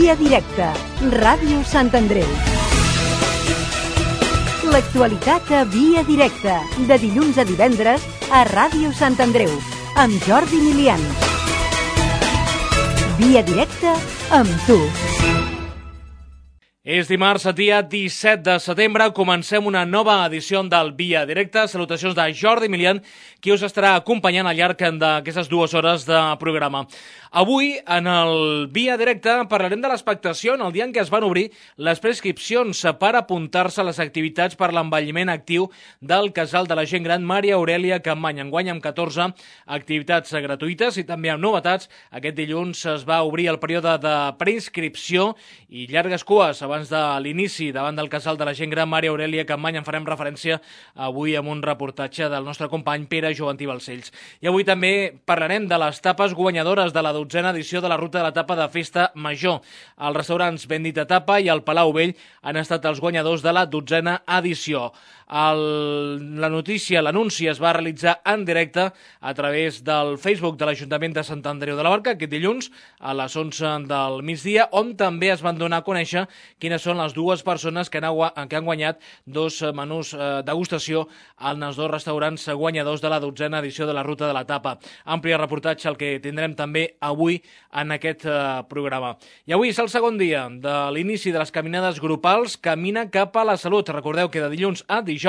Via Directa, Ràdio Sant Andreu. L'actualitat a Via Directa, de dilluns a divendres a Ràdio Sant Andreu, amb Jordi Milian. Via Directa amb tu. És dimarts, dia 17 de setembre, comencem una nova edició del Via Directa. Salutacions de Jordi Milian, qui us estarà acompanyant al llarg d'aquestes 2 hores de programa. Avui, en el Via Directa, parlarem de l'expectació en el dia en què es van obrir les prescripcions per apuntar-se a les activitats per l'envelliment actiu del Casal de la Gent Gran Maria Aurèlia Capmany. Enguany amb 14 activitats gratuïtes i també amb novetats. Aquest dilluns es va obrir el període de preinscripció i llargues cues abans de l'inici davant del Casal de la Gent Gran Maria Aurèlia Capmany. En farem referència avui amb un reportatge del nostre company Pere Joventí Balcells. I avui també parlarem de les tapes guanyadores de la 12a edició de la Ruta de la Tapa de Festa Major. Els restaurants Bendita Tapa i el Palau Vell han estat els guanyadors de la 12a edició. La notícia, l'anunci es va realitzar en directe a través del Facebook de l'Ajuntament de Sant Andreu de la Barca aquest dilluns a les 11 del migdia, on també es van donar a conèixer quines són les dues persones que han guanyat 2 menús degustació en els 2 restaurants guanyadors de la 12a edició de la Ruta de la Tapa. Ampli reportatge el que tindrem també avui en aquest programa. I avui és el segon dia de l'inici de les caminades grupals Camina cap a la Salut. Recordeu que de dilluns a dijous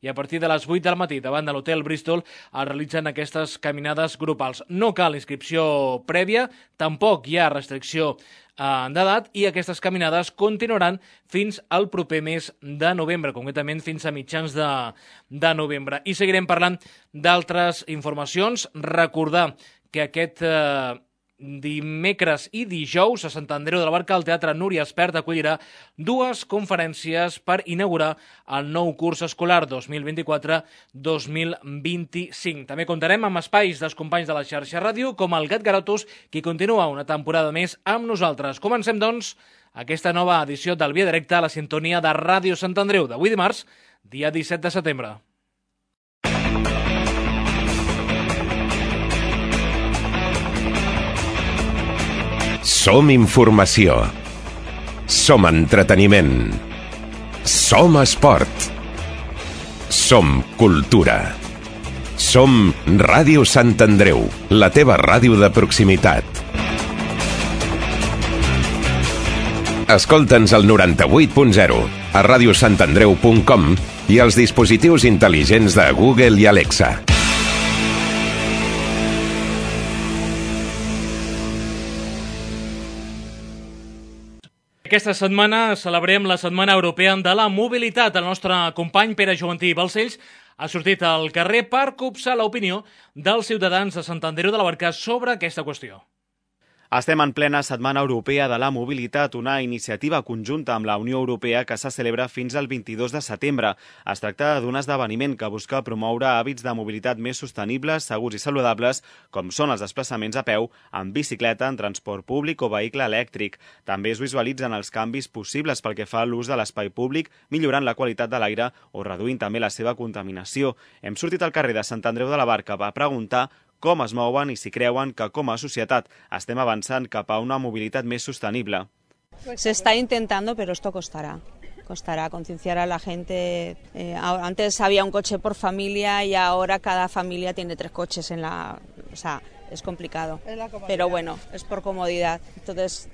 i a partir de les 8 del matí davant de l'Hotel Bristol es realitzen aquestes caminades grupals. No cal inscripció prèvia, tampoc hi ha restricció d'edat i aquestes caminades continuaran fins al proper mes de novembre, concretament fins a mitjans de novembre. I seguirem parlant d'altres informacions. Recordar que aquest dimecres i dijous a Sant Andreu de la Barca el Teatre Núria Espert acollirà 2 conferències per inaugurar el nou curs escolar 2024-2025. També comptarem amb espais dels companys de la xarxa ràdio com el Gat Garotos, qui continua una temporada més amb nosaltres. Comencem, doncs, aquesta nova edició del Via Directa a la sintonia de Ràdio Sant Andreu d'avui dimarts, dia 17 de setembre. Som informació. Som entreteniment. Som esport. Som cultura. Som Ràdio Sant Andreu, la teva ràdio de proximitat. Escolta'ns al 98.0, a radiosantandreu.com i als dispositius intel·ligents de Google i Alexa. Aquesta setmana celebrem la Setmana Europea de la Mobilitat. El nostre company Pere Joventí Balcells ha sortit al carrer per copsar l'opinió dels ciutadans de Sant Andreu de la Barca sobre aquesta qüestió. Estem en plena Setmana Europea de la Mobilitat, una iniciativa conjunta amb la Unió Europea que se celebra fins al 22 de setembre. Es tracta d'un esdeveniment que busca promoure hàbits de mobilitat més sostenibles, segurs i saludables, com són els desplaçaments a peu, en bicicleta, en transport públic o vehicle elèctric. També es visualitzen els canvis possibles pel que fa a l'ús de l'espai públic, millorant la qualitat de l'aire o reduint també la seva contaminació. Hem sortit al carrer de Sant Andreu de la Barca per preguntar com es mouen i si creuen que com a societat estem avançant cap a una mobilitat més sostenible. Se está intentando, pero esto costará. Costará concienciar a la gente. Antes había un coche por familia y ahora cada familia tiene 3 coches en la... O sea, es complicado. Pero bueno, es por comodidad. Entonces,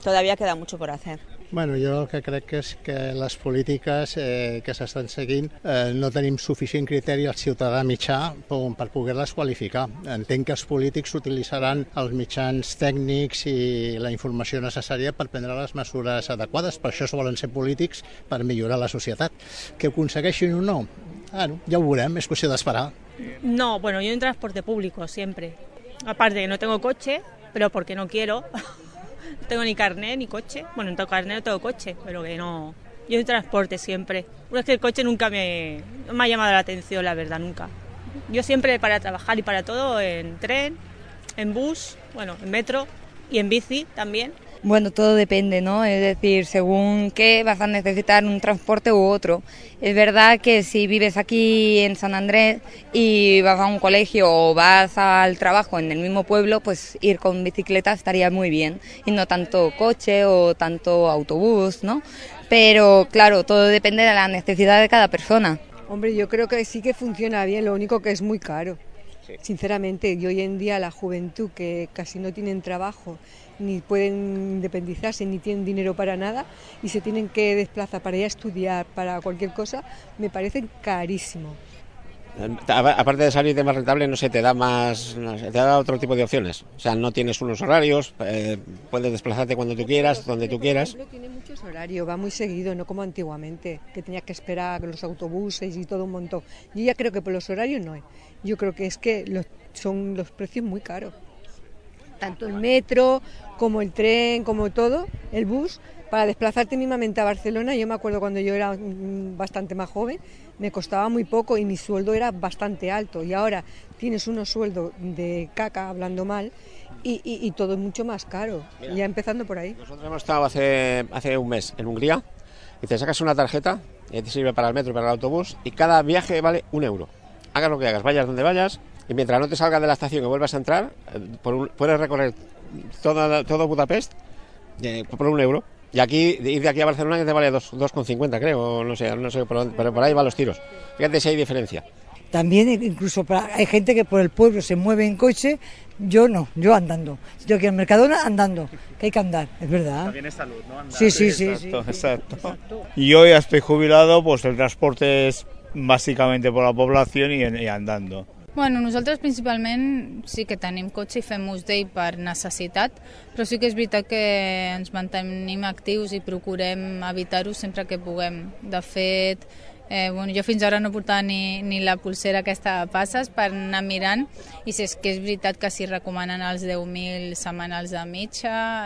todavía queda mucho por hacer. Bueno, jo el que crec és que les polítiques que s'estan seguint no tenim suficient criteri al ciutadà mitjà per poder-les qualificar. Entenc que els polítics utilitzaran els mitjans tècnics i la informació necessària per prendre les mesures adequades. Per això volen ser polítics, per millorar la societat. Que ho aconsegueixin o no? Ja ho veurem, és qüestió d'esperar. No, bueno, yo en transporte público siempre. Aparte que no tengo coche, pero porque no quiero. No tengo ni carnet ni coche. Bueno, no tengo carnet, no tengo coche, pero que no. Yo en transporte siempre. Es que el coche nunca me ha llamado la atención, la verdad, nunca. Yo siempre para trabajar y para todo en tren, en bus, bueno, en metro y en bici también. Bueno, todo depende, ¿no? Es decir, según qué vas a necesitar un transporte u otro. Es verdad que si vives aquí en San Andrés y vas a un colegio o vas al trabajo en el mismo pueblo, pues ir con bicicleta estaría muy bien y no tanto coche o tanto autobús, ¿no? Pero claro, todo depende de la necesidad de cada persona. Hombre, yo creo que sí que funciona bien, lo único que es muy caro. Sí. Sinceramente, y hoy en día la juventud que casi no tienen trabajo, ni pueden independizarse, ni tienen dinero para nada, y se tienen que desplazar para ir a estudiar, para cualquier cosa, me parece carísimo. Aparte de salir de más rentable, no sé, te da otro tipo de opciones. O sea, no tienes unos horarios, puedes desplazarte cuando tú quieras, donde tú quieras. Por ejemplo, tiene muchos horarios, va muy seguido, no como antiguamente, que tenías que esperar los autobuses y todo un montón. Yo ya creo que por los horarios no es. Yo creo que es que son los precios muy caros. Tanto el metro, como el tren, como todo, el bus, para desplazarte mínimamente a Barcelona. Yo me acuerdo cuando yo era bastante más joven, me costaba muy poco y mi sueldo era bastante alto. Y ahora tienes unos sueldos de caca, hablando mal, y todo es mucho más caro. Mira, ya empezando por ahí. Nosotros hemos estado hace un mes en Hungría y te sacas una tarjeta y te sirve para el metro y para el autobús y cada viaje vale €1. Hagas lo que hagas, vayas donde vayas. Y mientras no te salgas de la estación y vuelvas a entrar, puedes recorrer todo Budapest por €1. Y aquí, ir de aquí a Barcelona que te vale 2,50 creo, no sé, pero por ahí van los tiros. Fíjate si hay diferencia. También incluso hay gente que por el pueblo se mueve en coche, yo no, yo andando. Si tengo que ir al Mercadona, andando, que hay que andar, es verdad. También es salud, ¿no? Andar. Sí. Exacto. Yo ya estoy jubilado, pues el transporte es bàsicament per la població i andando. Bueno, nosaltres principalment sí que tenim cotxe i fem ús d'ell per necessitat, però sí que és veritat que ens mantenim actius i procurem evitar-ho sempre que puguem. De fet, jo fins ara no portava ni la pulsera aquesta de passes per anar mirant, i si és que és veritat que si recomanen els 10.000 setmanals de mitja,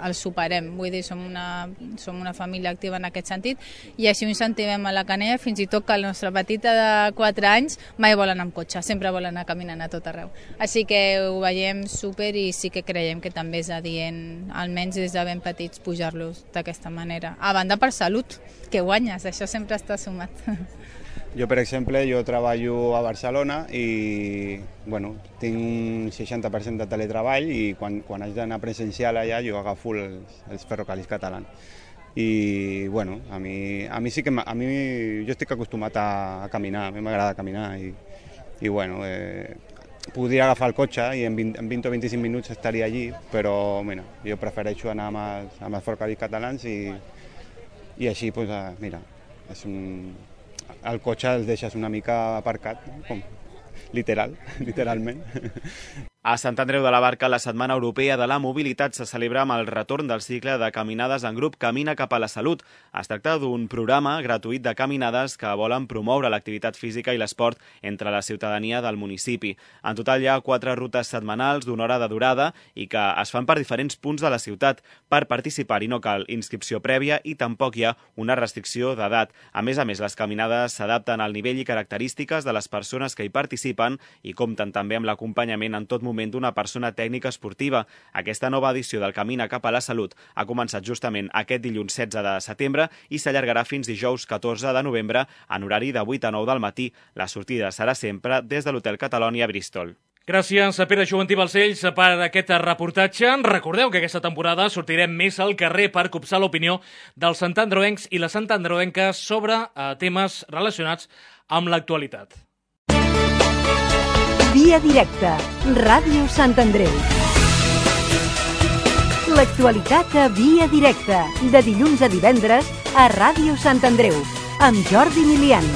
els superem. Vull dir, som una família activa en aquest sentit, i així ho incentivem a la Canella, fins i tot que la nostra petita de 4 anys mai vol anar amb cotxe, sempre vol anar caminant a tot arreu. Així que ho veiem súper i sí que creiem que també és adient, almenys des de ben petits, pujar-los d'aquesta manera. A banda per salut, que guanyes, això sempre està sumat. Jo, per exemple, treballo a Barcelona i tinc un 60% de teletreball i quan haig d'anar presencial allà jo agafo els ferrocarrils catalans. I a mi sí que jo estic acostumat a caminar, a mi m'agrada caminar i podria agafar el cotxe i en 20 o 25 minuts estaria allí, però jo prefereixo anar amb els ferrocarrils catalans i així, mira, el cotxe el deixes una mica aparcat, com literalment. A Sant Andreu de la Barca, la Setmana Europea de la Mobilitat se celebra amb el retorn del cicle de caminades en grup Camina cap a la Salut. Es tracta d'un programa gratuït de caminades que volen promoure l'activitat física i l'esport entre la ciutadania del municipi. En total hi ha 4 rutes setmanals d'una hora de durada i que es fan per diferents punts de la ciutat. Per participar-hi no cal inscripció prèvia i tampoc hi ha una restricció d'edat. A més, les caminades s'adapten al nivell i característiques de les persones que hi participen i compten també amb l'acompanyament en tot moment d'una persona tècnica esportiva. Aquesta nova edició del Camina cap a la Salut ha començat justament aquest dilluns 16 de setembre i s'allargarà fins dijous 14 de novembre en horari de 8 a 9 del matí. La sortida serà sempre des de l'Hotel Catalonia a Bristol. Gràcies a Pere Joventí Balcells per aquest reportatge. Recordeu que aquesta temporada sortirem més al carrer per copsar l'opinió dels santandreuencs i les santandreuenques sobre temes relacionats amb l'actualitat. Via directa, Ràdio Sant Andreu. L'actualitat a Via directa, de dilluns a divendres a Ràdio Sant Andreu, amb Jordi Milian.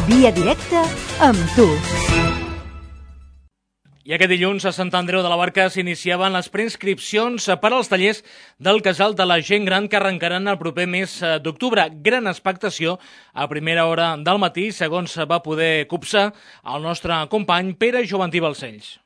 Via directa amb tu. I aquest dilluns a Sant Andreu de la Barca s'iniciaven les preinscripcions per als tallers del Casal de la Gent Gran que arrencaran el proper mes d'octubre. Gran expectació a primera hora del matí, segons va poder copsar el nostre company Pere Joventí Balcells.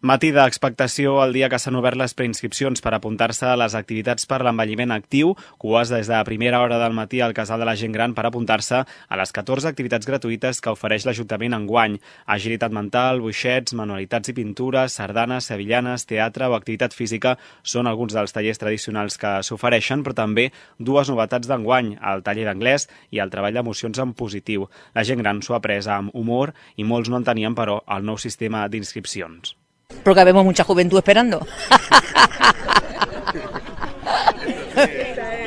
Matí d'expectació el dia que s'han obert les preinscripcions per apuntar-se a les activitats per l'envelliment actiu, cues des de primera hora del matí al Casal de la Gent Gran per apuntar-se a les 14 activitats gratuïtes que ofereix l'Ajuntament enguany. Agilitat mental, boixets, manualitats i pintures, sardanes, sevillanes, teatre o activitat física són alguns dels tallers tradicionals que s'ofereixen, però també dues novetats d'enguany, el taller d'anglès i el treball d'emocions en positiu. La gent gran s'ho ha pres amb humor i molts no entenien, però, el nou sistema d'inscripcions. Porque vemos mucha juventud esperando.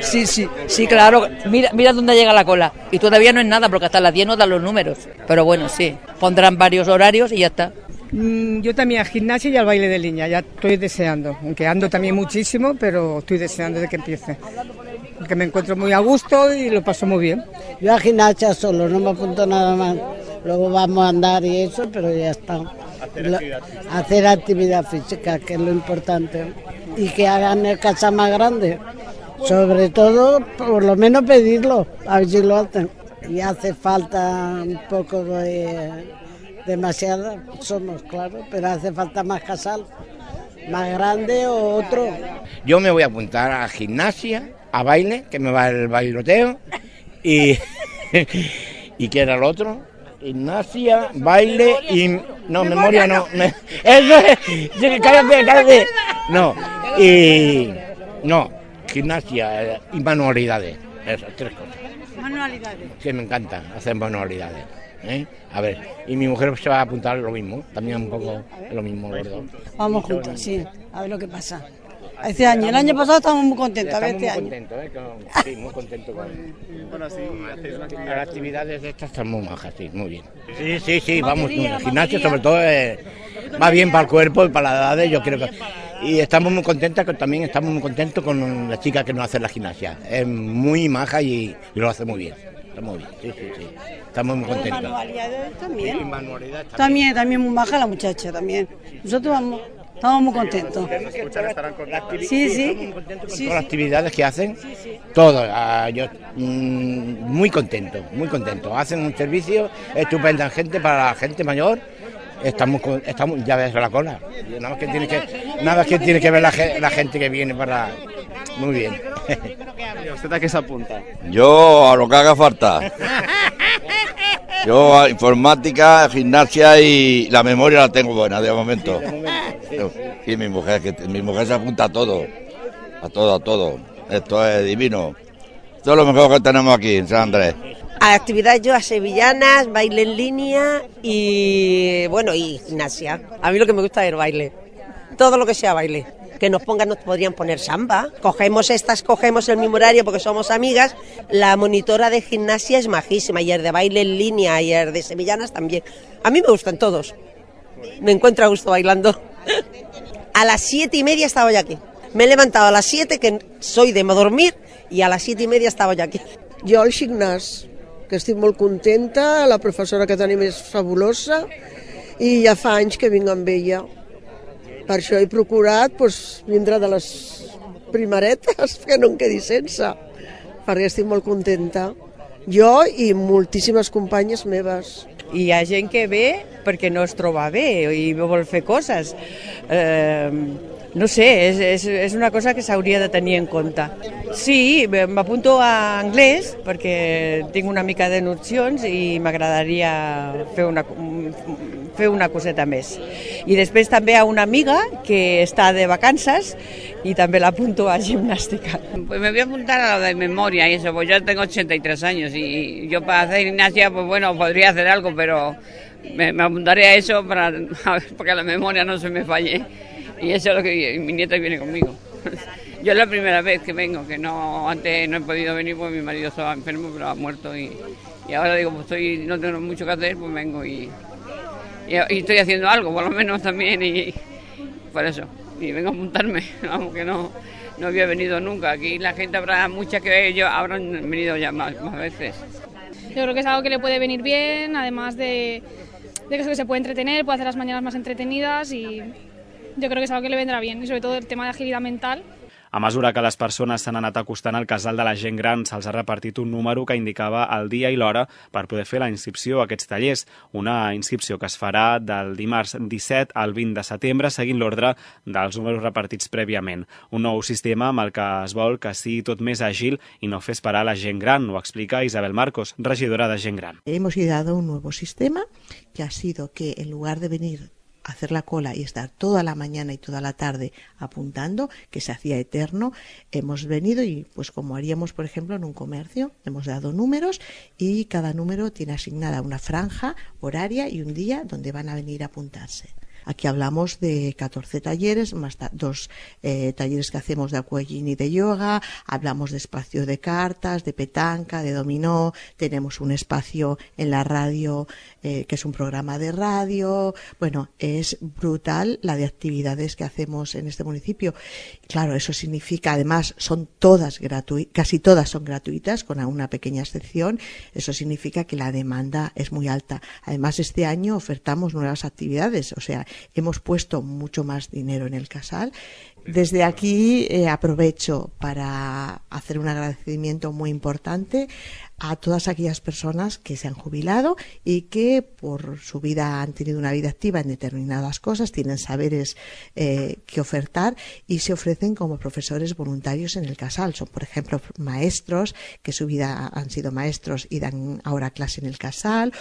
Sí, claro. Mira dónde llega la cola. Y todavía no es nada, porque hasta las 10 no dan los números. Pero bueno, sí. Pondrán varios horarios y ya está. Yo también al gimnasio y al baile de línea. Ya estoy deseando. Aunque ando también muchísimo, pero estoy deseando de que empiece. Porque me encuentro muy a gusto y lo paso muy bien. Yo al gimnasio solo, no me apunto nada más. Luego vamos a andar y eso, pero ya está. Hacer actividad física, que es lo importante. Y que hagan el casa más grande. Sobre todo, por lo menos pedirlo, a ver si lo hacen. Y hace falta un poco de... demasiada, somos, claro, pero hace falta más casal, más grande o otro. Yo me voy a apuntar a gimnasia, a baile, que me va el bailoteo, y ¿qué era el otro? Gimnasia, baile y... No, memoria no. Eso es... Cállate. No, y... No, gimnasia y manualidades, esas tres cosas. Manualidades. Sí, me encanta hacer manualidades. A ver, y mi mujer se va a apuntar lo mismo, también un poco lo mismo, gordo. Vamos juntos, sí, a ver lo que pasa. Este año, el año pasado estábamos muy contentos, a ver este año. Sí, muy contentos con las actividades de estas, están muy majas, sí, muy bien. Sí, vamos, el gimnasio sobre todo va bien para el cuerpo y para las edades, yo creo que... Y estamos muy contentos, también estamos muy contentos con la chica que nos hace la gimnasia. Es muy maja y lo hace muy bien. Está muy bien, sí. Estamos muy contentos. Manualidades también. También muy baja la muchacha también. Nosotros estamos muy contentos. Sí. Todas las actividades que hacen, todo. Yo muy contento. Hacen un servicio estupendo gente para la gente mayor. Estamos ya ves la cola. Nada más que tiene que ver la gente que viene para. Muy bien. ¿Y usted a qué se apunta? Yo a lo que haga falta. Yo a informática, gimnasia y la memoria la tengo buena de momento. Sí, mi mujer se apunta a todo. A todo. Esto es divino. Esto es lo mejor que tenemos aquí en San Andrés. A actividades yo a sevillanas, baile en línea y gimnasia. A mí lo que me gusta es el baile. Todo lo que sea baile. Que nos podrían poner samba. Cogemos el mismo horario porque somos amigas. La monitora de gimnasia es majísima y el de baile en línea y el de sevillanas también. A mí me gustan todos. Me encuentro a gusto bailando. A las 7:30 estaba ya aquí. Me he levantado a las 7, que soy de dormir, y a las 7:30 estava ja aquí. Jo al gimnàs, que estic molt contenta, la professora que tenim és fabulosa i ja fa anys que vinc amb ella. Per això he procurat vindre de les primeretes, que no em quedi sense, perquè estic molt contenta. Jo i moltíssimes companyes meves. I hi ha gent que ve perquè no es troba bé i vol fer coses. No sé, és una cosa que s'hauria de tenir en compte. Sí, m'apunto a anglès perquè tinc una mica de nocions i m'agradaria fer una coseta més. I després també a una amiga que està de vacances y también la apunto a gimnástica. Pues me voy a apuntar a lo de memoria y eso, pues yo tengo 83 años y yo para hacer gimnasia, pues bueno, podría hacer algo, pero me apuntaré a eso porque la memoria no se me falle. Y eso es lo que mi nieta viene conmigo. Yo es la primera vez que vengo, que antes no he podido venir porque mi marido estaba enfermo, pero ha muerto y ahora digo, pues no tengo mucho que hacer, pues vengo y estoy haciendo algo, por lo menos también, y por eso. Y vengo a apuntarme, vamos, que no había venido nunca. Aquí la gente habrá muchas que habrán venido ya más veces. Yo creo que es algo que le puede venir bien, además de que se puede entretener, puede hacer las mañanas más entretenidas y yo creo que es algo que le vendrá bien, y sobre todo el tema de agilidad mental. A mesura que les persones s'han anat acostant al casal de la gent gran, se'ls ha repartit un número que indicava el dia i l'hora per poder fer la inscripció a aquests tallers. Una inscripció que es farà del dimarts 17 al 20 de setembre, seguint l'ordre dels números repartits prèviament. Un nou sistema amb el que es vol que sigui tot més àgil i no fer esperar la gent gran, ho explica Isabel Marcos, regidora de gent gran. Hemos ideado un nuevo sistema que ha sido que en lugar de venir hacer la cola y estar toda la mañana y toda la tarde apuntando, que se hacía eterno, hemos venido y pues como haríamos por ejemplo en un comercio, hemos dado números y cada número tiene asignada una franja horaria y un día donde van a venir a apuntarse. Aquí hablamos de 14 talleres, más dos talleres que hacemos de aquagym y de yoga, hablamos de espacio de cartas, de petanca, de dominó, tenemos un espacio en la radio que es un programa de radio. Bueno, es brutal la de actividades que hacemos en este municipio. Claro, eso significa, además, son todas gratuitas, casi todas son gratuitas, con una pequeña excepción. Eso significa que la demanda es muy alta. Además, este año ofertamos nuevas actividades, o sea, hemos puesto mucho más dinero en el casal. Desde aquí aprovecho para hacer un agradecimiento muy importante a todas aquellas personas que se han jubilado y que por su vida han tenido una vida activa en determinadas cosas, tienen saberes que ofertar y se ofrecen como profesores voluntarios en el casal. Son, por ejemplo, maestros que su vida han sido maestros y dan ahora clase en el casal.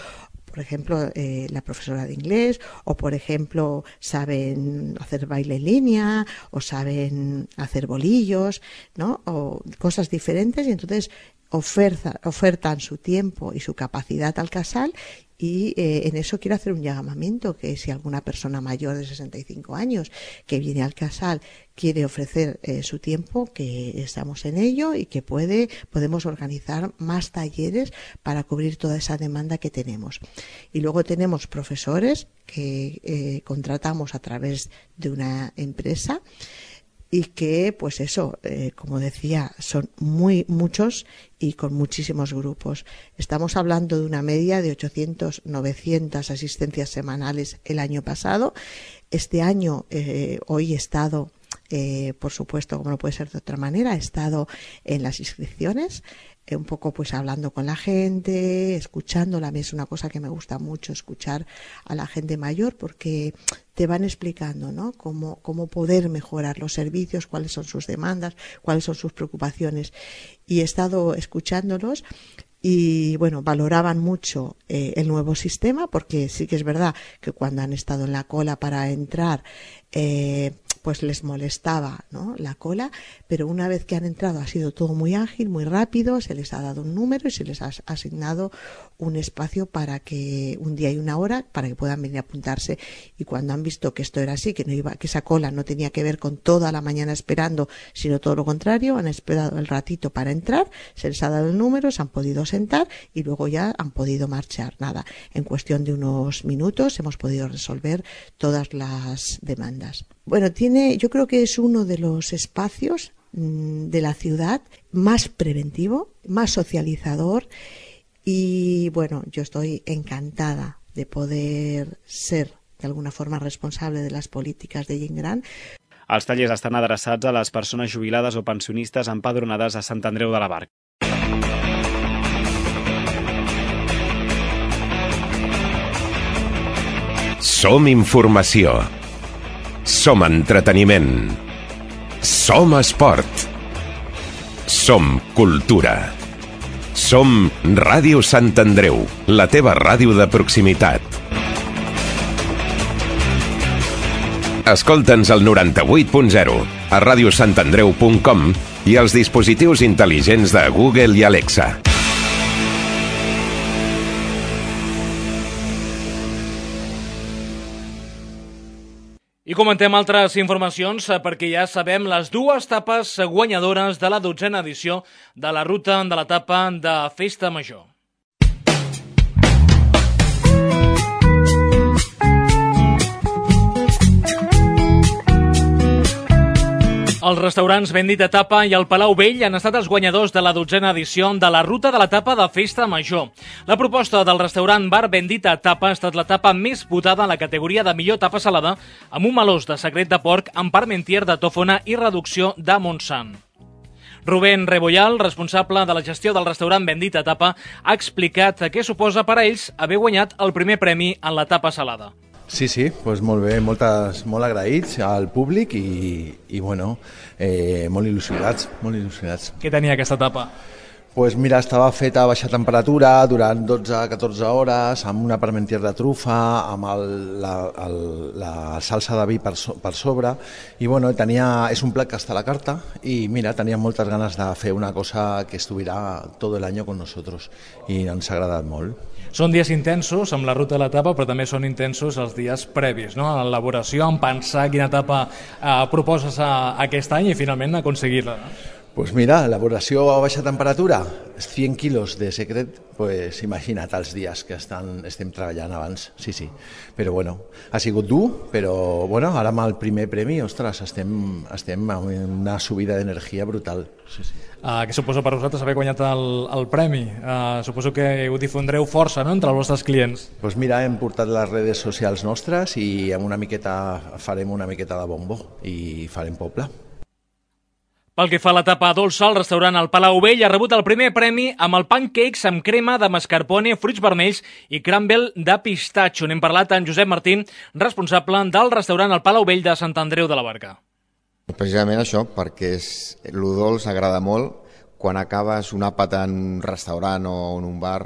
Por ejemplo, la profesora de inglés, o por ejemplo, saben hacer baile en línea, o saben hacer bolillos, ¿no? O cosas diferentes, y entonces ofertan su tiempo y su capacidad al casal. Y en eso quiero hacer un llamamiento, que si alguna persona mayor de 65 años que viene al casal quiere ofrecer su tiempo, que estamos en ello y que podemos organizar más talleres para cubrir toda esa demanda que tenemos. Y luego tenemos profesores que contratamos a través de una empresa y que, pues eso, como decía, son muchos y con muchísimos grupos. Estamos hablando de una media de 800, 900 asistencias semanales el año pasado. Este año, hoy he estado, por supuesto, como no puede ser de otra manera, he estado en las inscripciones, un poco pues hablando con la gente, escuchándola. A mí es una cosa que me gusta mucho, escuchar a la gente mayor, porque te van explicando, ¿no?, cómo poder mejorar los servicios, cuáles son sus demandas, cuáles son sus preocupaciones. Y he estado escuchándolos y, bueno, valoraban mucho el nuevo sistema, porque sí que es verdad que cuando han estado en la cola para entrar, pues les molestaba, ¿no?, la cola, pero una vez que han entrado ha sido todo muy ágil, muy rápido, se les ha dado un número y se les ha asignado un espacio para que un día y una hora para que puedan venir a apuntarse. Y cuando han visto que esto era así, que esa cola no tenía que ver con toda la mañana esperando, sino todo lo contrario, han esperado el ratito para entrar, se les ha dado el número, se han podido sentar y luego ya han podido marchar. Nada, en cuestión de unos minutos hemos podido resolver todas las demandas. Bueno, yo creo que es uno de los espacios de la ciudad más preventivo, más socializador, y bueno, yo estoy encantada de poder ser de alguna forma responsable de las políticas de gent gran. Els tallers estan adreçats a les persones jubilades o pensionistes empadronades a Sant Andreu de la Barca. Som informació. Som entreteniment. Som esport. Som cultura. Som Ràdio Sant Andreu, la teva ràdio de proximitat. Escolta'ns al 98.0, a radiosantandreu.com i als dispositius intel·ligents de Google i Alexa. I comentem altres informacions perquè ja sabem les dues etapes guanyadores de la 12a edició de la ruta de l'etapa de Festa Major. Els restaurants Bendita Tapa i el Palau Vell han estat els guanyadors de la 12a edició de la Ruta de la Tapa de Festa Major. La proposta del restaurant bar Bendita Tapa ha estat la tapa més votada en la categoria de millor tapa salada, amb un melós de secret de porc amb parmentier de tòfona i reducció de Montsant. Rubén Rebollal, responsable de la gestió del restaurant Bendita Tapa, ha explicat què suposa per a ells haver guanyat el primer premi en la tapa salada. Sí, doncs molt bé, molt agraïts al públic i bueno, molt il·lusionats. Què tenia aquesta tapa? Pues mira, estava feta a baixa temperatura durant 12-14 hores, amb una parmentier de trufa, amb la salsa de vi per sobre, i bueno, és un plat que està a la carta, i mira, tenia moltes ganes de fer una cosa que estuviera tot l'any con nosotros, i ens ha agradat molt. Són dies intensos amb la Ruta de la Tapa, però també són intensos els dies previs, no? A l'elaboració, en pensar quina tapa proposes aquest any i finalment aconseguir-la. Pues mira, elaboració a baixa temperatura, 100 quilos de secret, pues imagina't els dies que estem treballant abans, sí. Però bueno, ha sigut dur, però bueno, ara amb el primer premi, ostres, estem amb una subida d'energia brutal. Sí. Què suposa per vosaltres haver guanyat el premi? Suposo que ho difondreu força, no?, entre els vostres clients. Pues mira, hem portat les redes socials nostres i farem una miqueta de bombo i farem poble. Pel que fa a la tapa dolça, el restaurant El Palau Vell ha rebut el primer premi amb el pancakes amb crema de mascarpone, fruits vermells i crumble de pistatxo. N'hem parlat amb Josep Martín, responsable del restaurant El Palau Vell de Sant Andreu de la Barca. Precisament això, perquè lo dolç agrada molt. Quan acabes un àpat en un restaurant o en un bar,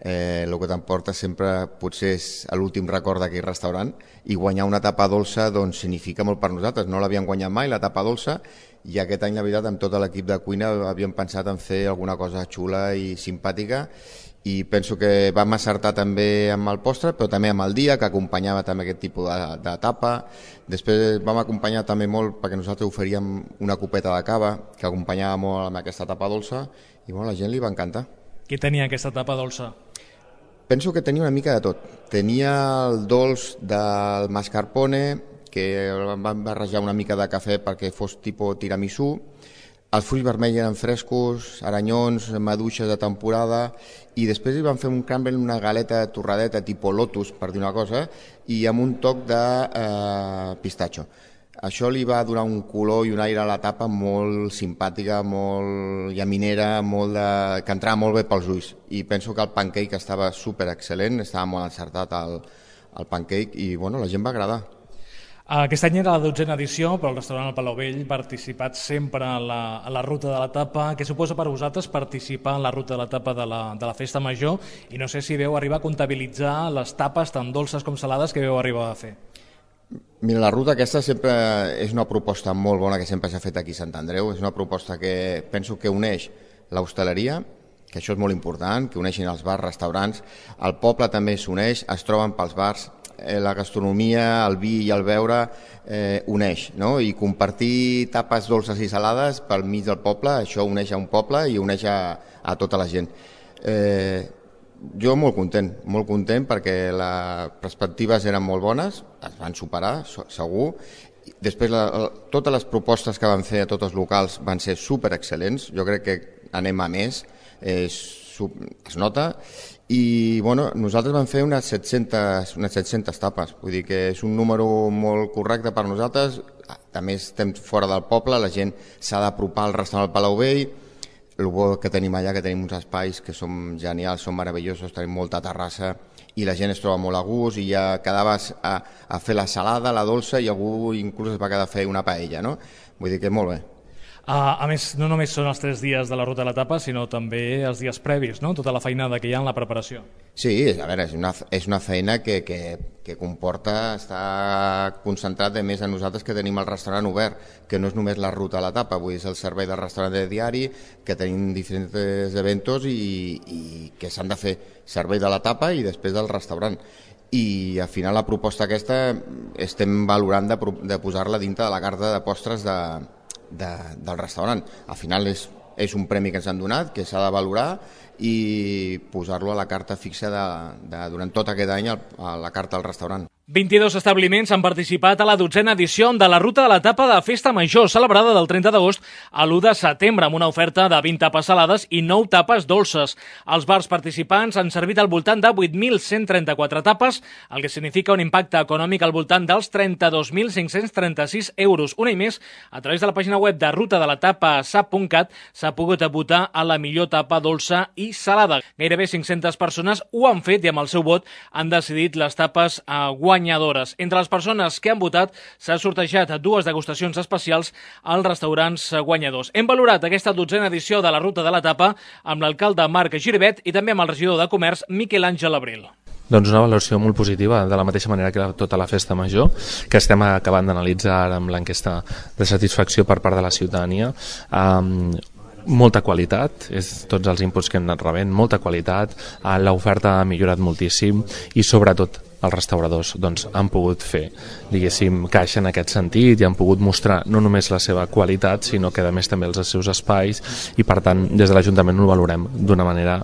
el que t'emporta sempre potser és l'últim record d'aquell restaurant, i guanyar una tapa dolça doncs significa molt per nosaltres. No l'havíem guanyat mai, la tapa dolça, i aquest any, la veritat, amb tot l'equip de cuina havíem pensat en fer alguna cosa xula i simpàtica, i penso que vam acertar també amb el postre, però també amb el dia, que acompanyava també aquest tipus de tapa. Després vam acompanyar també molt, perquè nosaltres oferíem una copeta de cava, que acompanyava molt amb aquesta tapa dolça, i bueno, a la gent li va encantar. Què tenia aquesta tapa dolça? Penso que tenia una mica de tot. Tenia el dolç del mascarpone, que vam barrejar una mica de cafè perquè fos tipus tiramisú. Els fruits vermells eren frescos, aranyons, maduixes de temporada, i després hi vam fer un crumble, una galeta torradeta tipus lotus, per dir una cosa, i amb un toc de pistatxo. Això li va donar un color i un aire a la tapa molt simpàtica, molt llaminera, que entrava molt bé pels ulls. I penso que el pancake estava super excel·lent, estava molt encertat el pancake, i bueno, la gent va agradar. Aquest any era la 12a edició, però el restaurant El Palau Vell ha participat sempre a la Ruta de la Tapa. Què suposa per vosaltres participar en la Ruta de la Tapa de la Festa Major? I no sé si veu arribar a comptabilitzar les tapes tan dolces com salades que veu arribar a fer. Mira, la ruta aquesta sempre és una proposta molt bona que sempre s'ha fet aquí a Sant Andreu. És una proposta que penso que uneix l'hostaleria, que això és molt important, que uneixin els bars, restaurants. El poble també s'uneix, es troben pels bars, la gastronomia, el vi i el beure uneix, no? I compartir tapes dolces i salades pel mig del poble, això uneix a un poble i uneix a tota la gent. Jo molt content perquè les perspectives eren molt bones, es van superar, segur. Després, totes les propostes que van fer a tots els locals van ser super excel·lents. Jo crec que anem a més, es nota. I bueno, nosaltres vam fer unes 700 tapes, vull dir que és un número molt correcte per nosaltres. També estem fora del poble, la gent s'ha d'apropar al restaurant del Palau Vell. El bo que tenim allà, que tenim uns espais que són genials, són meravellosos, tenim molta terrassa i la gent es troba molt a gust, i ja quedaves a fer la salada, la dolça, i algú inclús es va quedar a fer una paella, no? Vull dir que molt bé. A més, no només són els 3 dies de la Ruta de la Tapa, sinó també els dies previs, no? Tota la feinada que hi ha en la preparació. Sí, a veure, és una feina que comporta estar concentrat de més a nosaltres, que tenim el restaurant obert, que no és només la Ruta de la Tapa, vull dir, és el servei del restaurant de diari, que tenim diferents eventos i que s'han de fer servei de la tapa i després del restaurant. I al final la proposta aquesta estem valorant de posar-la dintre de la carta de postres del restaurant. Al final és un premi que ens han donat, que s'ha de valorar, i posar-lo a la carta fixa durant tot aquest any a la carta del restaurant. 22 establiments han participat a la 12a edició de la Ruta de la Tapa de Festa Major, celebrada del 30 d'agost a l'1 de setembre, amb una oferta de 20 tapes salades i 9 tapes dolces. Els bars participants han servit al voltant de 8.134 tapes, el que significa un impacte econòmic al voltant dels 32.536 euros. Una i més, a través de la pàgina web de rutadelatapa.sap.cat s'ha pogut votar a la millor tapa dolça i salada. Gairebé 500 persones ho han fet i amb el seu vot han decidit les tapes guanyadores. Entre les persones que han votat s'ha sortejat 2 degustacions especials als restaurants guanyadors. Hem valorat aquesta 12a edició de la Ruta de la Tapa amb l'alcalde Marc Giribet i també amb el regidor de Comerç Miquel Àngel Abril. Doncs una valoració molt positiva, de la mateixa manera que tota la festa major, que estem acabant d'analitzar ara amb l'enquesta de satisfacció per part de la ciutadania. Molta qualitat, tots els inputs que hem anat rebent, molta qualitat, l'oferta ha millorat moltíssim i sobretot els restauradors han pogut fer, diguéssim, caixa en aquest sentit i han pogut mostrar no només la seva qualitat, sinó que a més també els seus espais i per tant des de l'Ajuntament ho valorem d'una manera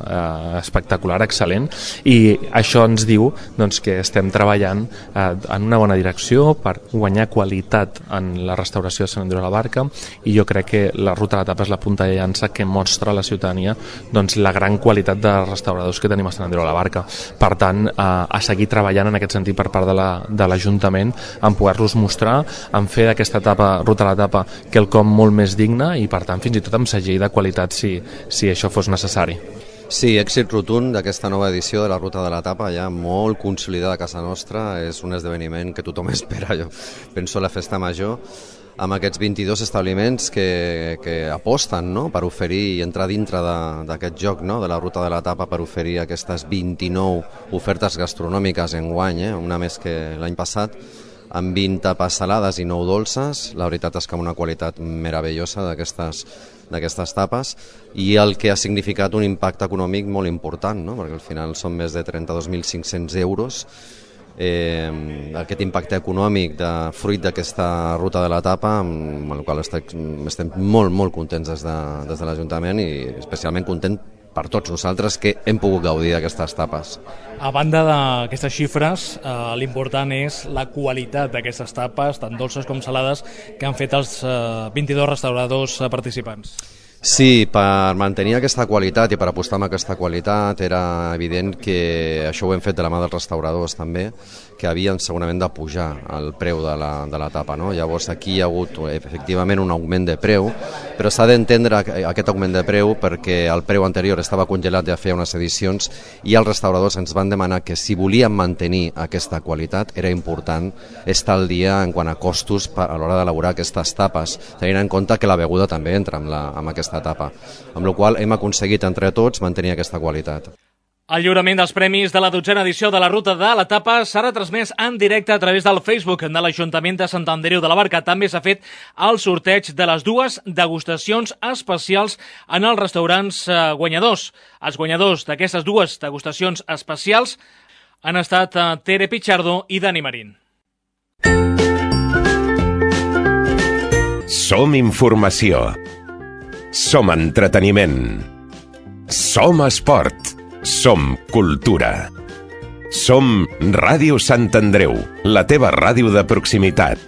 espectacular, excel·lent, i això ens diu que estem treballant en una bona direcció per guanyar qualitat en la restauració de Sant Andreu de la Barca i jo crec que la Ruta de la Tapa és la punta de llança que mostra a la ciutadania la gran qualitat de restauradors que tenim a Sant Andreu de la Barca. Per tant, a seguir treballant en aquest sentit per part de l'Ajuntament en poder-los mostrar, en fer d'aquesta Ruta de la Tapa quelcom molt més digne i per tant fins i tot amb segell de qualitat si això fos necessari. Sí, èxit rotund d'aquesta nova edició de la Ruta de la Tapa, ja molt consolidada a casa nostra, és un esdeveniment que tothom espera, jo penso la festa major, amb aquests 22 establiments que aposten per oferir i entrar dintre d'aquest joc de la Ruta de la Tapa per oferir aquestes 29 ofertes gastronòmiques enguany, una més que l'any passat, amb 20 tapes salades i 9 dolces. La veritat és que amb una qualitat meravellosa d'aquestes tapes i el que ha significat un impacte econòmic molt important, perquè al final són més de 32.500 euros. Aquest impacte econòmic de fruit d'aquesta Ruta de la Tapa, amb el qual estem molt contents des de l'Ajuntament i especialment content per tots nosaltres que hem pogut gaudir d'aquestes tapes. A banda d'aquestes xifres, l'important és la qualitat d'aquestes tapes, tant dolces com salades, que han fet els 22 restauradors participants. Sí, per mantenir aquesta qualitat i per apostar amb aquesta qualitat era evident que això ho hem fet de la mà dels restauradors també, que havien segurament de pujar el preu de la tapa. Llavors aquí hi ha hagut efectivament un augment de preu, però s'ha d'entendre aquest augment de preu perquè el preu anterior estava congelat ja feia unes edicions i els restauradors ens van demanar que si volíem mantenir aquesta qualitat era important estar al dia en quant a costos a l'hora d'elaborar aquestes tapes, tenint en compte que la beguda també entra amb aquesta tapa, amb la qual hem aconseguit entre tots mantenir aquesta qualitat. El lliurament dels premis de la 12a edició de la Ruta de la Tapa serà transmès en directe a través del Facebook de l'Ajuntament de Sant Andreu de la Barca. També s'ha fet el sorteig de les 2 degustacions especials en els restaurants guanyadors. Els guanyadors d'aquestes 2 degustacions especials han estat Tere Pichardo i Dani Marín. Som informació. Som entreteniment. Som esport. Som cultura. Som Ràdio Sant Andreu, la teva ràdio de proximitat.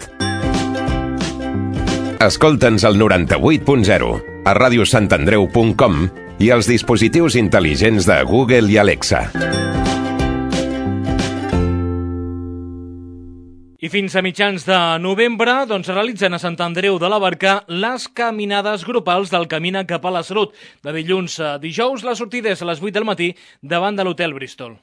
Escolta'ns al 98.0, a radiosantandreu.com i als dispositius intel·ligents de Google i Alexa. I fins a mitjans de novembre realitzen a Sant Andreu de la Barca les caminades grupals del Camina cap a la Salut. De dilluns a dijous, la sortida és a les 8 del matí davant de l'Hotel Bristol.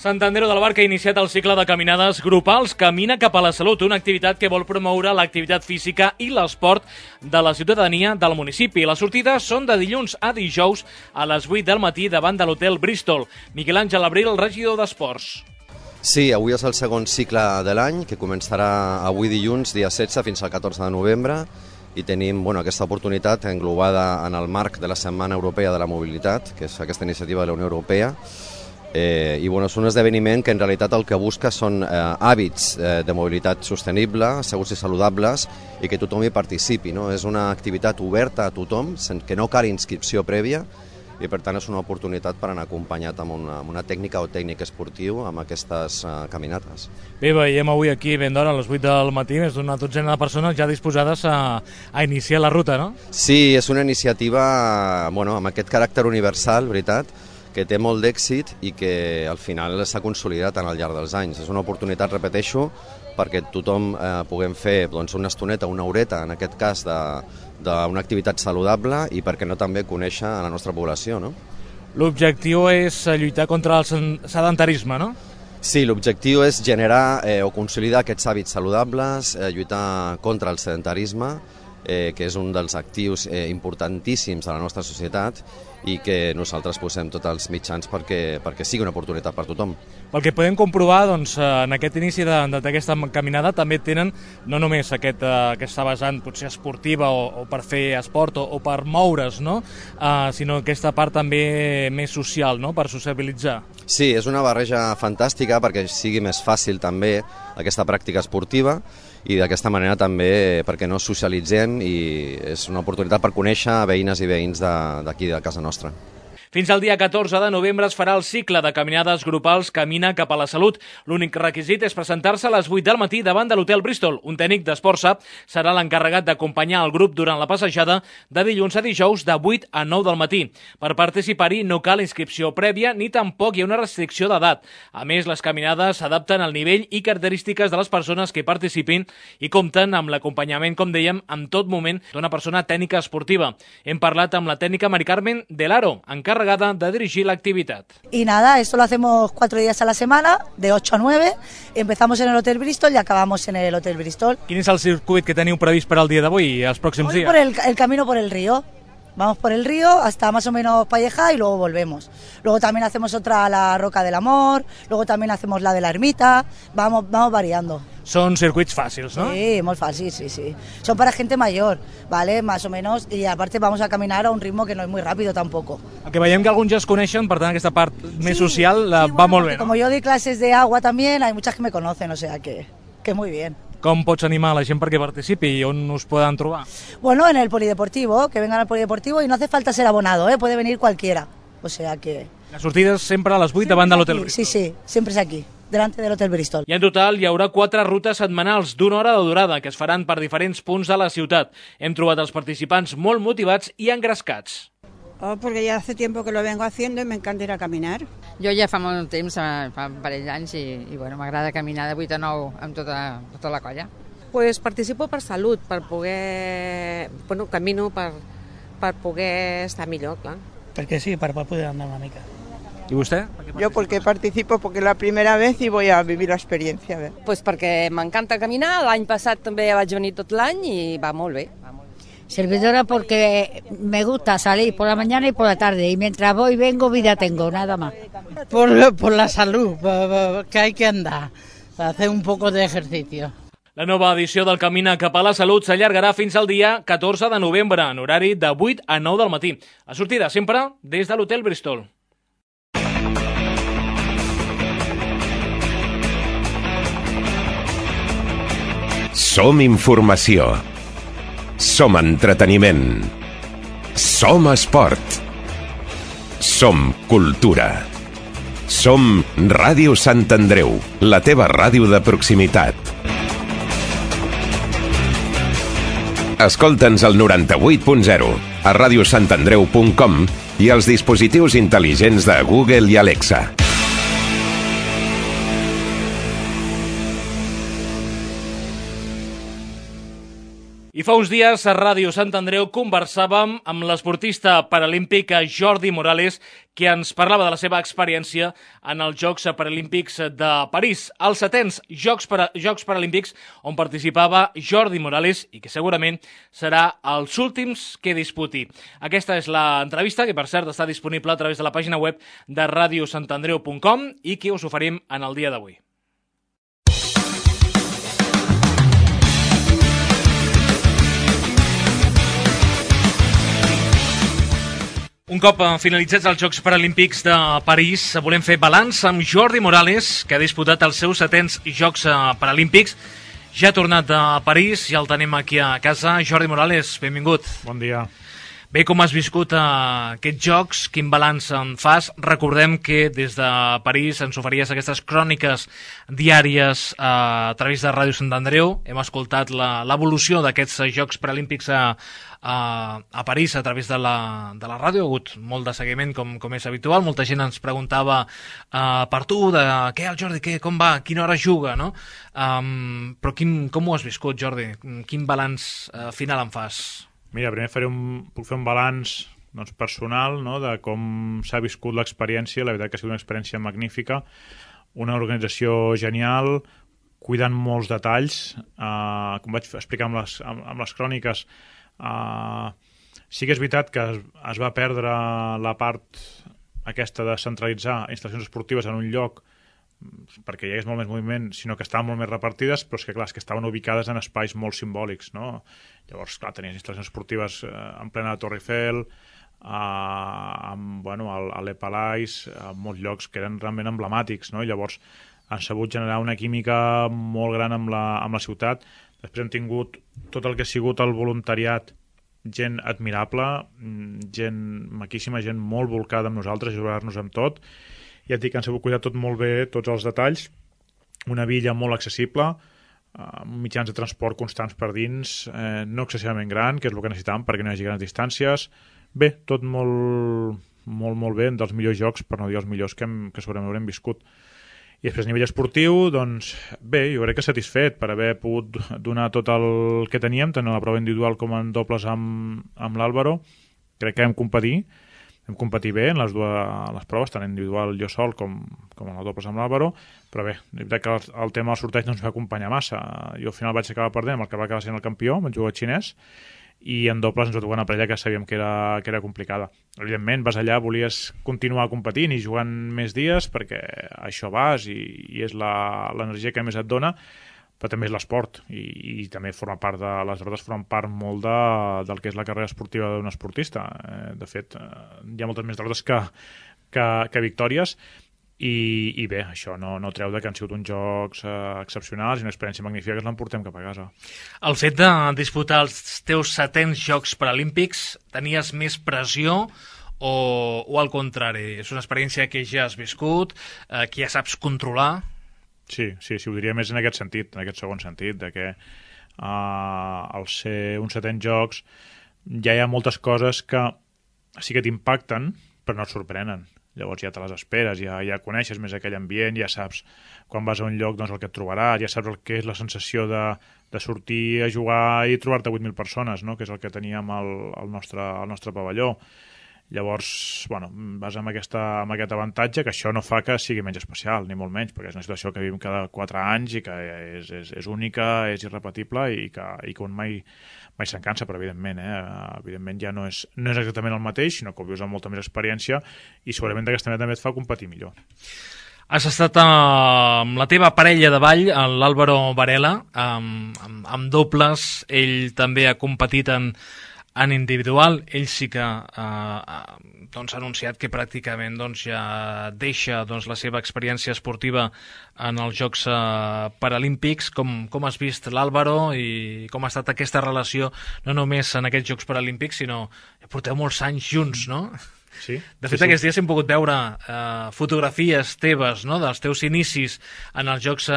Sant Andreu de la Barca ha iniciat el cicle de caminades grupals Camina cap a la Salut, una activitat que vol promoure l'activitat física i l'esport de la ciutadania del municipi. Les sortides són de dilluns a dijous a les 8 del matí davant de l'Hotel Bristol. Miquel Àngel Abril, el regidor d'Esports. Sí, avui és el segon cicle de l'any, que començarà avui dilluns, dia 16, fins al 14 de novembre, i tenim aquesta oportunitat englobada en el marc de la Setmana Europea de la Mobilitat, que és aquesta iniciativa de la Unió Europea, I bueno, és un esdeveniment que en realitat el que busca són hàbits de mobilitat sostenible, segurs i saludables, i que tothom hi participi, no? És una activitat oberta a tothom, que no cal inscripció prèvia, i per tant és una oportunitat per anar acompanyat amb una tècnica o tècnic esportiu amb aquestes caminates. Bé, veiem avui aquí ben d'hora, a les 8 del matí, més d'una dotzena de persones ja disposades a iniciar la ruta, no? Sí, és una iniciativa amb aquest caràcter universal, veritat, que té molt d'èxit i que al final s'ha consolidat al llarg dels anys. És una oportunitat, repeteixo, perquè tothom puguem fer una estoneta, una horeta, en aquest cas, d'una activitat saludable i perquè no també conèixer a la nostra població, no? L'objectiu és lluitar contra el sedentarisme, no? Sí, l'objectiu és generar o consolidar aquests hàbits saludables, lluitar contra el sedentarisme, que és un dels actius importantíssims de la nostra societat i que nosaltres posem tots els mitjans perquè sigui una oportunitat per tothom. Pel que podem comprovar, doncs, en aquest inici d'aquesta caminada també tenen no només aquesta vessant potser esportiva o per fer esport o per moure's, no? Sinó aquesta part també més social, no? Per sociabilitzar. Sí, és una barreja fantàstica perquè sigui més fàcil també aquesta pràctica esportiva i d'aquesta manera també perquè no socialitzem i és una oportunitat per conèixer veïnes i veïns d'aquí de casa nostra. Fins al dia 14 de novembre es farà el cicle de caminades grupals Camina cap a la Salut. L'únic requisit és presentar-se a les 8 del matí davant de l'Hotel Bristol. Un tècnic d'Esportsa serà l'encarregat d'acompanyar el grup durant la passejada de dilluns a dijous de 8 a 9 del matí. Per participar-hi no cal inscripció prèvia ni tampoc hi ha una restricció d'edat. A més, les caminades s'adapten al nivell i característiques de les persones que participin i compten amb l'acompanyament, com dèiem, en tot moment d'una persona tècnica esportiva. Hem parlat amb la tècnica Mari Carmen del Aro, encarregada de dirigir la actividad. Y nada, esto lo hacemos 4 días a la semana, de 8 a 9, empezamos en el Hotel Bristol y acabamos en el Hotel Bristol. Quin és el circuit que teniu previst per al dia d'avui i els pròxims dies? Por el camino por el río. Vamos por el río hasta más o menos Palleja y luego volvemos. Luego también hacemos otra a la Roca del Amor, luego también hacemos la de la Ermita, vamos variando. Són circuits fàcils, no? Sí, molt fàcils, sí. Son para gente mayor, ¿vale? Más o menos, y aparte vamos a caminar a un ritmo que no es muy rápido tampoco. El que veiem que alguns ja es coneixen, per tant aquesta part més social va molt bé, no? Como yo doy clases de agua también, hay muchas que me conocen, o sea que muy bien. Com pots animar a la gent perquè participi i on us poden trobar? Bueno, en el polideportivo, que vengan al polideportivo y no hace falta ser abonado, puede venir cualquiera, o sea que... La sortida és sempre a les 8 davant de l'Hotel Bristol. Sí, sempre és aquí, delante del Hotel Bristol. I en total hi haurà 4 rutes setmanals d'1 hora de durada que es faran per diferents punts de la ciutat. Hem trobat els participants molt motivats i engrescats. Porque ya hace tiempo que lo vengo haciendo y me encanta ir a caminar. Jo ja fa molt temps, fa un parell d'anys, i bueno, m'agrada caminar de 8 a 9 amb tota la colla. Pues participo per salut, per poder... Bueno, camino per poder estar millor, clar. Perquè sí, per poder andar una mica. ¿Y usted? Yo porque participo, porque es la primera vez y voy a vivir la experiencia. Pues perquè m'encanta caminar, l'any passat també vaig venir tot l'any i va molt bé. Servidora porque me gusta salir por la mañana y por la tarde y mientras voy y vengo vida tengo, nada más. Por la salud, que hay que andar, hacer un poco de ejercicio. La nova edició del Camina cap a la Salut s'allargarà fins al dia 14 de novembre, en horari de 8 a 9 del matí. La sortida sempre des de l'Hotel Bristol. Som informació. Som entreteniment. Som esport. Som cultura. Som Ràdio Sant Andreu, la teva ràdio de proximitat. Escolta'ns al 98.0, a radiosantandreu.com i als dispositius intel·ligents de Google i Alexa. I fa uns dies a Ràdio Sant Andreu conversàvem amb l'esportista paralímpic Jordi Morales, que ens parlava de la seva experiència en els Jocs Paralímpics de París, els 7è Jocs Paralímpics on participava Jordi Morales i que segurament serà els últims que disputi. Aquesta és l'entrevista, que per cert està disponible a través de la pàgina web de radiosantandreu.com i que us oferim en el dia d'avui. Un cop finalitzats els Jocs Paralímpics de París, volem fer balanç amb Jordi Morales, que ha disputat els seus 7è Jocs Paralímpics. Ja ha tornat a París, ja el tenim aquí a casa. Jordi Morales, benvingut. Bon dia. Bé, com has viscut aquests Jocs? Quin balanç en fas? Recordem que des de París ens oferies aquestes cròniques diàries a través de Ràdio Sant Andreu. Hem escoltat l'evolució d'aquests Jocs Paralímpics a París a través de la ràdio. Ha hagut molt de seguiment, com és habitual. Molta gent ens preguntava per tu, de què el Jordi, com va, a quina hora juga, no? Però com ho has viscut, Jordi? Quin balanç final en fas? Mira, primer puc fer un balanç personal, no?, de com s'ha viscut l'experiència. La veritat que ha sigut una experiència magnífica, una organització genial, cuidant molts detalls. Com vaig explicar amb les cròniques, sí que és veritat que es va perdre la part aquesta de centralitzar instal·lacions esportives en un lloc perquè hi hagués molt més moviment, sinó que estaven molt més repartides, però és que, clar, que estaven ubicades en espais molt simbòlics, no? Llavors, clar, tenies instal·lacions esportives en plena Torre Eiffel, a l'Epalais, a molts llocs que eren realment emblemàtics, no? I llavors han sabut generar una química molt gran amb la ciutat. Després hem tingut tot el que ha sigut el voluntariat, gent admirable, gent maquíssima, gent molt volcada amb nosaltres, ajudar-nos amb tot. Ja et dic que han sabut cuidar tot molt bé, tots els detalls. Una villa molt accessible, mitjans de transport constants per dins, no excessivament gran, que és el que necessitàvem perquè no hi hagi grans distàncies. Bé, tot molt, molt, molt bé, dels millors jocs, per no dir els millors que segurament haurem viscut. I després a nivell esportiu, doncs bé, jo crec que satisfet per haver pogut donar tot el que teníem, tant a la prova individual com en dobles amb l'Àlvaro. Crec que vam competir bé en les proves, tant individual jo sol com en el dobles amb l'Àlvaro, però bé, és veritat que el tema del sorteig no ens va acompanyar massa. Jo al final vaig acabar perdent amb el que va acabar sent el campió, vaig jugar xinès, i en dobles ens va tocar una parella que sabíem que era complicada. Evidentment, vas allà, volies continuar competint i jugant més dies, perquè això vas i és l'energia que més et dona, però també és l'esport i també forma part les derrotes formen part molt del que és la carrera esportiva d'un esportista. De fet, hi ha moltes més derrotes que victòries i bé, això no treu que han sigut uns jocs excepcionals i una experiència magnífica que ens l'emportem cap a casa. El fet de disputar els teus 7è Jocs Paralímpics, tenies més pressió o al contrari? És una experiència que ja has viscut, que ja saps controlar? Sí, ho diria més en aquest sentit, en aquest segon sentit, de que al ser uns 7è Jocs ja hi ha moltes coses que sí que t'impacten, però no et sorprenen. Llavors ja te les esperes, ja coneixes més aquell ambient, ja saps quan vas a un lloc doncs, el que et trobaràs, ja saps el que és la sensació de sortir a jugar i trobar-te 8.000 persones, no?, que és el que teníem al nostre pavelló. Llavors, vas amb aquest avantatge, que això no fa que sigui menys especial, ni molt menys, perquè és una situació que vivim cada 4 anys i que és única, és irrepetible i que un mai se'n cansa, però evidentment ja no és exactament el mateix, sinó que ho vius amb molta més experiència i segurament d'aquesta manera també et fa competir millor. Has estat amb la teva parella de ball, l'Álvaro Varela, amb dobles. Ell també ha competit en individual. Ell sí que ha anunciat que pràcticament ja deixa la seva experiència esportiva en els Jocs Paralímpics. Com has vist l'Àlvaro i com ha estat aquesta relació, no només en aquests Jocs Paralímpics, sinó que porteu molts anys junts, no? Sí. De fet, aquests dies hem pogut veure fotografies teves, no?, dels teus inicis en els Jocs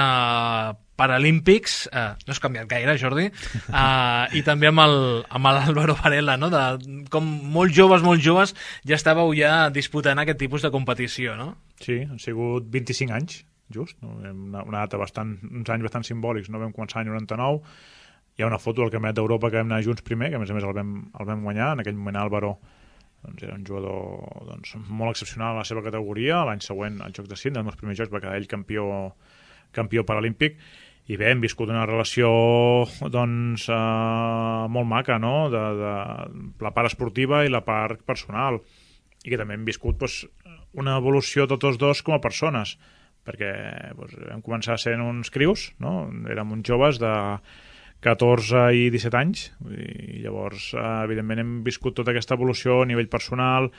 Paralímpics. No has canviat gaire, Jordi. I també amb l'Álvaro Varela, no?, com molt joves ja estàveu ja disputant aquest tipus de competició, no? Sí, han sigut 25 anys, just. Una data uns anys bastant simbòlics. No vam començar l'any 99. Hi ha una foto del Campionat d'Europa que vam anar junts primer, que a més el vam guanyar. En aquell moment Álvaro era un jugador molt excepcional a la seva categoria. L'any següent, als Jocs de Sydney, els meus primers jocs, va quedar ell campió paralímpic. I bé, hem viscut una relació molt maca, no?, de la part esportiva i la part personal, i que també hem viscut una evolució tots dos com a persones, perquè vam començar sent uns crius, no?, érem uns joves de 14 i 17 anys, i llavors evidentment hem viscut tota aquesta evolució a nivell personal,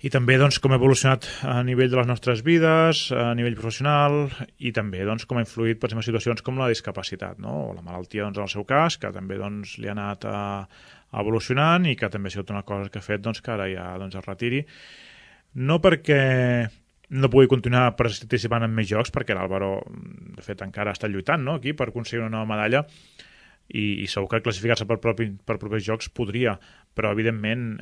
I també doncs, com ha evolucionat a nivell de les nostres vides, a nivell professional, i també doncs, com ha influït per exemple, situacions com la discapacitat, no? O la malaltia doncs, en el seu cas, que també doncs, li ha anat evolucionant i que també ha sigut una cosa que ha fet doncs, que ara ja doncs, es retiri. No perquè no pugui continuar participant en més jocs, perquè l'Álvaro, de fet, encara està lluitant, no? Aquí per aconseguir una nova medalla, i segur que classificar-se per propers jocs podria, però evidentment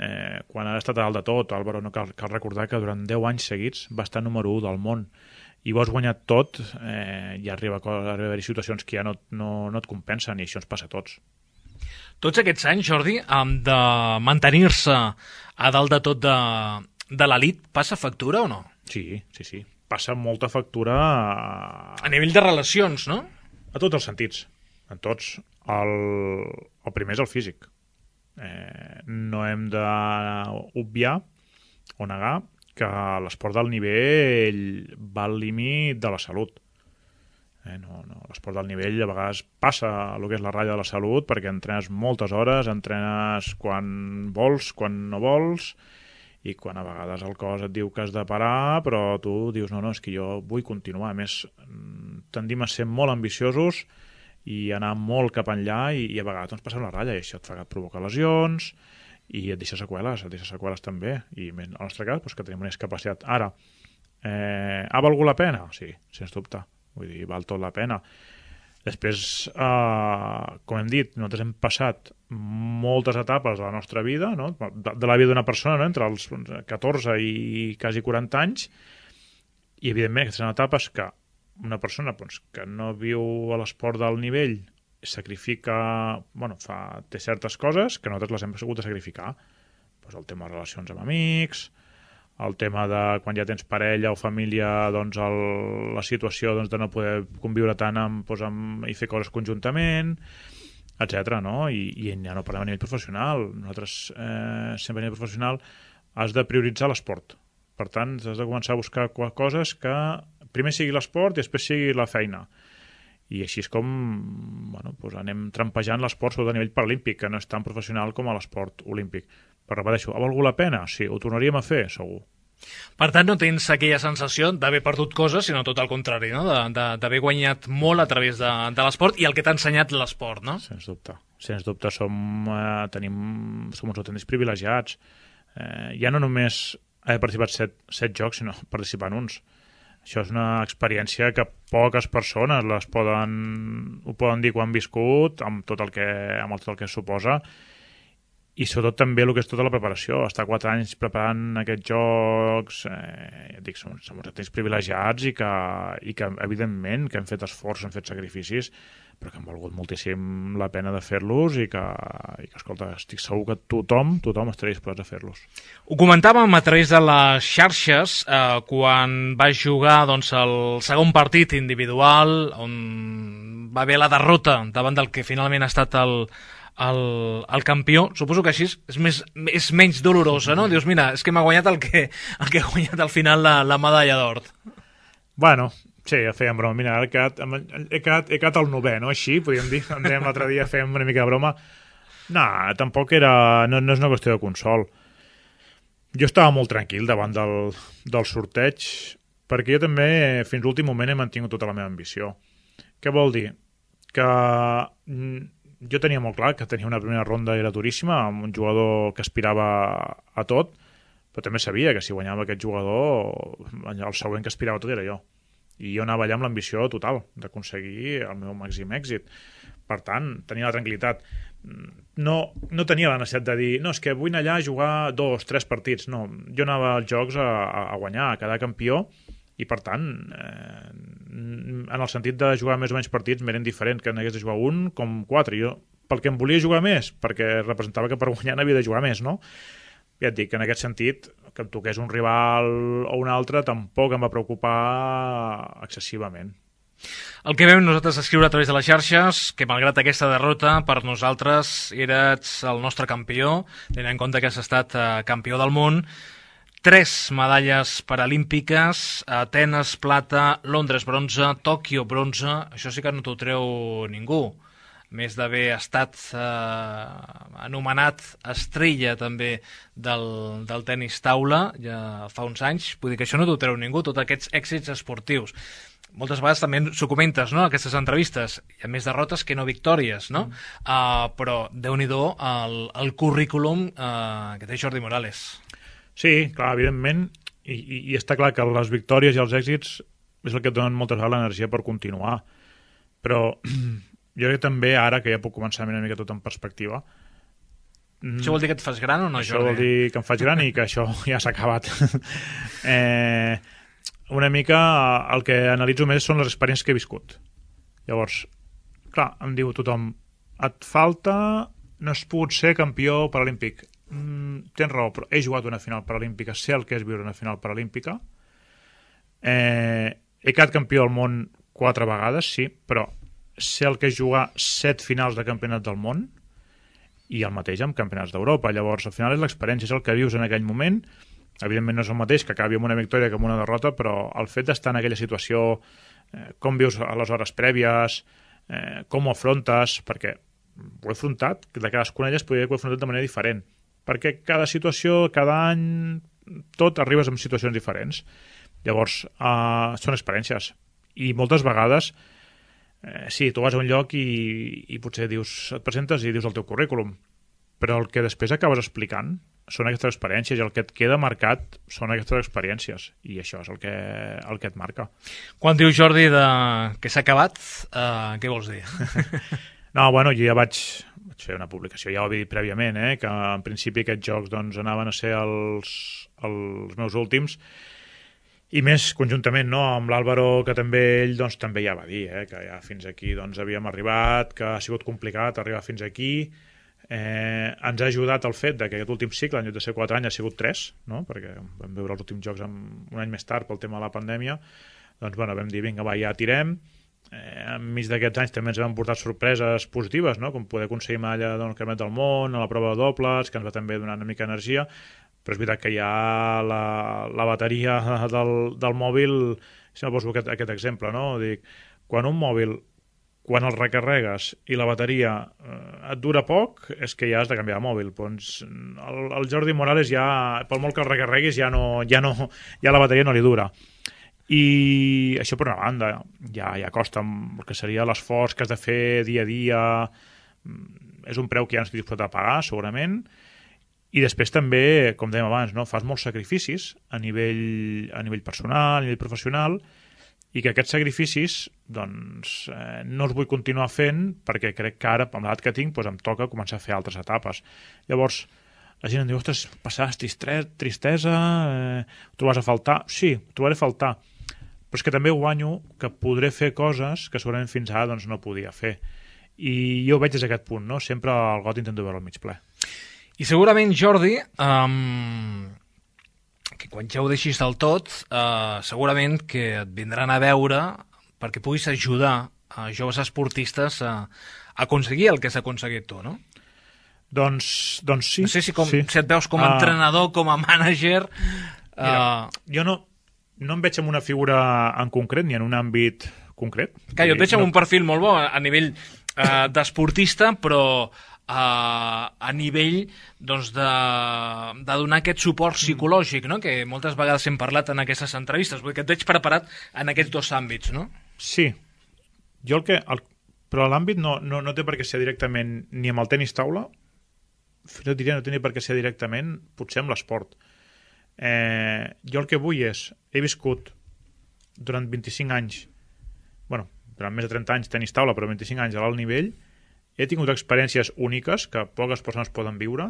quan ha estat a dalt de tot, Álvaro, no cal recordar que durant 10 anys seguits va estar número 1 del món i ho has guanyat tot, i arriba a haver-hi situacions que ja no et compensen, i això ens passa a tots. Tots aquests anys, Jordi, de mantenir-se a dalt de tot de l'elit, passa factura o no? Sí, passa molta factura a nivell de relacions, no? A tots els sentits, en tots. El primer és el físic. No hem d'obviar o negar que l'esport d'alt nivell va al límit de la salut. L'esport d'alt nivell a vegades passa el que és la ratlla de la salut, perquè entrenes moltes hores, entrenes quan vols, quan no vols, i quan a vegades el cos et diu que has de parar, però tu dius no, és que jo vull continuar. A més, tendim a ser molt ambiciosos i anar molt cap enllà, i a vegades doncs, passem la ratlla, i això et provoca lesions i et deixa seqüeles també, i en el nostre cas doncs, que tenim una discapacitat. Ara, ha valgut la pena? Sí, sens dubte, vull dir, val tot la pena. Després, com hem dit, nosaltres hem passat moltes etapes de la nostra vida, no? De la vida d'una persona, no? Entre els 14 i quasi 40 anys, i evidentment aquestes són etapes que una persona doncs, que no viu a l'esport d'alt nivell sacrifica, té certes coses que nosaltres les hem hagut de sacrificar. Doncs el tema de relacions amb amics, el tema de quan ja tens parella o família, doncs la situació de no poder conviure tant i fer coses conjuntament, etc. No? I ja no parlem a nivell professional. Nosaltres sempre a nivell professional has de prioritzar l'esport. Per tant, has de començar a buscar coses que primer sigui l'esport i després sigui la feina. I així és com anem trampejant l'esport, sobretot a nivell paralímpic, que no és tan professional com a l'esport olímpic. Però repeteixo, ha valgut la pena? Sí, ho tornaríem a fer, segur. Per tant, no tens aquella sensació d'haver perdut coses, sinó tot el contrari, no? D'haver guanyat molt a través de l'esport i el que t'ha ensenyat l'esport, no? Sens dubte, som uns autèntics privilegiats. Ja no només haver participat 7 jocs, sinó participar en uns. Això és una experiència que poques persones ho poden dir quan han viscut, amb tot el que suposa, i sobretot també el que és tota la preparació. Estar 4 anys preparant aquests jocs, ja et dic, som uns privilegiats i que evidentment que hem fet esforç, hem fet sacrificis, però que han valgut moltíssim la pena de fer-los i que escolta, estic segur que tothom estaria disposat a fer-los. Ho comentàvem a través de les xarxes quan vas jugar el segon partit individual, on va haver la derrota davant del que finalment ha estat el campió. Suposo que així és menys dolorosa, no? Dius, mira, és que m'ha guanyat el que ha guanyat al final la medalla d'or. Bueno, sí, ja fèiem broma. Mira, he quedat el 9è, no? Així, podríem dir. Andrem l'altre dia, fèiem una mica de broma. No, tampoc no és una qüestió de consol. Jo estava molt tranquil davant del sorteig, perquè jo també, fins l'últim moment, he mantingut tota la meva ambició. Què vol dir? Que jo tenia molt clar que tenia una primera ronda era duríssima, amb un jugador que aspirava a tot, però també sabia que si guanyava aquest jugador, el següent que aspirava a tot era jo. I jo anava allà amb l'ambició total d'aconseguir el meu màxim èxit. Per tant, tenia la tranquil·litat. No tenia la necessitat de dir no, és que vull anar allà a jugar 2-3 partits. No, jo anava als jocs a guanyar, a quedar campió, i per tant, en el sentit de jugar més o menys partits m'eren diferent que n'hagués de jugar un com 4. Jo, pel que em volia jugar més, perquè representava que per guanyar n'havia de jugar més, no? Ja et dic, en aquest sentit, que em toqués un rival o un altre tampoc em va preocupar excessivament. El que vam nosaltres escriure a través de les xarxes, que malgrat aquesta derrota, per nosaltres eres el nostre campió, tenint en compte que has estat campió del món, 3 medalles paralímpiques, Atenes plata, Londres bronze, Tòquio bronze, això sí que no t'ho treu ningú. més d'haver estat anomenat estrella també del tenis taula ja fa uns anys. Vull dir que això no t'ho treu ningú, tots aquests èxits esportius. Moltes vegades també s'ho comentes, no?, aquestes entrevistes. Hi ha més derrotes que no victòries, no? Però Déu-n'hi-do el currículum que té Jordi Morales. Sí, clar, evidentment, i està clar que les victòries i els èxits és el que et donen moltes vegades l'energia per continuar. Però jo crec que també ara, que ja puc començar a mirar una mica tot en perspectiva... Això vol dir que et fas gran o no, Això Jordi? vol dir que em faig gran i que això ja s'ha acabat. Una mica el que analitzo més són les experiències que he viscut. Llavors, clar, em diu tothom, et falta... no has pogut ser campió paralímpic. Tens raó, però he jugat una final paralímpica, sé el que és viure una final paralímpica. He quedat campió del món 4 vegades, sí, però sé el que és jugar 7 finals de campionat del món i el mateix amb campionats d'Europa. Llavors, al final és l'experiència, és el que vius en aquell moment. Evidentment no és el mateix que acabi amb una victòria que amb una derrota, però el fet d'estar en aquella situació, com vius a les hores prèvies, com ho afrontes, perquè ho he afrontat, de cadascuna d'elles podria haver afrontat de manera diferent, perquè cada situació, cada any, tot arribes en situacions diferents. Llavors, són experiències. I moltes vegades, sí, tu vas a un lloc i potser dius, et presentes i dius el teu currículum, però el que després acabes explicant són aquestes experiències i el que et queda marcat són aquestes experiències i això és el que et marca. Quan dius, Jordi, que s'ha acabat, què vols dir? No, bueno, jo ja vaig fer una publicació, ja ho havia dit prèviament, que en principi aquests jocs doncs, anaven a ser els meus últims, i més conjuntament amb l'Àlvaro, que també ell doncs, també ja va dir que ja fins aquí doncs, havíem arribat, que ha sigut complicat arribar fins aquí. Ens ha ajudat el fet que aquest últim cicle, en lloc de ser 4 anys, ha sigut 3, no? Perquè vam veure els últims jocs un any més tard pel tema de la pandèmia. Doncs bueno, vam dir, vinga, va, ja tirem. Enmig d'aquests anys també ens vam portar sorpreses positives, no? Com poder aconseguir medalla del Campionat del Món, a la prova de dobles, que ens va també donar una mica d'energia, però és veritat que ja la bateria del mòbil, si no poso aquest exemple, no? Dic, quan un mòbil, quan el recarregues i la bateria et dura poc, és que ja has de canviar de mòbil. Doncs el Jordi Morales ja, pel molt que el recarreguis, ja la bateria no li dura. I això per una banda ja costa el que seria l'esforç que has de fer dia a dia, és un preu que ja no estic disposat a pagar segurament, i després també, com dèiem abans, fas molts sacrificis a nivell personal, a nivell professional, i que aquests sacrificis doncs, no els vull continuar fent perquè crec que ara, amb l'edat que tinc, doncs em toca començar a fer altres etapes. Llavors la gent em diu, ostres, passaràs tristesa, ho trobaràs a faltar? Sí, ho trobaré a faltar, però és que també guanyo que podré fer coses que segurament fins ara doncs, no podia fer. I jo ho veig des d'aquest punt, no? Sempre el got intento veure al mig ple. I segurament, Jordi, que quan ja ho deixis del tot, segurament que et vindran a veure perquè puguis ajudar a joves esportistes a aconseguir el que s'ha aconseguit tu, no? Doncs sí. No sé si et veus com a entrenador, com a mànager... Mira, jo no em veig en una figura en concret, ni en un àmbit concret. Clar, jo et veig en un perfil molt bo a nivell d'esportista, però a nivell doncs, de donar aquest suport psicològic, no? Que moltes vegades hem parlat en aquestes entrevistes. Vull dir que et veig preparat en aquests dos àmbits, no? Sí. Però l'àmbit no té per què ser directament ni amb el tenis taula, fins i tot diria no té ni per què ser directament, potser amb l'esport. Jo el que vull és, he viscut durant 25 anys, durant més de 30 anys tenis taula, però 25 anys a l'alt nivell, he tingut experiències úniques que poques persones poden viure,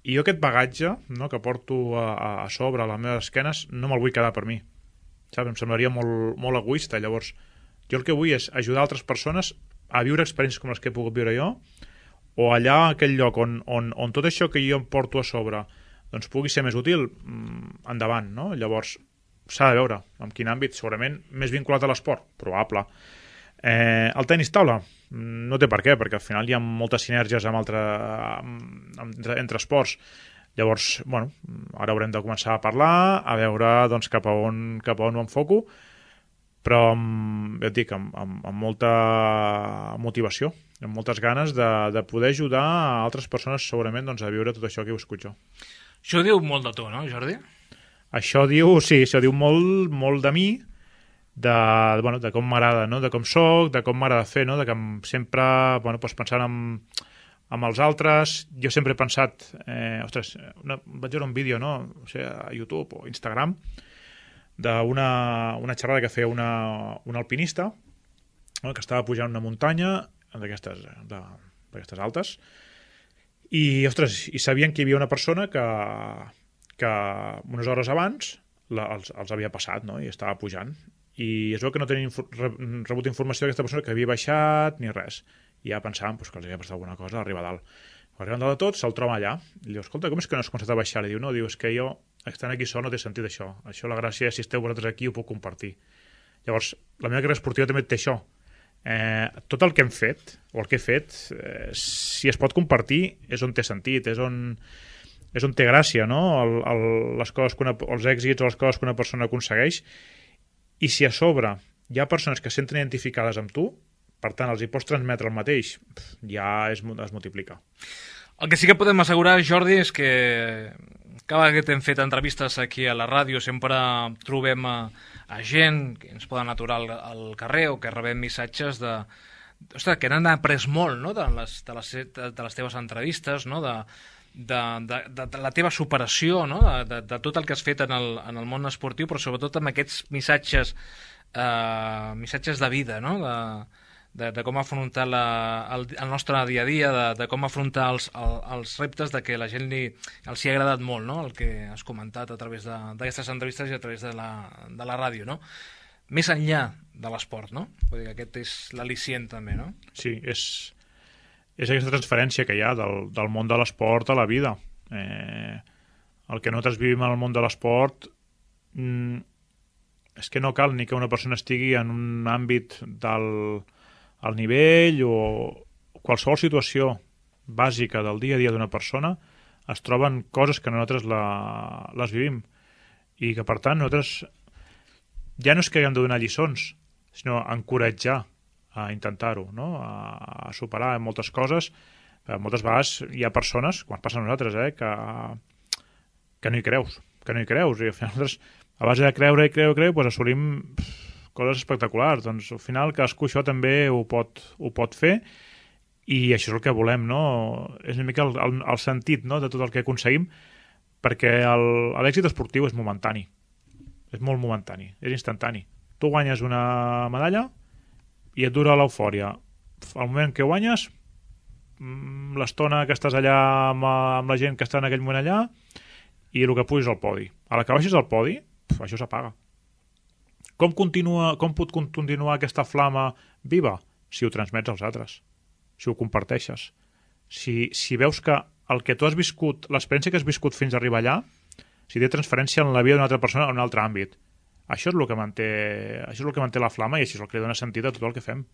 i jo aquest bagatge que porto a sobre, a les meves esquenes, no me'l vull quedar per mi. Saps? Em semblaria molt egoista. Llavors, jo el que vull és ajudar altres persones a viure experiències com les que he pogut viure jo, o allà, a aquell lloc on tot això que jo em porto a sobre doncs pugui ser més útil, endavant, no? Llavors, s'ha de veure en quin àmbit, segurament més vinculat a l'esport, probable. El tenis taula no té per què, perquè al final hi ha moltes sinergies entre esports. Llavors, ara haurem de començar a parlar, a veure doncs, cap a on ho enfoco, però ja et dic, amb molta motivació, amb moltes ganes de poder ajudar a altres persones segurament doncs, a viure tot això que he viscut jo. Això diu molt de tu, no, Jordi? Això diu molt de mi, de com m'agrada, no? De com soc, de com m'agrada fer, no? De que sempre pensant amb els altres. Jo sempre he pensat, vaig veure un vídeo, no? O sigui, a YouTube o Instagram, d'una xerrada que feia un alpinista, no? Que estava pujant una muntanya d'aquestes altes, i sabien que hi havia una persona que unes hores abans els havia passat, no? I estava pujant. I es veu que no tenien rebut informació d'aquesta persona que havia baixat ni res. I ja pensàvem que els havia passat alguna cosa a arribar a dalt. Quan arriben dalt de tot, se'l troba allà. I diu, escolta, com és que no has començat a baixar? I diu, no, és que jo, estant aquí sol, no té sentit això. Això, la gràcia, si esteu vosaltres aquí, ho puc compartir. Llavors, la meva carrera esportiva també té això. Tot el que hem fet, o el que he fet, si es pot compartir, és on té sentit, és on té gràcia, no? Els èxits o les coses que una persona aconsegueix. I si a sobre hi ha persones que se senten identificades amb tu, per tant, els hi pots transmetre el mateix, ja es multiplica. El que sí que podem assegurar, Jordi, és que cada vegada que hem fet entrevistes aquí a la ràdio sempre trobem a gent que ens poden aturar al carrer o que rebem missatges que n'han après molt, no? de les teves entrevistes, no? de la teva superació, no? de tot el que has fet en el món esportiu, però sobretot amb aquests missatges de vida, no? de com afrontar el nostre dia a dia, de com afrontar els reptes, de que la gent els hi ha agradat molt, no? El que has comentat a través d'aquestes entrevistes i a través de la ràdio, no? Més enllà de l'esport, no? Vull dir que aquest és l'al·licient també, no? Sí, és aquesta transferència que hi ha del món de l'esport a la vida. El que nosaltres vivim en el món de l'esport és que no cal ni que una persona estigui en un àmbit al nivell o qualsevol situació bàsica del dia a dia d'una persona es troben coses que nosaltres les vivim i que per tant nosaltres ja no és que haguem de donar lliçons, sinó encoratjar a intentar-ho, no? A superar moltes coses. Moltes vegades hi ha persones, quan passa a nosaltres, que no hi creus. I al final nosaltres, a base de creure, doncs assolim coses espectaculars. Doncs al final cadascú això també ho pot fer i això és el que volem, no? És una mica el sentit, no? De tot el que aconseguim, perquè l'èxit esportiu és momentani. És molt momentani, és instantani. Tu guanyes una medalla i et dura l'eufòria. Al moment que guanyes, l'estona que estàs allà amb la gent que està en aquell moment allà i el que puges al podi. A la que baixes al podi, això s'apaga. Com pot continuar aquesta flama viva? Si ho transmets als altres, si ho comparteixes. Si veus que el que tu has viscut, l'experiència que has viscut fins a arribar allà, si té transferència en la vida d'una altra persona en un altre àmbit. Això és el que manté la flama i això és el que dona sentit a tot el que fem.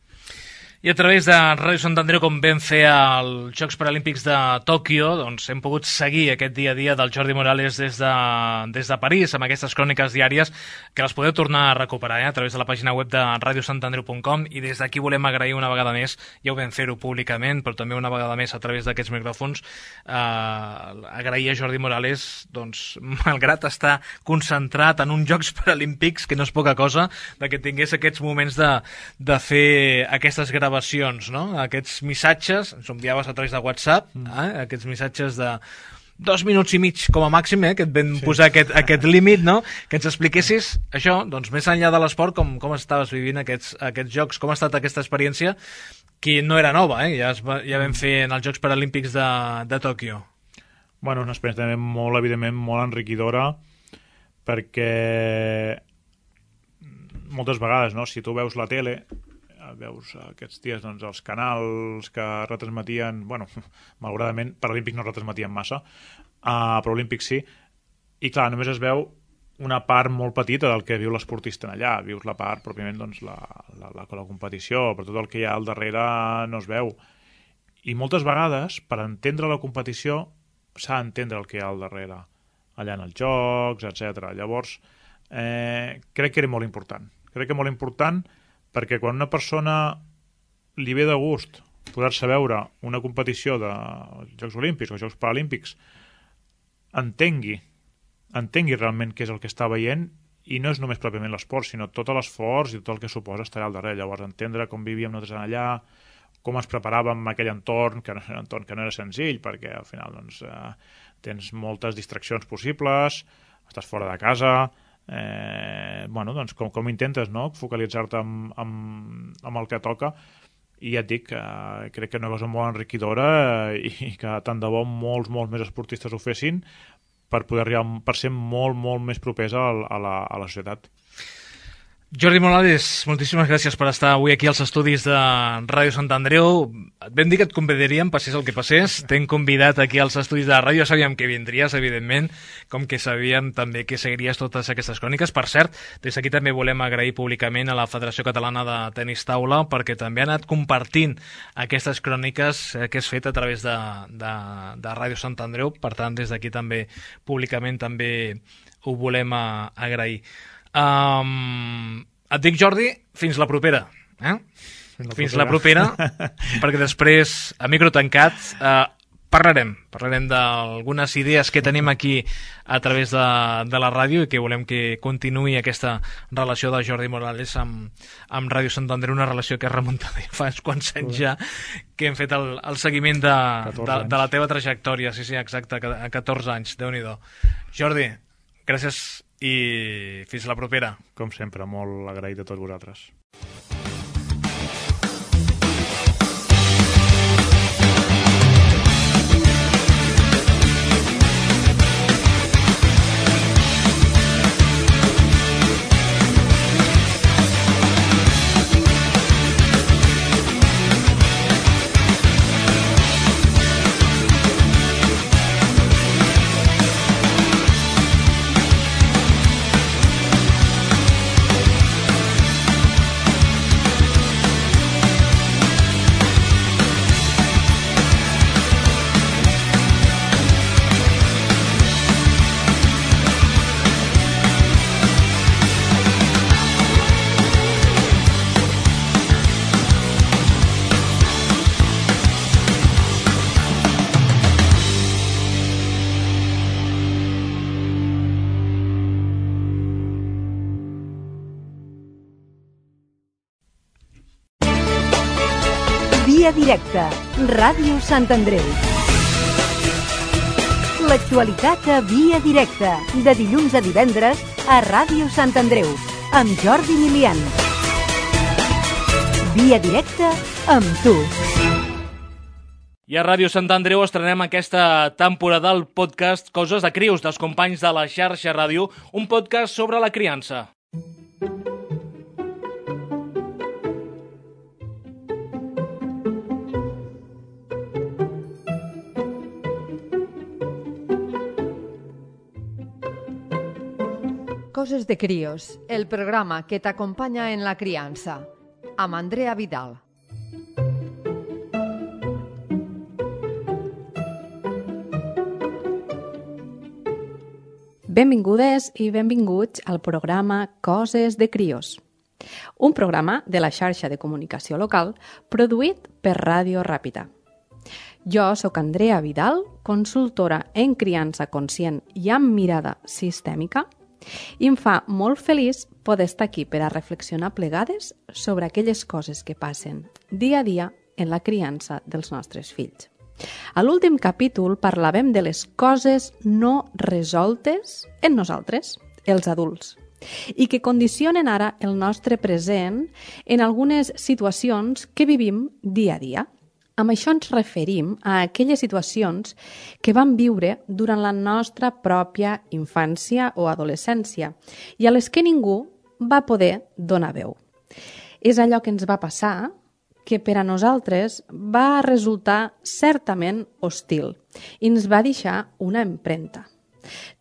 I a través de Ràdio Sant Andreu, com vam fer als Jocs Paralímpics de Tòquio, doncs hem pogut seguir aquest dia a dia del Jordi Morales des de París, amb aquestes cròniques diàries que les podeu tornar a recuperar a través de la pàgina web de radiosantandreu.com, i des d'aquí volem agrair una vegada més, ja ho vam fer-ho públicament, però també una vegada més a través d'aquests micròfons, agrair a Jordi Morales, doncs, malgrat estar concentrat en uns Jocs Paralímpics, que no és poca cosa, de que tingués aquests moments de fer aquestes gravacions, no? Aquests missatges, ens enviaves a través de WhatsApp, aquests missatges de 2 minuts i mig com a màxim, que et vam posar aquest límit, no? Que ens expliquessis això, doncs més enllà de l'esport, com estaves vivint aquests jocs, com ha estat aquesta experiència, que no era nova, ja vam fer en els Jocs Paralímpics de Tòquio. Bueno, una experiència també molt, evidentment, molt enriquidora, perquè moltes vegades, no? Si tu veus la tele, veus aquests dies doncs, els canals que retransmetien, bueno, malauradament Paralímpics no retransmetien massa, però Olímpics sí, i clar, només es veu una part molt petita del que viu l'esportista allà, vius la part pròpiament doncs, la competició, però tot el que hi ha al darrere no es veu, i moltes vegades per entendre la competició s'ha d'entendre el que hi ha al darrere allà en els jocs, etc. Llavors crec que era molt important crec que molt important, perquè quan una persona li ve de gust poder-se veure una competició de Jocs Olímpics o Jocs Paralímpics, entengui realment què és el que està veient, i no és només pròpiament l'esport, sinó tot l'esforç i tot el que suposa estar allà al darrere. Llavors, entendre com vivíem nosaltres allà, com ens preparàvem en aquell entorn, que no era senzill, perquè al final doncs, tens moltes distraccions possibles, estàs fora de casa, doncs com intentes, no?, focalitzar-te amb el que toca, i ja et dic, crec que és una cosa molt enriquidora i que tant de bo molts més esportistes ho fessin per poder arribar, per ser molt més propers a la societat. Jordi Morales, moltíssimes gràcies per estar avui aquí als estudis de Ràdio Sant Andreu. Et vam dir que et convidaríem, passés el que passés. T'hem convidat aquí als estudis de ràdio. Sabíem que vindries, evidentment, com que sabíem també que seguiries totes aquestes cròniques. Per cert, des d'aquí també volem agrair públicament a la Federació Catalana de Tenis Taula, perquè també ha anat compartint aquestes cròniques que has fet a través de Ràdio Sant Andreu. Per tant, des d'aquí també públicament també ho volem agrair. Et dic, Jordi, fins la propera. Fins la propera, perquè després, a micro tancat, parlarem d'algunes idees que tenim aquí a través de la ràdio i que volem que continuï aquesta relació de Jordi Morales amb Ràdio Sant Andreu, una relació que es remunta fa uns quants anys ja, que hem fet el seguiment de la teva trajectòria. Sí, exacte, a 14 anys, Déu-n'hi-do. Jordi, gràcies i fins la propera. Com sempre, molt agraït a tots vosaltres. Via directa, Ràdio Sant Andreu. L'actualitat a Via directa, de dilluns a divendres a Ràdio Sant Andreu, amb Jordi Milian. Via directa amb tu. I a Ràdio Sant Andreu estrenem aquesta temporada el podcast Coses de Crios, dels companys de la xarxa ràdio, un podcast sobre la criança. Coses de Críos, el programa que t'acompanya en la criança, amb Andrea Vidal. Benvingudes i benvinguts al programa Coses de Crios, un programa de la xarxa de comunicació local produït per Ràdio Ràpita. Jo sóc Andrea Vidal, consultora en criança conscient i amb mirada sistèmica, i em fa molt feliç poder estar aquí per a reflexionar plegades sobre aquelles coses que passen dia a dia en la criança dels nostres fills. A l'últim capítol parlàvem de les coses no resoltes en nosaltres, els adults, i que condicionen ara el nostre present en algunes situacions que vivim dia a dia. Amb això ens referim a aquelles situacions que vam viure durant la nostra pròpia infància o adolescència i a les que ningú va poder donar veu. És allò que ens va passar que per a nosaltres va resultar certament hostil i ens va deixar una empremta.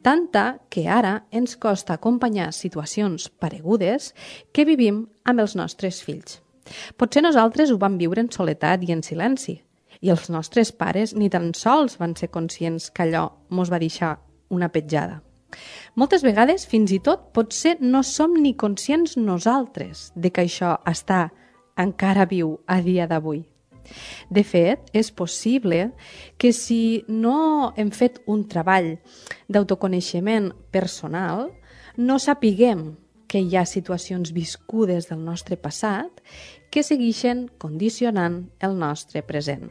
Tanta que ara ens costa acompanyar situacions paregudes que vivim amb els nostres fills. Potser nosaltres ho vam viure en soledat i en silenci, i els nostres pares ni tan sols van ser conscients que allò mos va deixar una petjada. Moltes vegades, fins i tot, potser no som ni conscients nosaltres de que això està encara viu a dia d'avui. De fet, és possible que si no hem fet un treball d'autoconeixement personal, no sapiguem que hi ha situacions viscudes del nostre passat que segueixen condicionant el nostre present.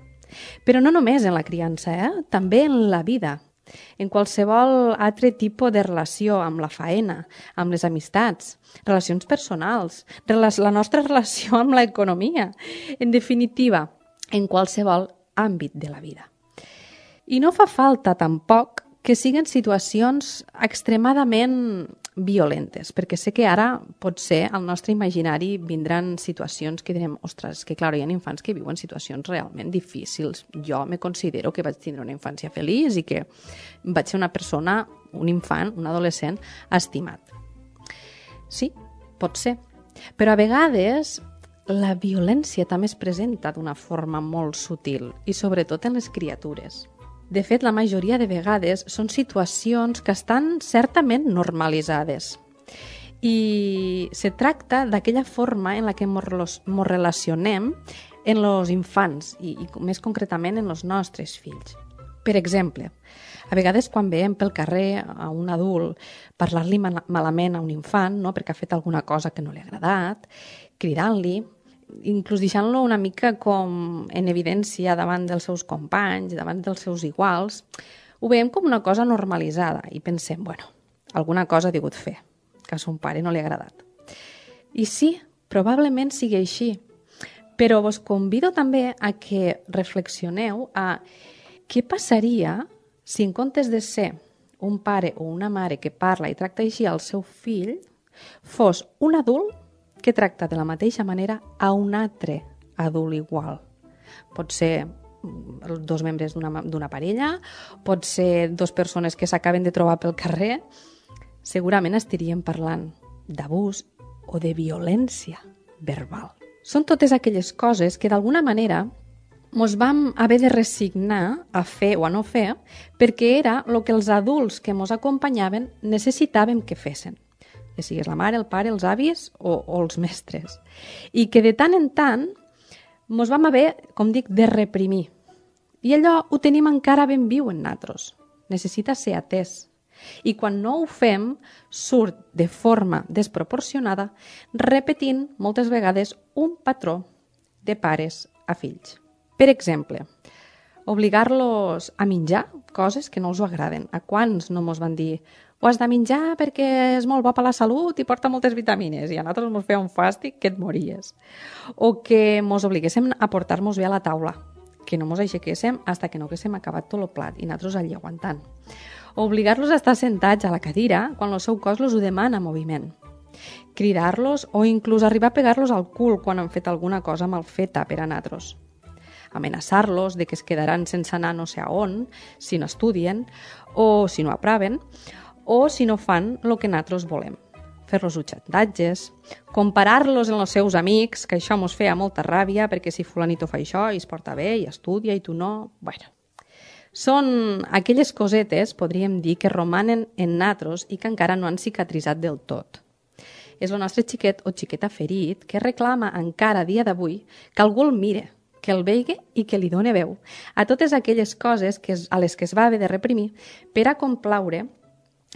Però no només en la criança, també en la vida. En qualsevol altre tipus de relació, amb la faena, amb les amistats, relacions personals, la nostra relació amb l'economia, en definitiva, en qualsevol àmbit de la vida. I no fa falta tampoc que siguin situacions extremadament violentes, perquè sé que ara potser al nostre imaginari vindran situacions que direm, ostres, que clar, hi ha infants que viuen situacions realment difícils. Jo me considero que vaig tindre una infància feliç i que vaig ser una persona, un infant, un adolescent estimat. Sí, pot ser. Però a vegades la violència també es presenta d'una forma molt sutil i sobretot en les criatures. De fet, la majoria de vegades són situacions que estan certament normalitzades. I se tracta d'aquella forma en la que ens relacionem en els infants i més concretament en els nostres fills. Per exemple, a vegades quan veiem pel carrer a un adult parlar-li malament a un infant, no, perquè ha fet alguna cosa que no li ha agradat, cridant-li, inclús deixant-lo una mica com en evidència davant dels seus companys, davant dels seus iguals, ho veiem com una cosa normalitzada i pensem, bueno, alguna cosa ha degut fer, que a son pare no li ha agradat. I sí, probablement sigui així, però vos convido també a que reflexioneu a què passaria si en comptes de ser un pare o una mare que parla i tracta així al seu fill, fos un adult que tracta de la mateixa manera a un altre adult igual. Pot ser dos membres d'una parella, pot ser dues persones que s'acaben de trobar pel carrer. Segurament estaríem parlant d'abús o de violència verbal. Són totes aquelles coses que d'alguna manera ens vam haver de resignar a fer o a no fer perquè era el que els adults que ens acompanyaven necessitàvem que fessin. Que sigués la mare, el pare, els avis o els mestres. I que de tant en tant ens vam haver, com dic, de reprimir. I allò ho tenim encara ben viu en nosaltres. Necessita ser atès. I quan no ho fem, surt de forma desproporcionada, repetint moltes vegades un patró de pares a fills. Per exemple, obligar-los a menjar coses que no els agraden. A quants no ens van dir ho has de menjar perquè és molt bo per la salut i porta moltes vitamines, i a nosaltres ens feia un fàstic que et mories. O que ens obliguéssim a portar-nos bé a la taula, que no ens aixequéssim fins que no haguéssim acabat tot el plat i nosaltres allà aguantant. O obligar-los a estar sentats a la cadira quan el seu cos els ho demana moviment. Cridar-los o inclús arribar a pegar-los al cul quan han fet alguna cosa mal feta per a nosaltres. Amenaçar-los de que es quedaran sense anar no sé a on, si no estudien o si no aproven, o si no fan el que nosaltres volem. Fer-los xantatges, comparar-los amb els seus amics, que això ens feia molta ràbia, perquè si fulanito fa això i es porta bé i estudia i tu no... Bueno, són aquelles cosetes, podríem dir, que romanen en nosaltres i que encara no han cicatritzat del tot. És el nostre xiquet o xiqueta ferit que reclama encara a dia d'avui que algú el mire, que el vegi i que li doni veu a totes aquelles coses a les que es va haver de reprimir per a complaure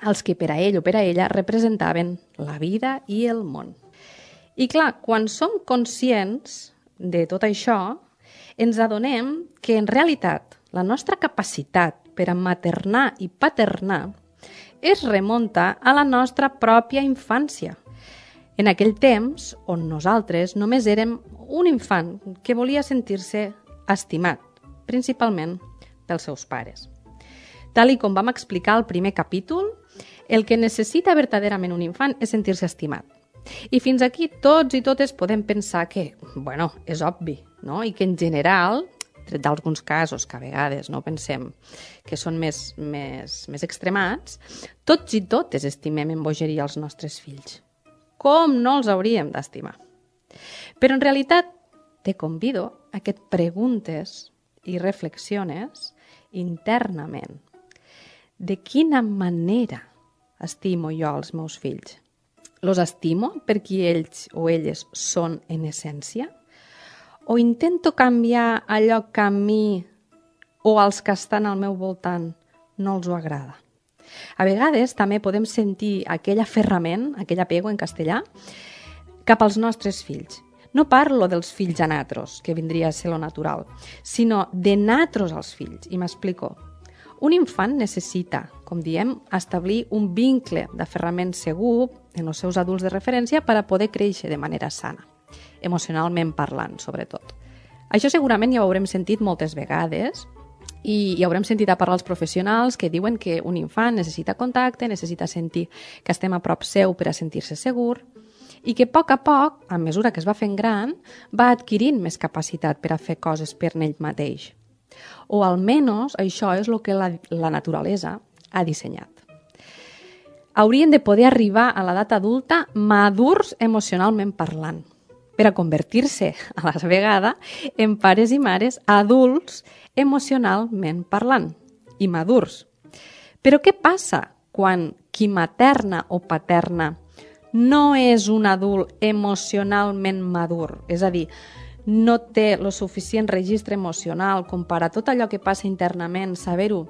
els que per a ell o per a ella representaven la vida i el món. I clar, quan som conscients de tot això, ens adonem que en realitat la nostra capacitat per a maternar i paternar es remunta a la nostra pròpia infància. En aquell temps on nosaltres només érem un infant que volia sentir-se estimat, principalment pels seus pares. Tal com vam explicar al primer capítol, el que necessita verdaderament un infant és sentir-se estimat. I fins aquí tots i totes podem pensar que, bueno, és obvi, no? I que en general, tret d'alguns casos que a vegades no pensem que són més extremats, tots i totes estimem en bogeria els nostres fills. Com no els hauríem d'estimar? Però en realitat te convido a que et preguntes i reflexiones internament de quina manera estimo jo als meus fills? Los estimo per qui ells o elles són en essència? O intento canviar allò que a mi o als que estan al meu voltant no els ho agrada? A vegades també podem sentir aquell aferrament, aquell apego en castellà, cap als nostres fills. No parlo dels fills a natros, que vindria a ser lo natural, sinó de natros als fills, i m'explico. Un infant necessita, com diem, establir un vincle d'aferrament segur en els seus adults de referència per a poder créixer de manera sana, emocionalment parlant, sobretot. Això segurament ja ho haurem sentit moltes vegades i haurem sentit a parlar els professionals que diuen que un infant necessita contacte, necessita sentir que estem a prop seu per a sentir-se segur i que a poc, a mesura que es va fent gran, va adquirint més capacitat per a fer coses per ell mateix. O almenys això és el que la naturalesa ha dissenyat. Haurien de poder arribar a l'edat adulta madurs emocionalment parlant, per a convertir-se, a la vegada, en pares i mares adults emocionalment parlant i madurs. Però què passa quan qui materna o paterna no és un adult emocionalment madur? És a dir, no té el suficient registre emocional com per a tot allò que passa internament, saber-ho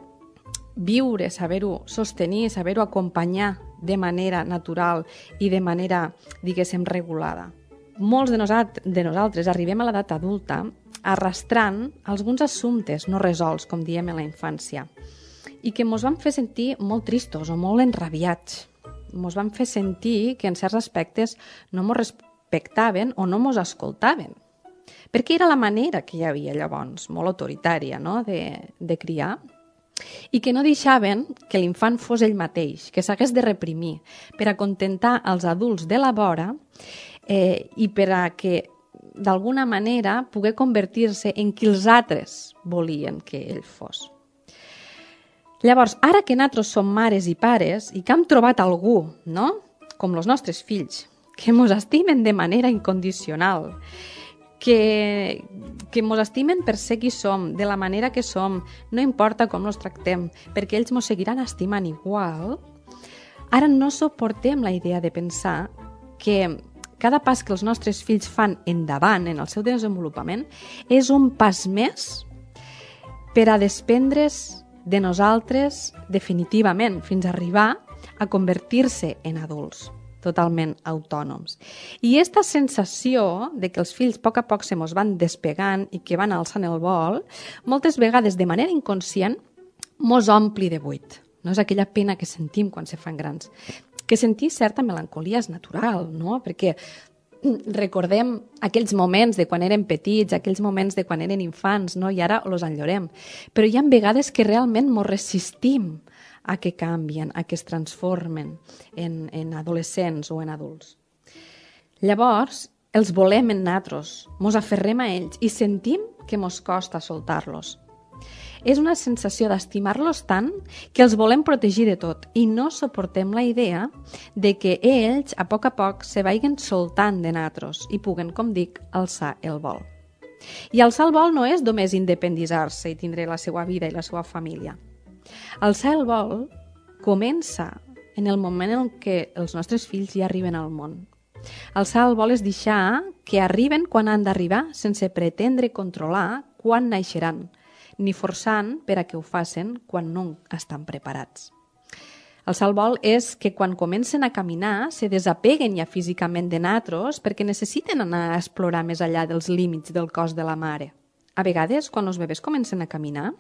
viure, saber-ho sostenir, saber-ho acompanyar de manera natural i de manera, diguéssim, regulada. Molts de nosaltres arribem a l'edat adulta arrastrant alguns assumptes no resolts, com diem en la infància, i que ens van fer sentir molt tristos o molt enrabiats. Ens van fer sentir que en certs aspectes no ens respectaven o no ens escoltaven. Perquè era la manera que hi havia llavors, molt autoritària, no?, de criar, i que no deixaven que l'infant fos ell mateix, que s'hagués de reprimir per a contentar els adults de la vora i per a que, d'alguna manera, poder convertir-se en qui els altres volien que ell fos. Llavors, ara que nosaltres som mares i pares i que hem trobat algú, no?, com els nostres fills, que ens estimen de manera incondicional, que ens estimen per ser qui som, de la manera que som, no importa com els tractem, perquè ells ens seguiran estimant igual, ara no suportem la idea de pensar que cada pas que els nostres fills fan endavant en el seu desenvolupament és un pas més per a desprendre's de nosaltres definitivament, fins a arribar a convertir-se en adults totalment autònoms. I aquesta sensació de que els fills a poc se mos van despegant i que van alçant el vol, moltes vegades de manera inconscient mos ompli de buit. No és aquella pena que sentim quan se fan grans. Que sentir certa melancolia és natural, no? Perquè recordem aquells moments de quan érem petits, aquells moments de quan eren infants, no? I ara els enllorem. Però hi ha vegades que realment mos resistim a que canvien, a que es transformen en adolescents o en adults. Llavors, els volem en nosaltres, mos aferrem a ells i sentim que mos costa soltar-los. És una sensació d'estimar-los tant que els volem protegir de tot i no suportem la idea de que ells, a poc se vagin soltant de nosaltres i puguen, com dic, alçar el vol. I alçar el vol no és només independitzar-se i tindre la seva vida i la seva família. Alçar el vol comença en el moment en què els nostres fills ja arriben al món. Alçar el vol és deixar que arriben quan han d'arribar sense pretendre controlar quan naixeran, ni forçant per a que ho facin quan no estan preparats. Alçar el vol és que quan comencen a caminar se desapeguen ja físicament de nosaltres perquè necessiten anar a explorar més enllà dels límits del cos de la mare. A vegades, quan els bebès comencen a caminar,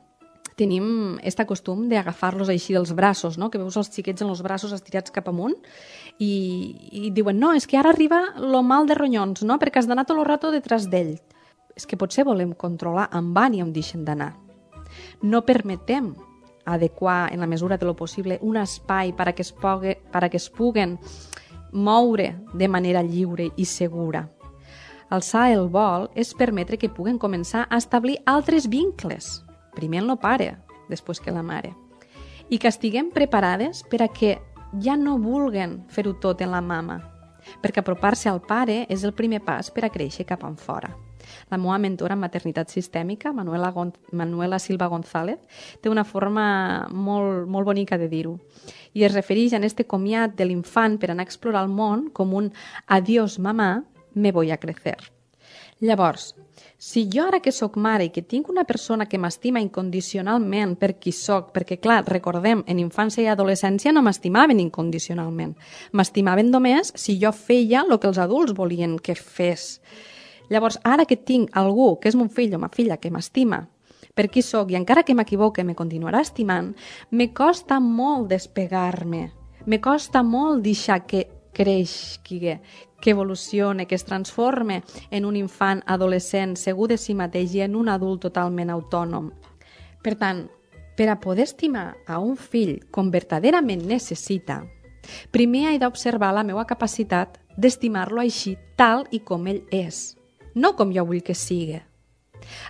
tenim aquest costum d'agafar-los així dels braços, no? Que veus els xiquets en els braços estirats cap amunt i diuen, no, és que ara arriba lo mal de ronyons, no? Perquè has d'anar tot el rato detrás d'ell. És que potser volem controlar on van i on deixen d'anar. No permetem adequar, en la mesura de lo possible, un espai per a que es puguen moure de manera lliure i segura. Alçar el vol és permetre que puguen començar a establir altres vincles, primer el pare, després que la mare, i que estiguem preparades per a que ja no vulguen fer-ho tot en la mama, perquè apropar-se al pare és el primer pas per a créixer cap enfora. La meva mentora en maternitat sistèmica, Manuela Silva González, té una forma molt bonica de dir-ho. I es refereix a este comiat de l'infant per anar a explorar el món com un adiós mamà, me voy a crecer. Llavors, si jo ara que sóc mare i que tinc una persona que m'estima incondicionalment per qui sóc, perquè clar, recordem, en infància i adolescència no m'estimaven incondicionalment, m'estimaven només si jo feia el que els adults volien que fes. Llavors, ara que tinc algú que és mon fill o ma filla que m'estima per qui sóc i encara que m'equivoque me continuarà estimant, me costa molt despegar-me, me costa molt deixar que creixi, que evolucione, que es transforme en un infant adolescent segur de si mateix i en un adult totalment autònom. Per tant, per a poder estimar a un fill com verdaderament necessita, primer he d'observar la meva capacitat d'estimar-lo així tal i com ell és, no com jo vull que sigui.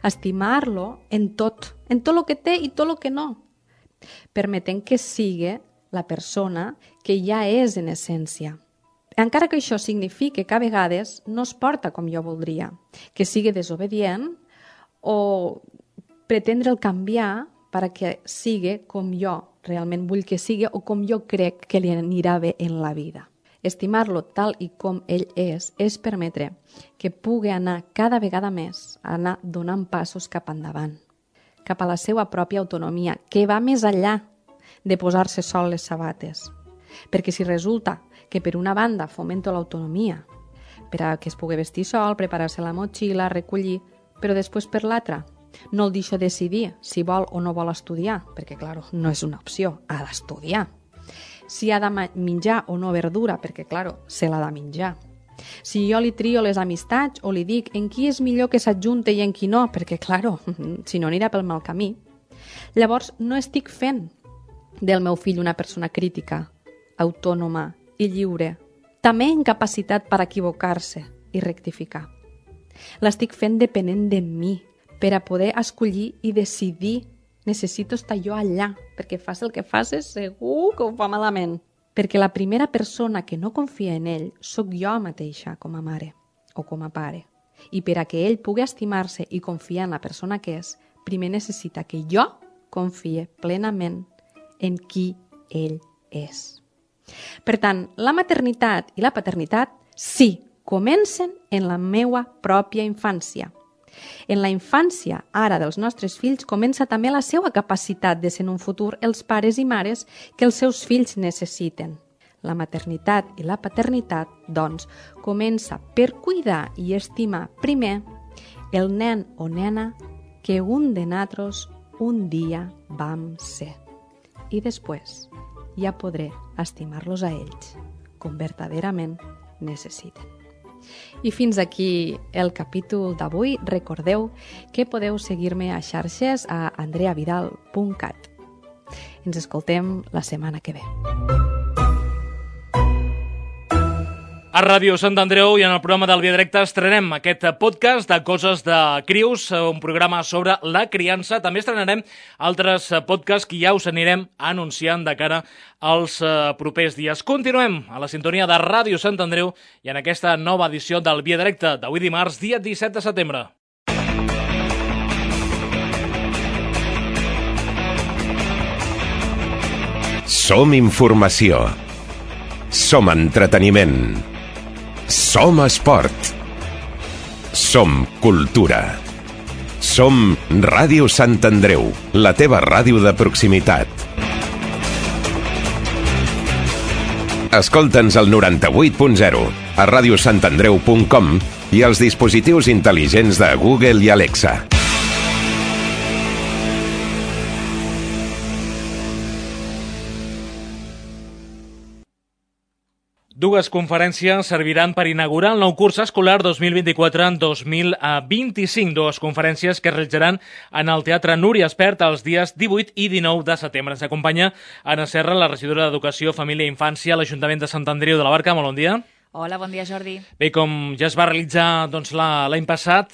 Estimar-lo en tot el que té i tot el que no, permetent que sigui la persona que ja és en essència. Encara que això signifique que a vegades no es porta com jo voldria, que sigui desobedient o pretendre el canviar perquè sigui com jo realment vull que sigui o com jo crec que li anirà bé en la vida. Estimar-lo tal i com ell és permetre que pugui anar cada vegada més, anar donant passos cap endavant, cap a la seva pròpia autonomia, que va més enllà de posar-se sol les sabates. Perquè si resulta que per una banda fomento l'autonomia, per a que es pugui vestir sol, preparar-se la motxilla, recollir, però després per l'altra no el deixo decidir si vol o no vol estudiar, perquè, clar, no és una opció, ha d'estudiar. Si ha de menjar o no verdura, perquè, clar, se l'ha de menjar. Si jo li trio les amistats o li dic en qui és millor que s'adjunte i en qui no, perquè, clar, si no anirà pel mal camí. Llavors, no estic fent del meu fill una persona crítica, autònoma i lliure, també en capacitat per equivocar-se i rectificar. L'estic fent depenent de mi, per a poder escollir i decidir. Necessito estar jo allà, perquè fas el que facis, segur que ho fa malament. Perquè la primera persona que no confia en ell sóc jo mateixa com a mare o com a pare. I per a que ell pugui estimar-se i confiar en la persona que és, primer necessita que jo confie plenament en qui ell és. Per tant, la maternitat i la paternitat sí, comencen en la meua pròpia infància. En la infància, ara, dels nostres fills, comença també la seva capacitat de ser en un futur els pares i mares que els seus fills necessiten. La maternitat i la paternitat, doncs, comença per cuidar i estimar primer el nen o nena que un de nosaltres un dia vam ser. I després ja podré estimar-los a ells com verdaderament necessiten. I fins aquí el capítol d'avui. Recordeu que podeu seguir-me a xarxes a andreavidal.cat. Ens escoltem la setmana que ve. A Ràdio Sant Andreu i en el programa del Via Directa estrenem aquest podcast de Coses de Crios, un programa sobre la criança. També estrenarem altres podcasts que ja us anirem anunciant de cara als propers dies. Continuem a la sintonia de Ràdio Sant Andreu i en aquesta nova edició del Via Directa d'avui dimarts, dia 17 de setembre. Som informació. Som entreteniment. Som esport. Som cultura. Som Ràdio Sant Andreu, la teva ràdio de proximitat. Escolta'ns al 98.0, a radiosantandreu.com i als dispositius intel·ligents de Google i Alexa. Dues conferències serviran per inaugurar el nou curs escolar 2024-2025. Dues conferències que es realitzaran en el Teatre Núria Espert els dies 18 i 19 de setembre. Ens acompanya Anna Serra, la regidora d'Educació, Família i Infància a l'Ajuntament de Sant Andreu de la Barca. Molt bon dia. Hola, bon dia, Jordi. Bé, com ja es va realitzar l'any passat,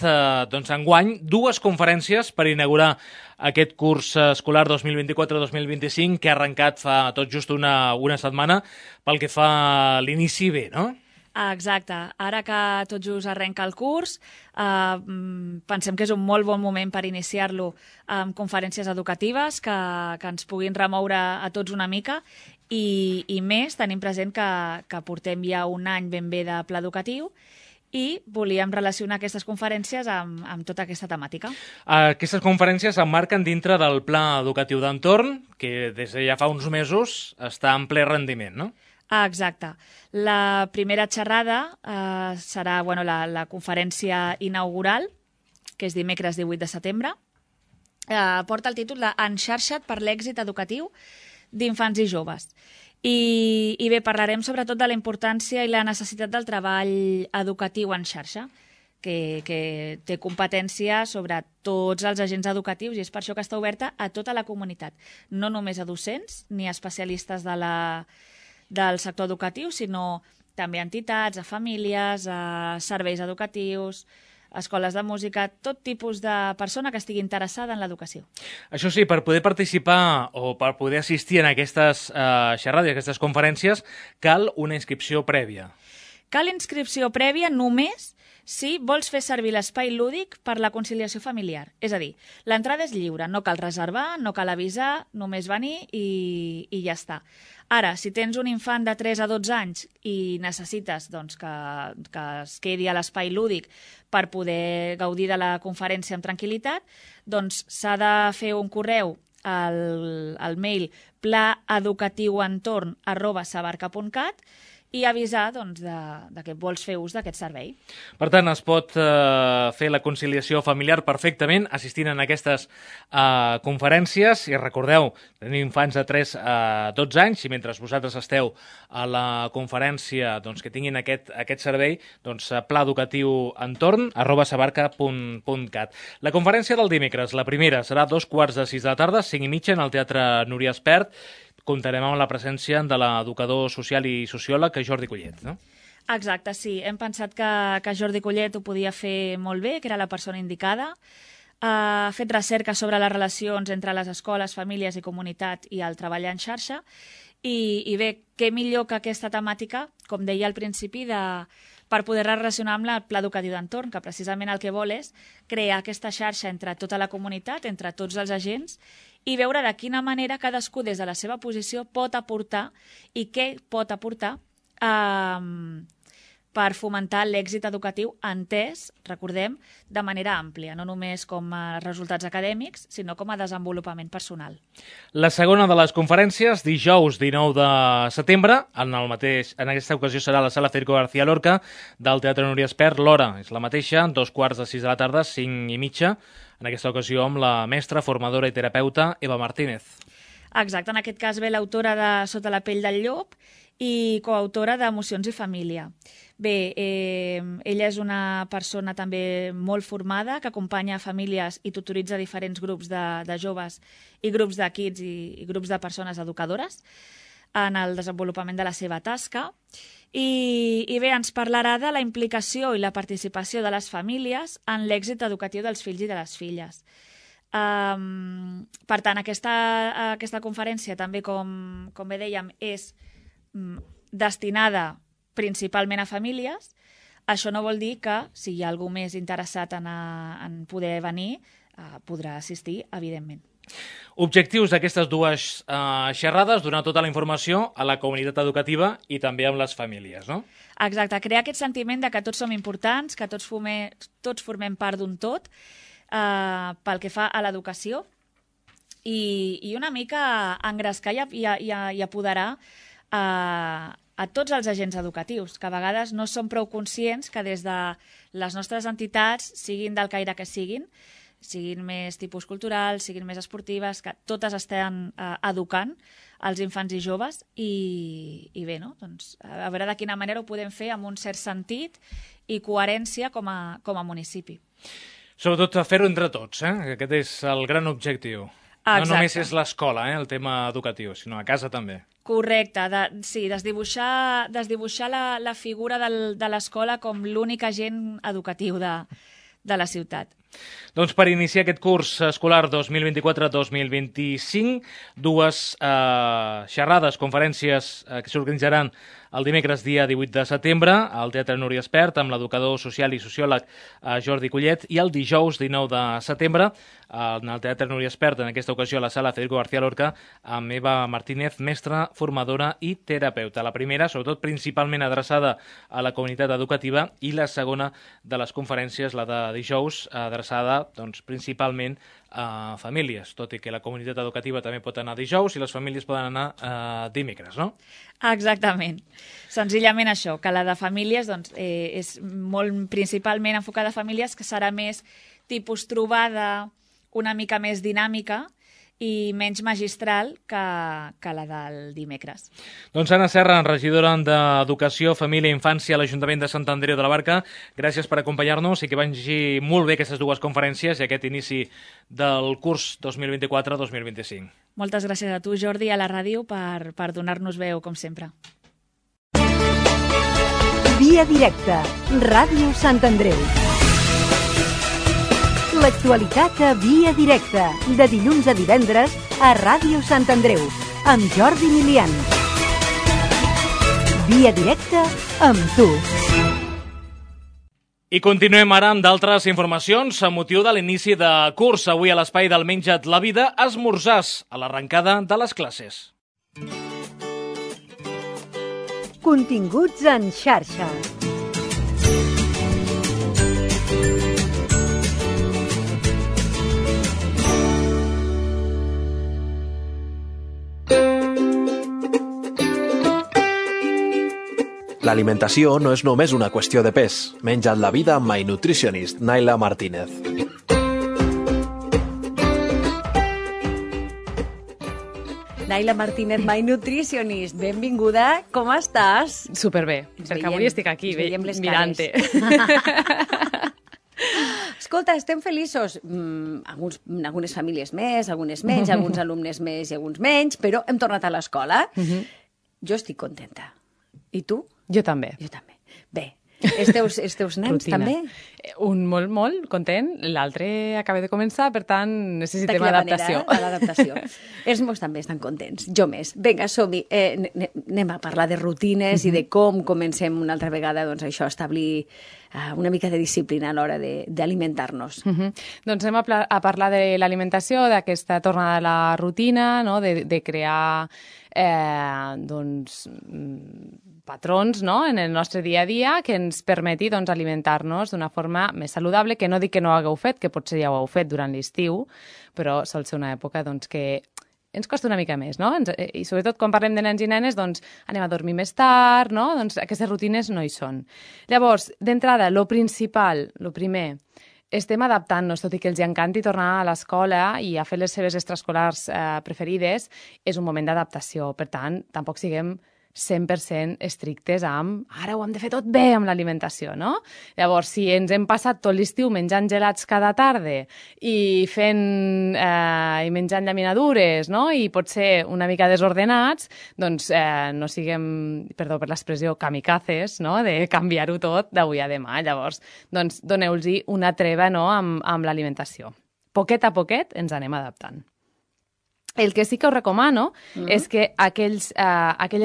enguany, dues conferències per inaugurar aquest curs escolar 2024-2025 que ha arrencat fa tot just una setmana pel que fa a l'inici bé, no? Exacte. Ara que tot just arrenca el curs, pensem que és un molt bon moment per iniciar-lo amb conferències educatives que ens puguin remoure a tots una mica i més, tenim present que portem ja un any ben bé de pla educatiu i volíem relacionar aquestes conferències amb tota aquesta temàtica. Aquestes conferències s'emmarquen dintre del pla educatiu d'entorn, que des de ja fa uns mesos està en ple rendiment, no? Exacte. La primera xerrada serà la conferència inaugural, que és dimecres 18 de setembre. Porta el títol de Enxarxa't per l'èxit educatiu d'infants i joves. I bé, parlarem sobretot de la importància i la necessitat del treball educatiu en xarxa, que té competència sobre tots els agents educatius i és per això que està oberta a tota la comunitat, no només a docents ni a especialistes del sector educatiu, sinó també a entitats, a famílies, a serveis educatius, a escoles de música, tot tipus de persona que estigui interessada en l'educació. Això sí, per poder participar o per poder assistir en aquestes xerrades, aquestes conferències, cal una inscripció prèvia. Cal inscripció prèvia només si vols fer servir l'espai lúdic per la conciliació familiar. És a dir, l'entrada és lliure, no cal reservar, no cal avisar, només venir i ja està. Ara, si tens un infant de 3 a 12 anys i necessites que es quedi a l'espai lúdic per poder gaudir de la conferència amb tranquil·litat, doncs s'ha de fer un correu al mail plaeducatiuentorn@sabarca.cat i avisar de que vols fer ús d'aquest servei. Per tant, es pot fer la conciliació familiar perfectament assistint en aquestes conferències i recordeu, tenir infants de 3 a 12 anys i mentre vosaltres esteu a la conferència que tinguin aquest servei, plaeducatiuentorn@sabarca.cat. La conferència del dimecres, la primera, serà a 2:45 de la tarda, 5:30 en el Teatre Núria Espert. Comptarem amb la presència de l'educador social i sociòleg Jordi Collet, no? Exacte, sí. Hem pensat que Jordi Collet ho podia fer molt bé, que era la persona indicada. Ha fet recerca sobre les relacions entre les escoles, famílies i comunitat i el treball en xarxa. I bé, què millor que aquesta temàtica, com deia al principi, per poder relacionar amb el pla educatiu d'entorn, que precisament el que vol és crear aquesta xarxa entre tota la comunitat, entre tots els agents, i veure de quina manera cadascú des de la seva posició pot aportar i què pot aportar per fomentar l'èxit educatiu entès, recordem, de manera àmplia, no només com a resultats acadèmics, sinó com a desenvolupament personal. La segona de les conferències, dijous 19 de setembre, en aquesta ocasió serà a la sala Federico García Lorca del Teatre Núria Espert. L'hora és la mateixa, 2:45 de la tarda, 5:30, en aquesta ocasió amb la mestra, formadora i terapeuta Eva Martínez. Exacte, en aquest cas ve l'autora de Sota la pell del llop i coautora d'Emocions i família. Bé, ella és una persona també molt formada que acompanya famílies i tutoritza diferents grups de joves i grups de kids i grups de persones educadores en el desenvolupament de la seva tasca. I bé, ens parlarà de la implicació i la participació de les famílies en l'èxit educatiu dels fills i de les filles. Per tant, aquesta conferència també, com bé dèiem, és destinada principalment a famílies. Això no vol dir que, si hi ha algú més interessat en poder venir, podrà assistir, evidentment. Objectius d'aquestes dues xerrades, donar tota la informació a la comunitat educativa i també amb les famílies, no? Exacte, crear aquest sentiment de que tots som importants, que tots formem part d'un tot, pel que fa a l'educació, i una mica engrescar i apoderar a tots els agents educatius, que a vegades no som prou conscients que des de les nostres entitats, siguin del caire que siguin més tipus culturals, siguin més esportives, que totes estan educant els infants i joves i bé, no? Doncs, a veure de quina manera ho podem fer amb un cert sentit i coherència com a municipi. Sobretot fer-ho entre tots, aquest és el gran objectiu. Exacte. No només és l'escola, el tema educatiu, sinó a casa també. Correcte, sí, desdibuixar la figura de l'escola com l'únic agent educatiu de la ciutat. Doncs per iniciar aquest curs escolar 2024-2025, dues xerrades, conferències que s'organitzaran el dimecres dia 18 de setembre al Teatre Núria Espert amb l'educador social i sociòleg Jordi Collet, i el dijous 19 de setembre en el Teatre Núria Espert, en aquesta ocasió a la sala Federico García Lorca, amb Eva Martínez, mestra, formadora i terapeuta. La primera, sobretot principalment adreçada a la comunitat educativa, i la segona de les conferències, la de dijous, adreçada principalment a famílies, tot i que la comunitat educativa també pot anar dijous i les famílies poden anar dimecres, no? Exactament. Senzillament això, que la de famílies és molt principalment enfocada a famílies, que serà més tipus trobada, una mica més dinàmica i menys magistral que la del dimecres. Doncs Anna Serra, regidora d'Educació, Família i Infància a l'Ajuntament de Sant Andreu de la Barca, gràcies per acompanyar-nos i que vagi molt bé aquestes dues conferències i aquest inici del curs 2024-2025. Moltes gràcies a tu, Jordi, a la ràdio per donar-nos veu, com sempre. Via directa, Ràdio Sant Andreu. L'actualitat a Via Directa, de dilluns a divendres a Ràdio Sant Andreu, amb Jordi Milian. Via Directa amb tu. I continuem ara amb d'altres informacions amb motiu de l'inici de curs. Avui a l'espai del Menja't la Vida, esmorzars a l'arrencada de les classes. Continguts en xarxa. L'alimentació no és només una qüestió de pes. Menja't la vida amb My Nutritionist, Naila Martínez. Naila Martínez, My Nutritionist, benvinguda. Com estàs? Superbé, perquè avui estic aquí mirant-te. Escolta, estem feliços. Algunes famílies més, algunes menys, alguns alumnes més i alguns menys, però hem tornat a l'escola. Jo estic contenta. I tu? Jo també. Jo també. Bé, els teus nens rutina. també? Un molt content, l'altre acaba de començar, per tant necessitem adaptació. L'adaptació. Els meus també estan contents, jo més. Vinga, som-hi. Anem a parlar de rutines i de com comencem una altra vegada a establir una mica de disciplina a l'hora d'alimentar-nos. Doncs anem a parlar de l'alimentació, d'aquesta tornada a la rutina, no? de crear patrons, no? En el nostre dia a dia que ens permeti alimentar-nos d'una forma més saludable, que no dic que no ho hagueu fet, que potser ja ho heu fet durant l'estiu, però sol ser una època que ens costa una mica més, no? I sobretot quan parlem de nens i nenes, anem a dormir més tard, no? Aquestes rutines no hi són. Llavors, d'entrada, lo primer, estem adaptant-nos, tot i que els encanti tornar a l'escola i a fer les seves extraescolars preferides, és un moment d'adaptació. Per tant, tampoc siguem 100% estrictes amb ara ho hem de fer tot bé amb l'alimentació, no? Llavors, si ens hem passat tot l'estiu menjant gelats cada tarda i menjant llaminadures, no? I potser una mica desordenats, doncs no siguem, perdó per l'expressió, kamikazes, no? De canviar-ho tot d'avui a demà. Llavors, doncs doneu-los una treva, no? amb l'alimentació. Poquet a poquet ens anem adaptant. El que sí que us recomano és que aquelles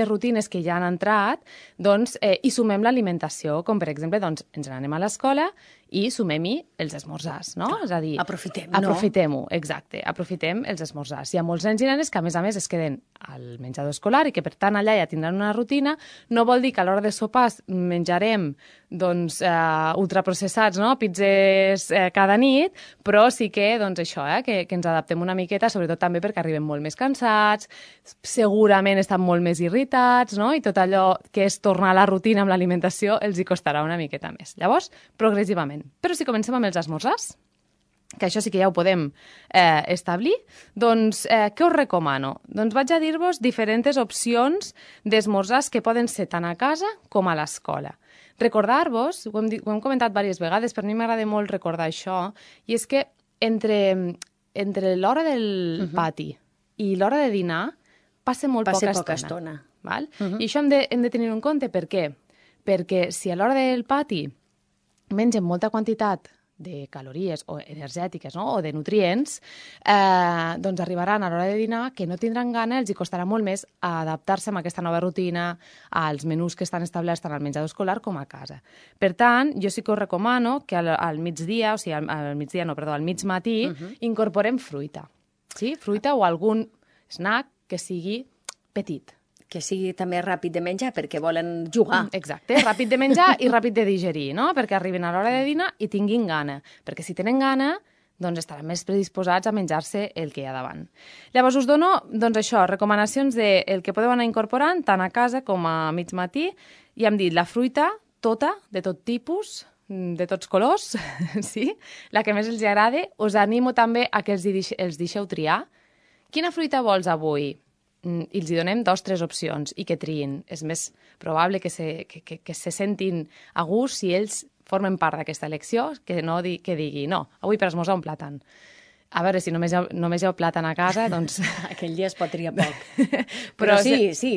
rutines que ja han entrat, hi sumem l'alimentació, com per exemple, ens n'anem a l'escola i sumem-hi els esmorzars, no? És a dir, aprofitem-ho, exacte, aprofitem els esmorzars. Hi ha molts nens i nenes que, a més, es queden al menjador escolar i que, per tant, allà ja tindran una rutina. No vol dir que a l'hora de sopar menjarem ultraprocessats, no? Pizzas cada nit, però sí que, això, que ens adaptem una miqueta, sobretot també perquè arribem molt més cansats, segurament estan molt més irritats, no? I tot allò que és tornar a la rutina amb l'alimentació els hi costarà una miqueta més. Llavors, progressivament. Però si comencem amb els esmorzars, que això sí que ja ho podem establir, doncs què us recomano? Doncs vaig a dir-vos diferents opcions d'esmorzars que poden ser tant a casa com a l'escola. Recordar-vos, ho hem comentat diverses vegades, per mi m'agrada molt recordar això, i és que entre l'hora del pati i l'hora de dinar passa molt poca estona. Val? I això hem de tenir en compte. Per què? Perquè si a l'hora del pati mengem molta quantitat de calories o energètiques, no? O de nutrients, doncs arribaran a l'hora de dinar que no tindran gana, els hi costarà molt més adaptar-se a aquesta nova rutina, als menús que estan establerts tant al menjador escolar com a casa. Per tant, jo sí que us recomano que al migdia, o sigui, al mig matí, incorporem fruita. Sí? Fruita o algun snack que sigui petit. Que sigui també ràpid de menjar, perquè volen jugar. Exacte, ràpid de menjar i ràpid de digerir, no? Perquè arribin a l'hora de dinar i tinguin gana. Perquè si tenen gana, doncs estaran més predisposats a menjar-se el que hi ha davant. Llavors us dono, doncs això, recomanacions del que podeu anar incorporant tant a casa com a mig matí. I hem dit la fruita, tota, de tot tipus, de tots colors, sí? La que més els agrada. Us animo també a que els deixeu triar. Quina fruita vols avui? I els donem 2 o 3 opcions i que triïn. És més probable que se sentin a gust si ells formen part d'aquesta elecció, que no que digui, no, avui per esmorzar un plàtan. A veure, si només hi ha plàtan a casa, doncs... Aquell dia es pot triar poc. Però sí,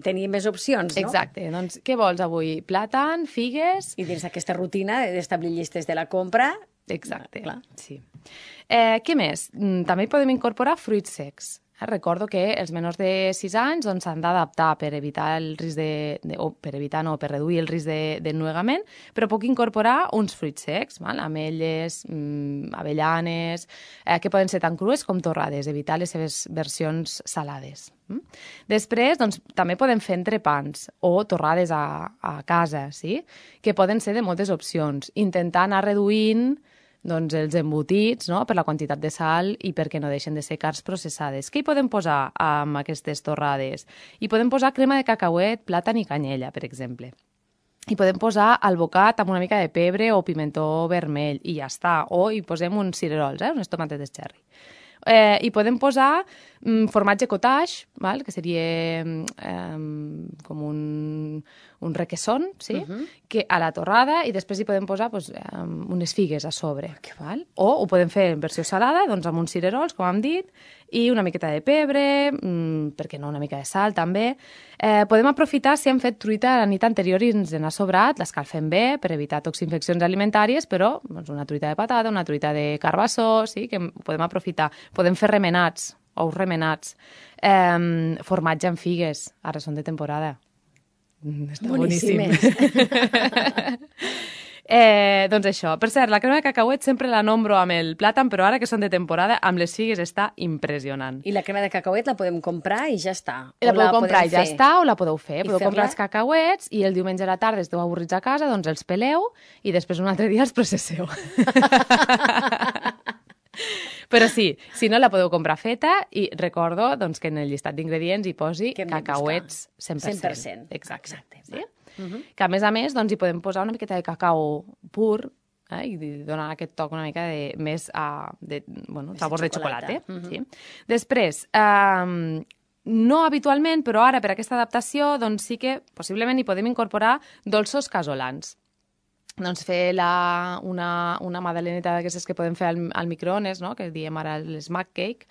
tenia més opcions, no? Exacte. Doncs què vols avui? Plàtan, figues... I dins d'aquesta rutina d'establir llistes de la compra... Exacte, clar. Sí. Què més? També podem incorporar fruits secs. Recordo que els menors de 6 anys s'han d'adaptar per evitar el risc per reduir el risc d'ennuegament, però puc incorporar uns fruits secs, ametlles, avellanes, que poden ser tan crues com torrades, evitar les seves versions salades. Després, doncs, també podem fer entrepans o torrades a casa, sí? Que poden ser de moltes opcions. Intentar anar reduint els embotits, no? Per la quantitat de sal i perquè no deixen de ser carns processades. Què hi podem posar amb aquestes torrades? Hi podem posar crema de cacauet, plàtan i canyella, per exemple. Hi podem posar albocat amb una mica de pebre o pimentó vermell i ja està. O hi posem uns cirerols, unes tomates cherry. Hi podem posar formatge cottage, que seria com un requesón, sí? Que a la torrada, i després hi podem posar unes figues a sobre. O ho podem fer en versió salada, amb uns cirerols, com hem dit, i una miqueta de pebre, per què no, una mica de sal també. Podem aprofitar si hem fet truita la nit anterior i ens n'ha sobrat, l'escalfem bé per evitar toxinfeccions alimentàries, però una truita de patata, una truita de carbassó, sí, que podem aprofitar. Podem fer remenats, ous remenats, formatge amb figues, ara són de temporada. Està boníssim. Doncs això. Per cert, la crema de cacauet sempre la nombro amb el plàtan, però ara que són de temporada, amb les figues està impressionant. I la crema de cacauet la podem comprar i ja està? La podeu comprar i ja està, o la podeu fer. Podeu comprar els cacauets i el diumenge a la tarda esteu avorrits a casa, doncs els peleu i després un altre dia els processeu. Però sí, si no la podeu comprar feta, i recordo que en el llistat d'ingredients hi posi cacauets 100%. Exacte. Sí? Que a més, hi podem posar una miqueta de cacau pur i donar aquest toc una mica més sabor de xocolata. Després, no habitualment, però ara per aquesta adaptació sí que possiblement hi podem incorporar dolços casolans. Doncs fer una magdaleneta d'aquestes que podem fer al microones, que diem ara l'smack cake,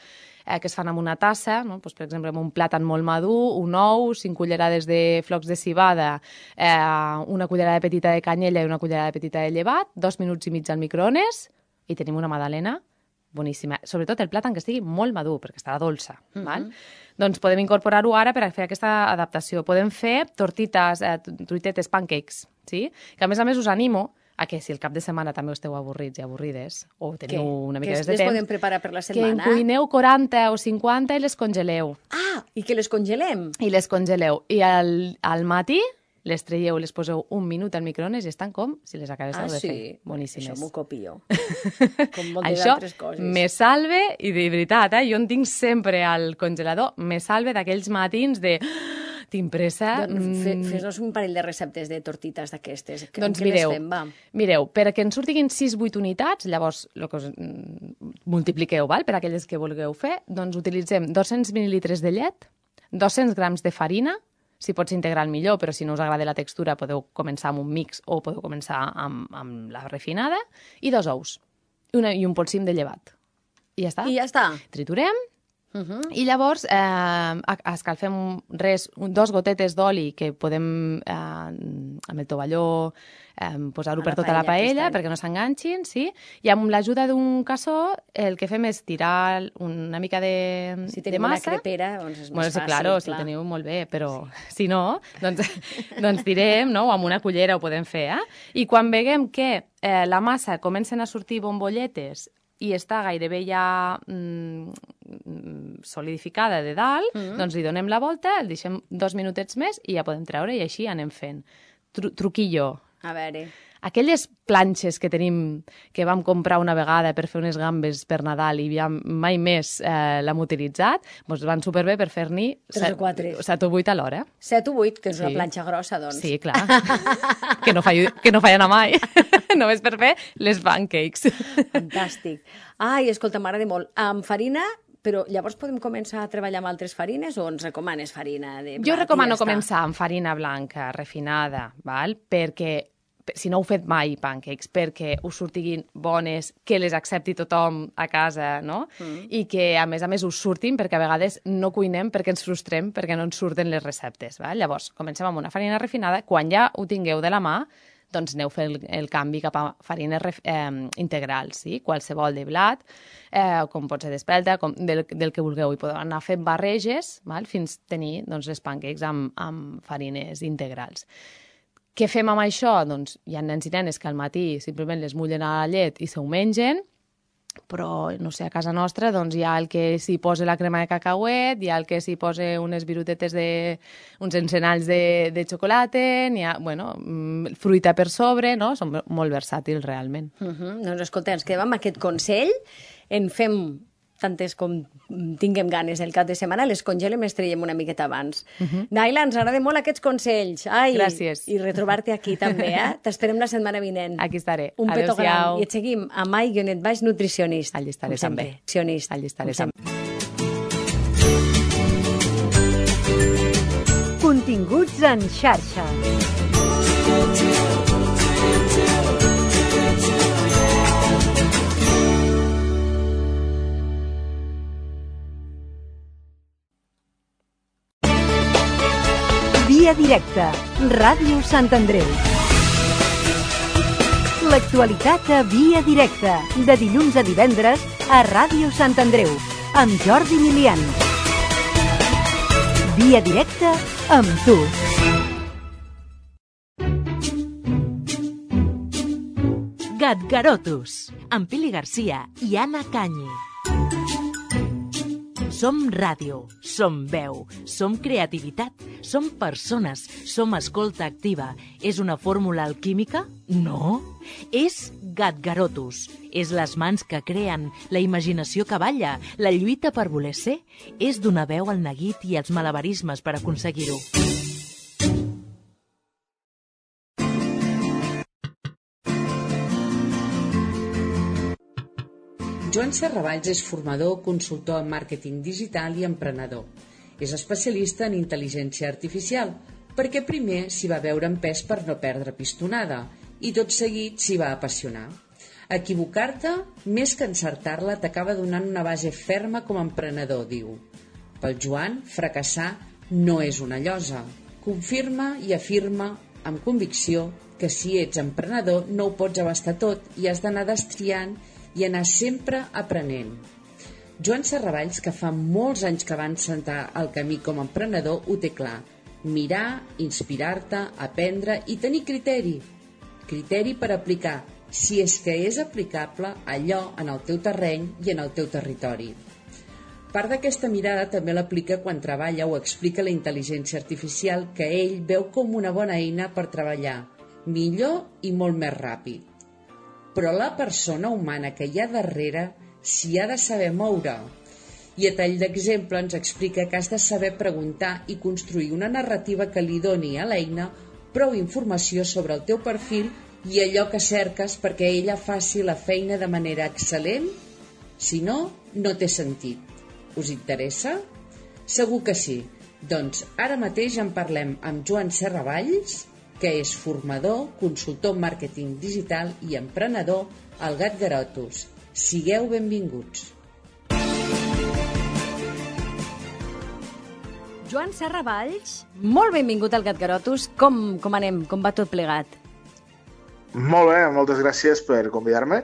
que es fan amb una tassa, per exemple, amb un plàtan molt madur, un ou, 5 cullerades de flocs de civada, una cullerada petita de canyella i una cullerada petita de llevat, 2 minuts i mig al microones, i tenim una magdalena boníssima. Sobretot el plàtan que estigui molt madur, perquè estarà dolça. Doncs podem incorporar-ho ara per fer aquesta adaptació. Podem fer truitetes, pancakes, sí? Que a més us animo a que si el cap de setmana també esteu avorrits i avorrides, o teniu una mica de temps... Que les podem preparar per la setmana? Que en cuineu 40 o 50 i les congeleu. Ah, i que les congelem? I les congeleu. I al matí les traieu, les poseu un minut al microones i estan com si les acabéssiu de fer. Boníssimes. Això m'ho copio. Com moltes altres coses. Això me salve, i de veritat, jo en tinc sempre al congelador, me salve d'aquells matins de... Tinc pressa... Fes-nos un parell de receptes de tortites d'aquestes. Doncs mireu, perquè en surtin 6-8 unitats, llavors el que us multipliqueu, per aquelles que vulgueu fer, doncs utilitzem 200 mil·lilitres de llet, 200 grams de farina, si pots integrar millor, però si no us agrada la textura podeu començar amb un mix o podeu començar amb la refinada, i 2 ous, i un polsim de llevat. I ja està. I ja està. Triturem I llavors escalfem 2 gotetes d'oli que podem amb el tovalló posar-ho per tota la paella perquè no s'enganxin, sí? I amb l'ajuda d'un cassó el que fem és tirar una mica de massa. Si tenim una crepera, doncs és més fàcil. Claro, si ho teniu molt bé, però si no, doncs tirem, no? O amb una cullera ho podem fer, I quan veiem que la massa comencen a sortir bombolletes i està gairebé ja solidificada de dalt, doncs li donem la volta, el deixem 2 minutets més i ja podem treure i així anem fent. Truquillo. A veure. Aquelles planxes que tenim, que vam comprar una vegada per fer unes gambes per Nadal i ja mai més l'hem utilitzat, doncs van superbé per fer-n'hi 3 o 4. 7 o 8 a l'hora. 7 o 8, que és una planxa grossa, doncs. Sí, clar. que no fallen a mai. Només per fer les pancakes. Fantàstic. Ai, escolta, m'agrada molt. Amb farina, però llavors podem començar a treballar amb altres farines o ens recomanes farina de blat? Jo recomano començar amb farina blanca, refinada, val? Perquè si no heu fet mai pancakes, perquè us surtiguin bones, que les accepti tothom a casa, no? I que, a més, us surtin, perquè a vegades no cuinem perquè ens frustrem, perquè no ens surten les receptes, val? Llavors, comencem amb una farina refinada. Quan ja ho tingueu de la mà, doncs aneu fent el canvi cap a farines integrals, sí? Qualsevol de blat, com pot ser d'espelta, del que vulgueu. I podeu anar fent barreges, val? Fins tenir les pancakes amb farines integrals. Què fem amb això? Doncs hi ha nens i nenes que al matí simplement les mullen a la llet i se ho mengen, però, no sé, a casa nostra doncs hi ha el que s'hi posa la crema de cacauet, hi ha el que s'hi posa unes virutetes uns encenalls de xocolata, n'hi ha, bueno, fruita per sobre, no? Són molt versàtils, realment. Doncs escolta, ens quedem amb aquest consell, en fem tantes com tinguem ganes el cap de setmana, les congelem i les traiem una miqueta abans. Naila, ens agrada molt aquests consells. Ai, gràcies. I retrobar-te aquí també, T'esperem la setmana vinent. Aquí estaré. Un petó gran. I et seguim a Mai-Nutricionist. Allí estaré també. Allí estaré sempre. Continguts en xarxa. Via directa, Ràdio Sant Andreu. L'actualitat a Via directa, de dilluns a divendres a Ràdio Sant Andreu, amb Jordi Milian. Via directa amb tu. Gatgarotus, amb Pili Garcia i Anna Canyi. Som ràdio, som veu, som creativitat, som persones, som escolta activa. És una fórmula alquímica? No. És Gatgarotus. És les mans que creen, la imaginació que balla, la lluita per voler ser. És donar veu al neguit i als malabarismes per aconseguir-ho. Joan Serravalls és formador, consultor en màrqueting digital i emprenedor. És especialista en intel·ligència artificial, perquè primer s'hi va veure en pes per no perdre pistonada i tot seguit s'hi va apassionar. Equivocar-te, més que encertar-la, t'acaba donant una base ferma com a emprenedor, diu. Pel Joan, fracassar no és una llosa. Confirma i afirma amb convicció que si ets emprenedor no ho pots abastar tot i has d'anar destriant i anar sempre aprenent. Joan Serravalls, que fa molts anys que va encetar el camí com a emprenedor, ho té clar. Mirar, inspirar-te, aprendre i tenir criteri. Criteri per aplicar, si és que és aplicable, allò en el teu terreny i en el teu territori. Part d'aquesta mirada també l'aplica quan treballa o explica la intel·ligència artificial que ell veu com una bona eina per treballar millor i molt més ràpid. Però la persona humana que hi ha darrere s'hi ha de saber moure. I a tall d'exemple ens explica que has de saber preguntar i construir una narrativa que li doni a l'eina prou informació sobre el teu perfil i allò que cerques perquè ella faci la feina de manera excel·lent. Si no, no té sentit. Us interessa? Segur que sí. Doncs ara mateix en parlem amb Joan Serravalls, que és formador, consultor en màrqueting digital i emprenedor al Gatgarotus. Sigueu benvinguts. Joan Serra Valls, molt benvingut al Gatgarotus. Com anem? Com va tot plegat? Molt bé, moltes gràcies per convidar-me.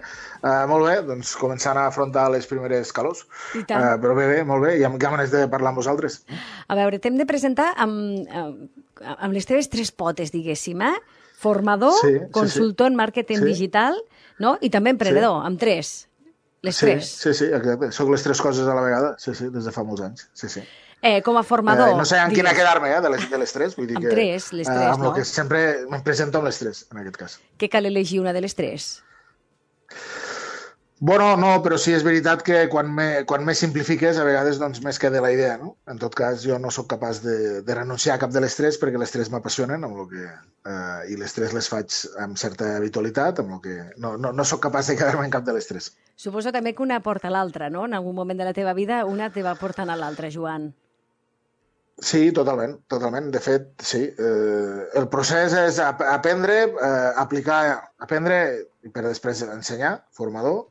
Molt bé, doncs començant a afrontar les primeres calors. I tant. Però bé, molt bé, hi ha ganes de parlar amb vosaltres. A veure, t'hem de presentar amb les teves tres potes, diguéssim, Formador, consultor en màrqueting digital, no? I també emprenedor, amb tres. Les tres. Sí, exacte. Soc les tres coses a la vegada, sí, des de fa molts anys, sí. Com a formador... No sé en quina quedar-me, de les tres. Vull dir amb tres, les tres, amb no? el que sempre em presento amb les tres, en aquest cas. Què cal elegir una de les tres? Bueno, no, però sí és veritat que quan més simplifiques, a vegades doncs, més queda la idea, no? En tot cas, jo no sóc capaç de renunciar a cap de les tres perquè les tres m'apassionen i les tres les faig amb certa habitualitat, amb el que no sóc capaç de quedar-me en cap de les tres. Suposo també que una porta a l'altra, no? En algun moment de la teva vida una te va portant a l'altra, Joan. Sí, totalment. De fet, sí. El procés és aprendre, aprendre i per després ensenyar, formador.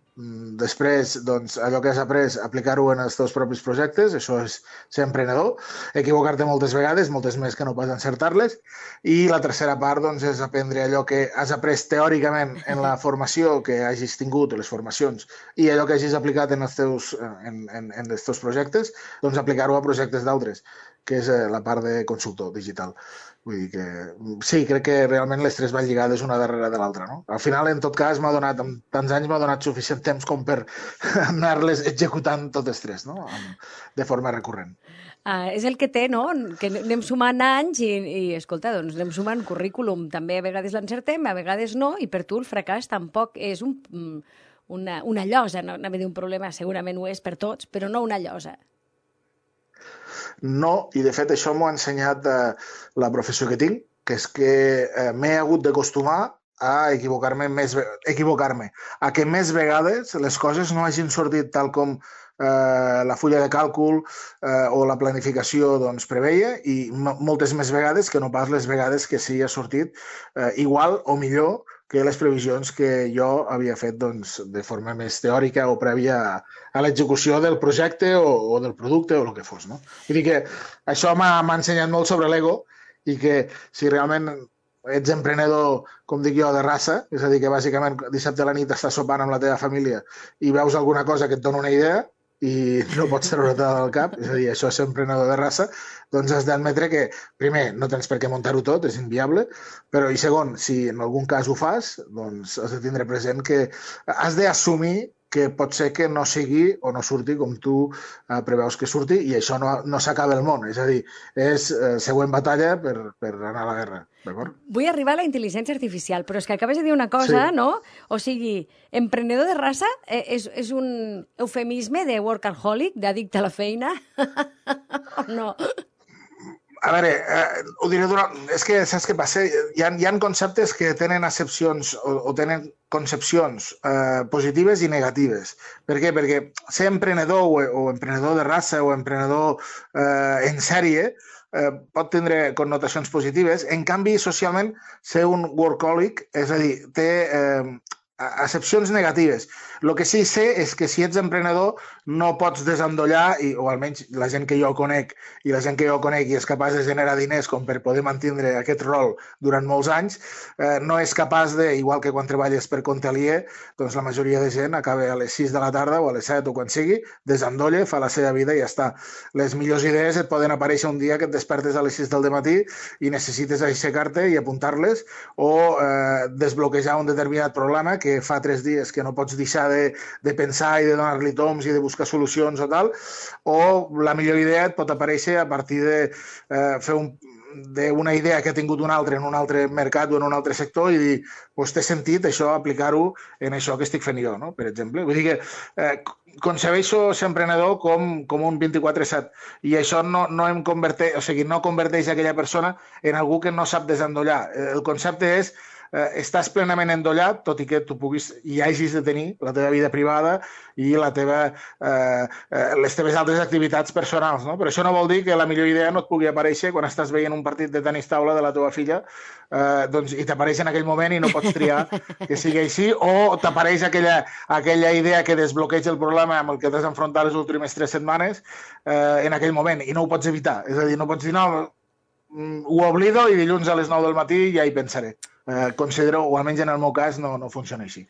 Després, doncs, allò que has après, aplicar-ho en els teus propis projectes, això és ser emprenedor, equivocar-te moltes vegades, moltes més que no pas encertar-les, i la tercera part, doncs, és aprendre allò que has après teòricament en la formació que hagis tingut, les formacions, i allò que hagis aplicat en els teus projectes, doncs aplicar-ho a projectes d'altres, que és la part de consultor digital. Vull dir que sí, crec que realment les tres van lligades una darrere de l'altra, no? Al final, en tot cas, amb tants anys m'ha donat suficient temps com per anar-les executant totes tres, no? De forma recurrent. És el que té, no? Que anem sumant anys i escolta, doncs anem sumant currículum. També a vegades l'encertem, a vegades no, i per tu el fracàs tampoc és una llosa, no? Anava a dir un problema, segurament ho és per tots, però no una llosa. No, i de fet això m'ho ha ensenyat la professió que tinc, que és que m'he hagut d'acostumar a equivocar-me, a que més vegades les coses no hagin sortit tal com la fulla de càlcul o la planificació doncs, preveia i moltes més vegades que no pas les vegades que sí ha sortit igual o millor que les previsions que jo havia fet doncs, de forma més teòrica o prèvia a l'execució del projecte o del producte o el que fos. No? Vull dir que això m'ha ensenyat molt sobre l'ego i que si realment ets emprenedor, com dic jo, de raça, és a dir, que bàsicament dissabte a la nit estàs sopant amb la teva família i veus alguna cosa que et dona una idea i no pots treure-te del cap, és a dir, això és ser emprenedor de raça, doncs has d'admetre que, primer, no tens per què muntar-ho tot, és inviable, però, i segon, si en algun cas ho fas, doncs has de tindre present que has d'assumir que pot ser que no sigui o no surti com tu preveus que surti i això no s'acaba el món, és a dir, és següent batalla per anar a la guerra, d'acord? Vull arribar a la intel·ligència artificial, però és que acabes de dir una cosa, sí. No? O sigui, emprenedor de raça és un eufemisme de workaholic, d'addicte a la feina? O no? A veure, ho diré és que saps què passa? Hi ha conceptes que tenen accepcions o tenen concepcions positives i negatives. Per què? Perquè ser emprenedor o emprenedor de raça o emprenedor en sèrie pot tindre connotacions positives. En canvi, socialment, ser un workaholic, és a dir, té accepcions negatives. El que sí sé és que si ets emprenedor no pots desendollar, o almenys la gent que jo conec i la gent que jo conec i és capaç de generar diners com per poder mantindre aquest rol durant molts anys, no és capaç de, igual que quan treballes per compte aliè, doncs la majoria de gent acaba a les 6 de la tarda o a les 7 o quan sigui, desendolla, fa la seva vida i ja està. Les millors idees et poden aparèixer un dia que et despertes a les 6 del matí i necessites aixecar-te i apuntar-les o desbloquejar un determinat problema que fa 3 dies que no pots deixar de pensar i de donar-li toms i de buscar solucions o tal, o la millor idea et pot aparèixer a partir de fer d'una idea que ha tingut un altre en un altre mercat o en un altre sector i dir, doncs té sentit això, aplicar-ho en això que estic fent jo, no? Per exemple. Vull dir que concebeixo ser emprenedor com un 24/7 i això no converteix aquella persona en algú que no sap desendollar. El concepte és estàs plenament endollat, tot i que tu puguis i hagis de tenir la teva vida privada i les teves altres activitats personals, no? Però això no vol dir que la millor idea no et pugui aparèixer quan estàs veient un partit de tenis taula de la teva filla i t'apareix en aquell moment i no pots triar que sigui així, o t'apareix aquella idea que desbloqueja el problema problema amb el que t'has d'enfrontar les últimes 3 setmanes en aquell moment, i no ho pots evitar. És a dir, no pots dir, no, ho oblido i dilluns a les 9 del matí ja hi pensaré. Considero, o almenys en el meu cas, no funciona així.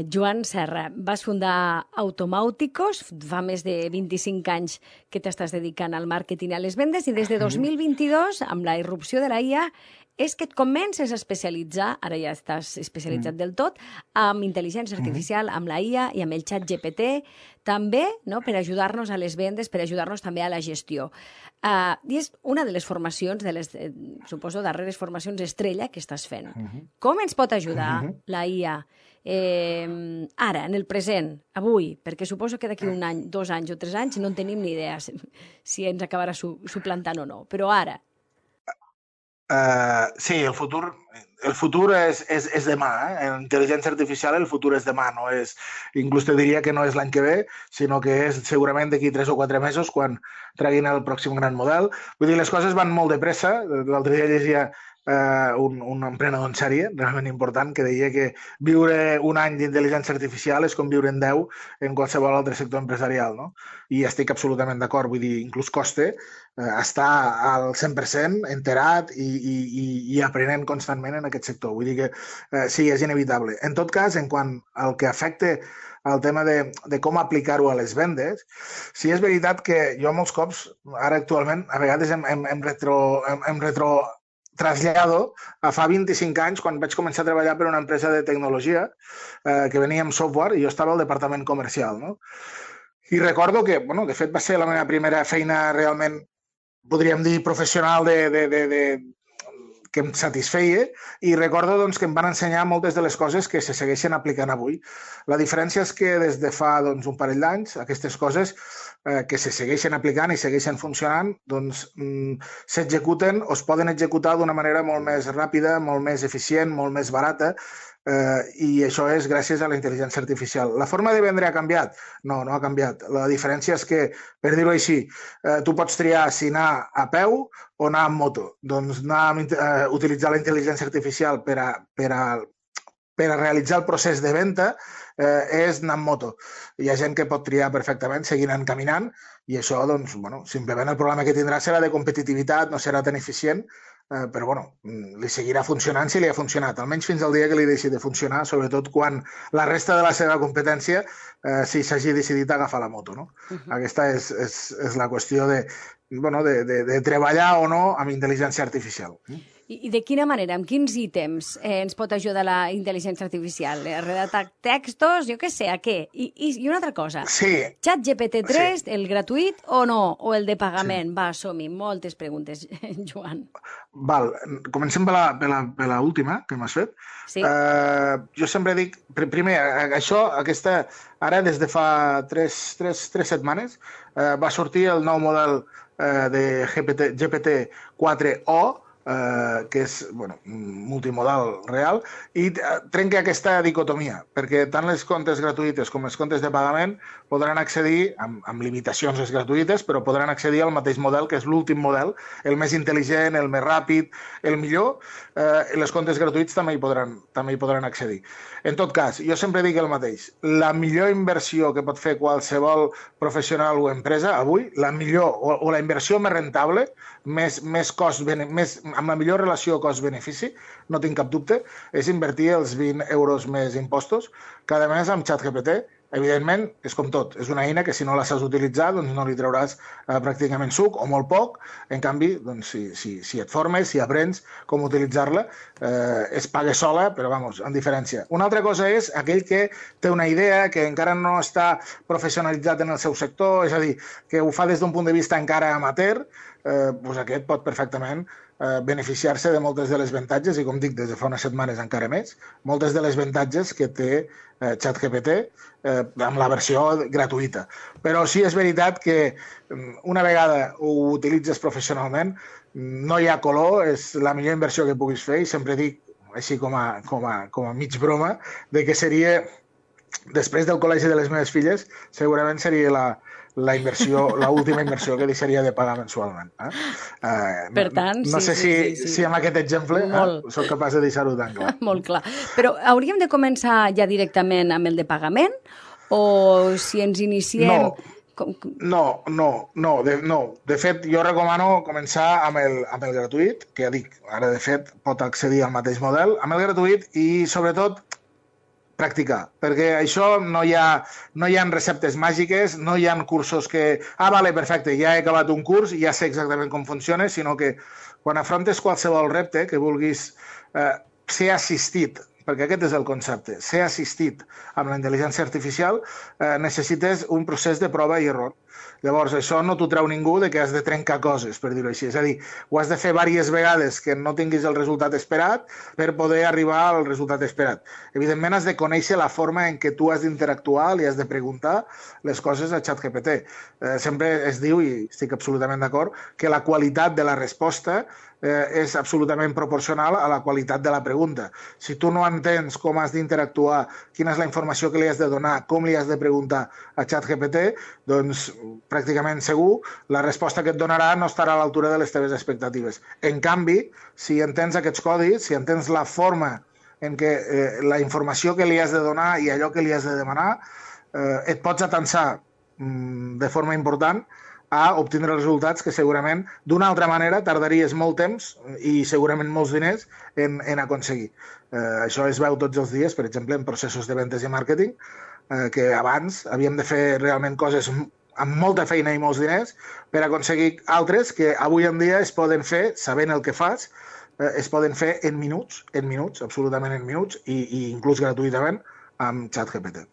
Joan Serra, vas fundar Automàuticos, fa més de 25 anys que t'estàs dedicant al màrqueting i a les vendes, i des de 2022, amb la irrupció de la IA, és que et comences a especialitzar, ara ja estàs especialitzat del tot, amb intel·ligència artificial, amb la IA i amb el xat GPT, també per ajudar-nos a les vendes, per ajudar-nos també a la gestió. I és una de les formacions, de les, suposo, darreres formacions estrella que estàs fent. Com ens pot ajudar la IA ara, en el present, avui? Perquè suposo que d'aquí un any, 2 anys o 3 anys no en tenim ni idea si ens acabarà suplantant o no, però ara. Sí, el futur és demà. En intel·ligència artificial el futur és demà. No és, inclús te diria que no és l'any que ve, sinó que és segurament d'aquí 3 o 4 mesos quan treguin el pròxim gran model. Vull dir, les coses van molt de pressa. L'altre dia llegia un emprenedor en sèrie realment important que deia que viure un any d'intel·ligència artificial és com viure en 10 en qualsevol altre sector empresarial, no? I estic absolutament d'acord, vull dir, inclús costa estar al 100% enterat i aprenent constantment en aquest sector. Vull dir que sí, és inevitable. En tot cas, en quant al que afecta el tema de com aplicar-ho a les vendes, sí és veritat que jo molts cops, ara actualment, a vegades em trasllado a fa 25 anys, quan vaig començar a treballar per una empresa de tecnologia que venia amb software i jo estava al departament comercial, no? I recordo que, de fet, va ser la meva primera feina realment, podríem dir, professional que em satisfeia, i recordo que em van ensenyar moltes de les coses que se segueixen aplicant avui. La diferència és que des de fa un parell d'anys aquestes coses que se segueixen aplicant i segueixen funcionant s'executen o es poden executar d'una manera molt més ràpida, molt més eficient, molt més barata, i això és gràcies a la intel·ligència artificial. La forma de vendre ha canviat? No, no ha canviat. La diferència és que, per dir-ho així, tu pots triar si anar a peu o anar amb moto. Doncs utilitzar la intel·ligència artificial per a realitzar el procés de venda és anar amb moto. Hi ha gent que pot triar perfectament seguint caminant i això, simplement el problema que tindrà serà de competitivitat, no serà tan eficient, però li seguirà funcionant si li ha funcionat, almenys fins al dia que li deixi de funcionar, sobretot quan la resta de la seva competència si s'hagi decidit agafar la moto. Aquesta és la qüestió de treballar o no amb intel·ligència artificial. I de quina manera, amb quins ítems ens pot ajudar la intel·ligència artificial? A redactar textos, jo què sé, a què? I una altra cosa, Chat GPT-3, el gratuït o no? O el de pagament? Va, som-hi, moltes preguntes, Joan. Val, comencem per l'última que m'has fet. Jo sempre dic, primer, ara des de fa 3 setmanes va sortir el nou model de GPT-4o, que és multimodal real, i trenca aquesta dicotomia, perquè tant les comptes gratuïtes com els comptes de pagament podran accedir, amb limitacions les gratuïtes, però podran accedir al mateix model, que és l'últim model, el més intel·ligent, el més ràpid, el millor. Les comptes gratuïts també hi podran accedir. En tot cas, jo sempre dic el mateix. La millor inversió que pot fer qualsevol professional o empresa avui, la millor o la inversió més rentable, amb la millor relació cost-benefici, no tinc cap dubte, és invertir els 20 euros més impostos cada mes amb ChatGPT. Evidentment, és com tot, és una eina que si no la saps utilitzar no li trauràs pràcticament suc o molt poc. En canvi, si et formes, si aprens com utilitzar-la, es paga sola, però en diferència. Una altra cosa és aquell que té una idea, que encara no està professionalitzat en el seu sector, és a dir, que ho fa des d'un punt de vista encara amateur, aquest pot perfectament beneficiar-se de moltes de les avantatges, i com dic, des de fa unes setmanes encara més, moltes de les avantatges que té ChatGPT amb la versió gratuïta. Però sí és veritat que una vegada ho utilitzes professionalment, no hi ha color, és la millor inversió que puguis fer, i sempre dic, així com a mig broma, de que seria, després del col·legi de les meves filles, segurament seria l'última inversió que deixaria de pagar mensualment. Per tant, no sé si amb aquest exemple soc capaç de deixar-ho tan clar. Molt clar. Però hauríem de començar ja directament amb el de pagament o si ens iniciem... No. De fet, jo recomano començar amb el gratuït, que ja dic, ara de fet pot accedir al mateix model, amb el gratuït i sobretot practicar, perquè això no hi ha receptes màgiques, no hi ha cursos que... Vale, perfecte, ja he acabat un curs i ja sé exactament com funciona, sinó que quan afrontes qualsevol repte que vulguis ser assistit, perquè aquest és el concepte, ser assistit amb la intel·ligència artificial, necessites un procés de prova i error. Llavors, això no t'ho treu ningú de que has de trencar coses, per dir-ho així. És a dir, ho has de fer diverses vegades que no tinguis el resultat esperat per poder arribar al resultat esperat. Evidentment, has de conèixer la forma en què tu has d'interactuar, li has de preguntar les coses a ChatGPT. Sempre es diu, i estic absolutament d'acord, que la qualitat de la resposta és absolutament proporcional a la qualitat de la pregunta. Si tu no entens com has d'interactuar, quina és la informació que li has de donar, com li has de preguntar a ChatGPT, doncs pràcticament segur la resposta que et donarà no estarà a l'altura de les teves expectatives. En canvi, si entens aquests codis, si entens la forma en què la informació que li has de donar i allò que li has de demanar, et pots atensar de forma important a obtindre resultats que segurament d'una altra manera tardaries molt temps i segurament molts diners en aconseguir. Això es veu tots els dies, per exemple, en processos de ventes i màrqueting, que abans havíem de fer realment coses amb molta feina i molts diners per aconseguir altres que avui en dia es poden fer, sabent el que fas, es poden fer en minuts, absolutament en minuts, i inclús gratuïtament amb ChatGPT.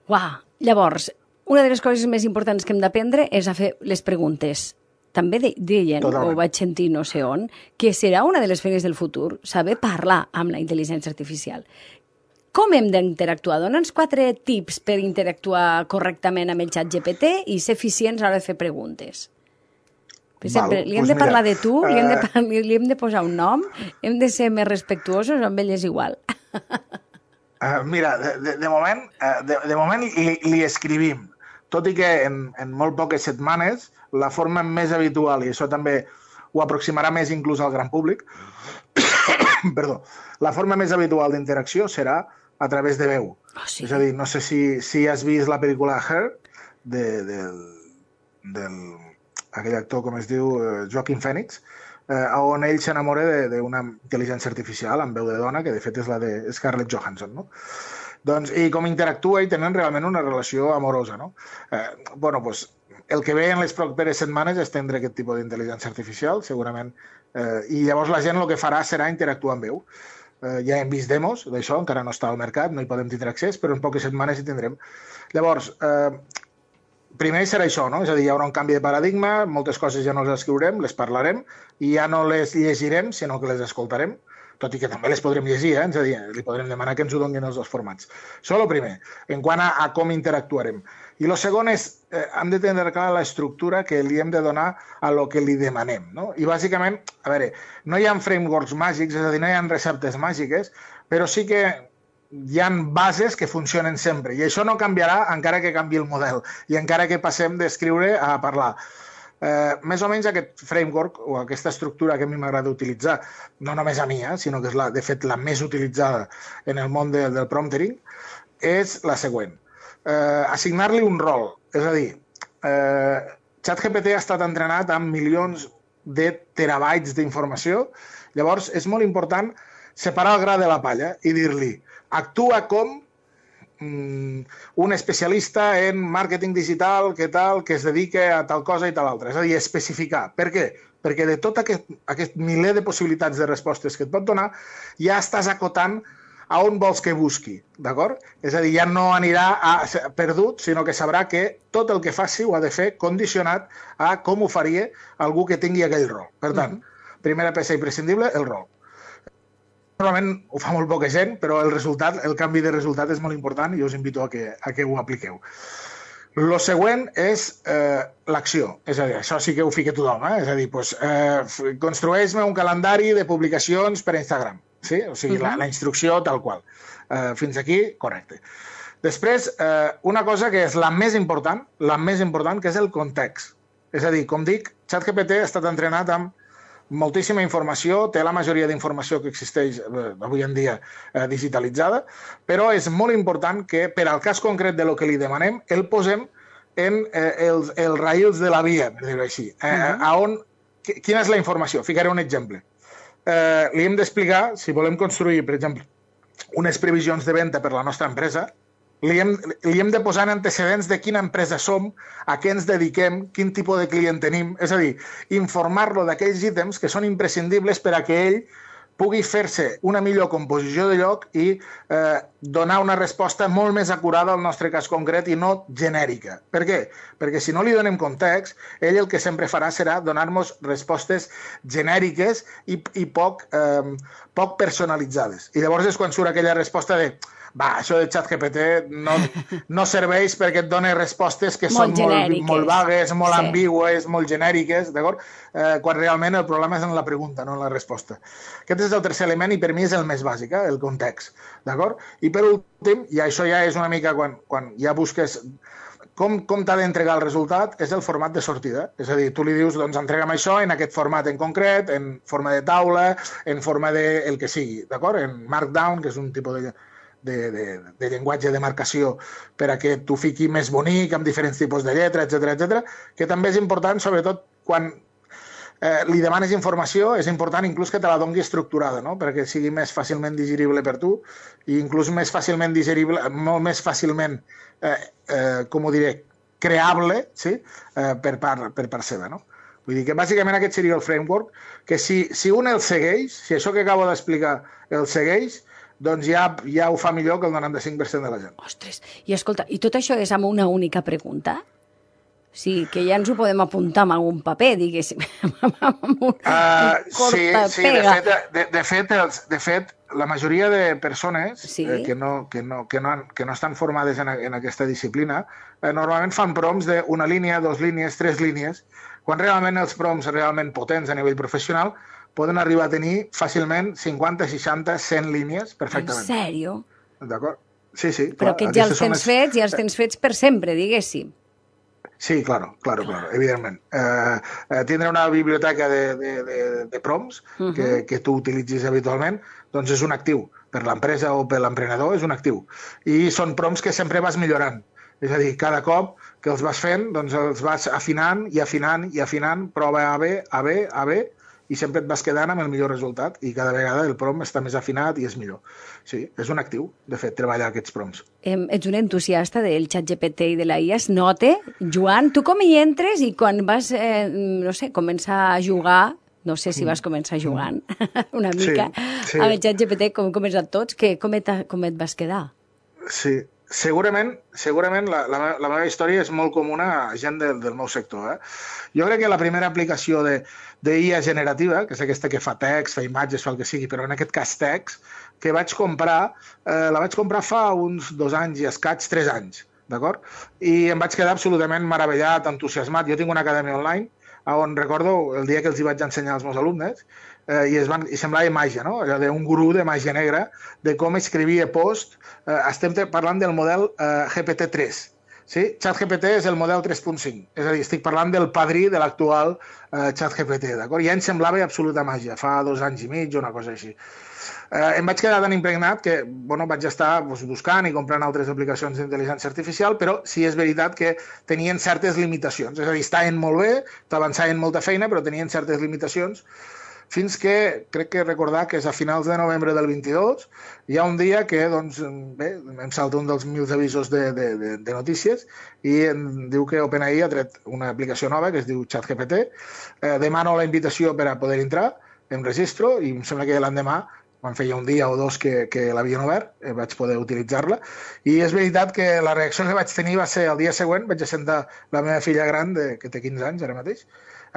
Uau! Llavors, una de les coses més importants que hem d'aprendre és a fer les preguntes. També deien, o vaig sentir no sé on, que serà una de les feines del futur, saber parlar amb la intel·ligència artificial. Com hem d'interactuar? Dona'ns 4 tips per interactuar correctament amb el ChatGPT i ser eficients a l'hora de fer preguntes. Per exemple, li hem de parlar de tu, li hem de posar un nom, hem de ser més respectuosos, amb ell és igual. Mira, de moment li escrivim, tot i que en molt poques setmanes la forma més habitual, i això també ho aproximarà més inclús al gran públic, perdó, la forma més habitual d'interacció serà a través de veu. És a dir, no sé si has vist la pel·lícula Her, d'aquell actor, com es diu, Joaquin Phoenix, on ell s'enamora d'una intel·ligència artificial amb veu de dona, que de fet és la de Scarlett Johansson, no? Doncs, i com interactua i tenen realment una relació amorosa, no? Doncs, el que ve en les properes setmanes és tindre aquest tipus d'intel·ligència artificial, segurament, i llavors la gent el que farà serà interactuar amb veu. Ja hem vist demos d'això, encara no està al mercat, no hi podem tindre accés, però en poques setmanes hi tindrem. Llavors, primer serà això, no? És a dir, hi haurà un canvi de paradigma, moltes coses ja no les escriurem, les parlarem, i ja no les llegirem, sinó que les escoltarem, tot i que també les podrem llegir, és a dir, li podrem demanar que ens ho donin els dos formats. Això és el primer, en quant a com interactuarem. I el segon és, hem de tenir clara l'estructura que li hem de donar a lo que li demanem, no? I bàsicament, a veure, no hi ha frameworks màgics, és a dir, no hi ha receptes màgiques, però sí que hi ha bases que funcionen sempre, i això no canviarà encara que canvi el model, i encara que passem d'escriure a parlar. Més o menys aquest framework o aquesta estructura que a mi m'agrada utilitzar, no només a mi, sinó que és de fet la més utilitzada en el món del promptering, és la següent. Assignar-li un rol, és a dir, ChatGPT ha estat entrenat amb milions de terabytes d'informació, llavors és molt important separar el gra de la palla i dir-li actua com un especialista en màrqueting digital que es dedica a tal cosa i tal altra. És a dir, especificar. Per què? Perquè de tot aquest miler de possibilitats de respostes que et pot donar, ja estàs acotant a on vols que busqui, d'acord? És a dir, ja no anirà perdut, sinó que sabrà que tot el que faci ho ha de fer condicionat a com ho faria algú que tingui aquell rol. Per tant, primera peça imprescindible, el rol. Normalment ho fa molt poca gent, però el canvi de resultat és molt important i us invito a que ho apliqueu. El següent és l'acció. És a dir, això sí que ho fica tothom. És a dir, construeix-me un calendari de publicacions per a Instagram. Sí? O sigui, la instrucció tal qual. Fins aquí, correcte. Després, una cosa que és la més important, que és el context. És a dir, com dic, ChatGPT ha estat entrenat amb moltíssima informació, té la majoria d'informació que existeix avui en dia digitalitzada, però és molt important que per al cas concret de lo que li demanem el posem en els raïls de la via, per dir-ho així. Quina és la informació? Ficaré un exemple. Li hem d'explicar, si volem construir, per exemple, unes previsions de venda per la nostra empresa, li hem de posar en antecedents de quina empresa som, a què ens dediquem, quin tipus de client tenim, és a dir, informar-lo d'aquells ítems que són imprescindibles per a que ell pugui fer-se una millor composició de lloc i donar una resposta molt més acurada al nostre cas concret i no genèrica. Per què? Perquè si no li donem context, ell el que sempre farà serà donar-nos respostes genèriques i poc personalitzades. I llavors és quan surt aquella resposta de això de ChatGPT no serveix perquè et dona respostes que són molt vagues, molt ambigües, molt genèriques, d'acord? Quan realment el problema és en la pregunta, no en la resposta. Aquest és el tercer element i per mi és el més bàsic, el context, d'acord? I per últim, i això ja és una mica quan ja busques com t'ha d'entregar el resultat, és el format de sortida. És a dir, tu li dius, doncs entrega'm això en aquest format en concret, en forma de taula, en forma de el que sigui, d'acord? En Markdown, que és un tipus de llenguatge de marcació per a que tu fiqui més bonic, amb diferents tipus de lletra, etc, que també és important, sobretot quan li demanes informació, és important inclús que te la doni estructurada, no? Perquè sigui més fàcilment digerible per tu i inclús més fàcilment digerible, molt més fàcilment, com ho diré, creable, sí? per part seva, no? Vull dir que bàsicament aquest seria el framework, que si un el segueix, si això que acabo d'explicar el segueix, doncs ja ho fa millor que el 95% de la gent. Ostres, i escolta, i tot això és amb una única pregunta? Sí, que ja ens ho podem apuntar amb algun paper, diguéssim. Sí, de fet, la majoria de persones que no estan formades en aquesta disciplina normalment fan prompts d'una línia, 2 línies, 3 línies, quan realment els prompts realment potents a nivell professional poden arribar a tenir fàcilment 50, 60, 100 línies perfectament. En sèrio? D'acord? Sí. Però aquests ja els tens fets per sempre, diguéssim. Sí, claro, evidentment. Tindre una biblioteca de prompts que tu utilitzis habitualment, doncs és un actiu. Per l'empresa o per l'emprenedor és un actiu. I són prompts que sempre vas millorant. És a dir, cada cop que els vas fent, doncs els vas afinant i afinant i afinant, prova A, B, i sempre et vas quedant amb el millor resultat i cada vegada el prompt està més afinat i és millor. Sí, és un actiu, de fet, treballar aquests prompts. Ets un entusiasta del ChatGPT i de la IA, es nota. Joan, tu com hi entres i quan vas, començar a jugar, no sé si vas començar jugant una mica amb el ChatGPT, com hem començat tots, com et vas quedar? Sí, segurament la meva història és molt comuna a gent del meu sector. Jo crec que la primera aplicació d'IA generativa, que és aquesta que fa text, fa imatges, fa el que sigui, però en aquest cas text, que vaig comprar, la vaig comprar fa uns 2 anys i escaig, 3 anys, d'acord? I em vaig quedar absolutament meravellat, entusiasmat. Jo tinc una acadèmia online on recordo el dia que els hi vaig ensenyar als meus alumnes i semblava màgia, no? Allò d'un gurú de màgia negra, de com escrivia post. Estem parlant del model GPT-3. Sí? ChatGPT és el model 3.5. És a dir, estic parlant del padrí de l'actual ChatGPT, d'acord? Ja em semblava absoluta màgia, fa 2 anys i mig o una cosa així. Em vaig quedar tan impregnat que vaig estar buscant i comprant altres aplicacions d'intel·ligència artificial, però sí és veritat que tenien certes limitacions. És a dir, estaven molt bé, t'avançaven molta feina, però tenien certes limitacions, fins que, crec que recordar que és a finals de novembre del 22, hi ha un dia que, doncs, bé, em salta un dels meus avisos de notícies i em diu que OpenAI ha tret una aplicació nova que es diu ChatGPT. Demano la invitació per a poder entrar, em registro i em sembla que l'endemà, quan feia un dia o 2 que l'havien obert, vaig poder utilitzar-la. I és veritat que la reacció que vaig tenir va ser el dia següent, vaig assentar la meva filla gran, que té 15 anys ara mateix,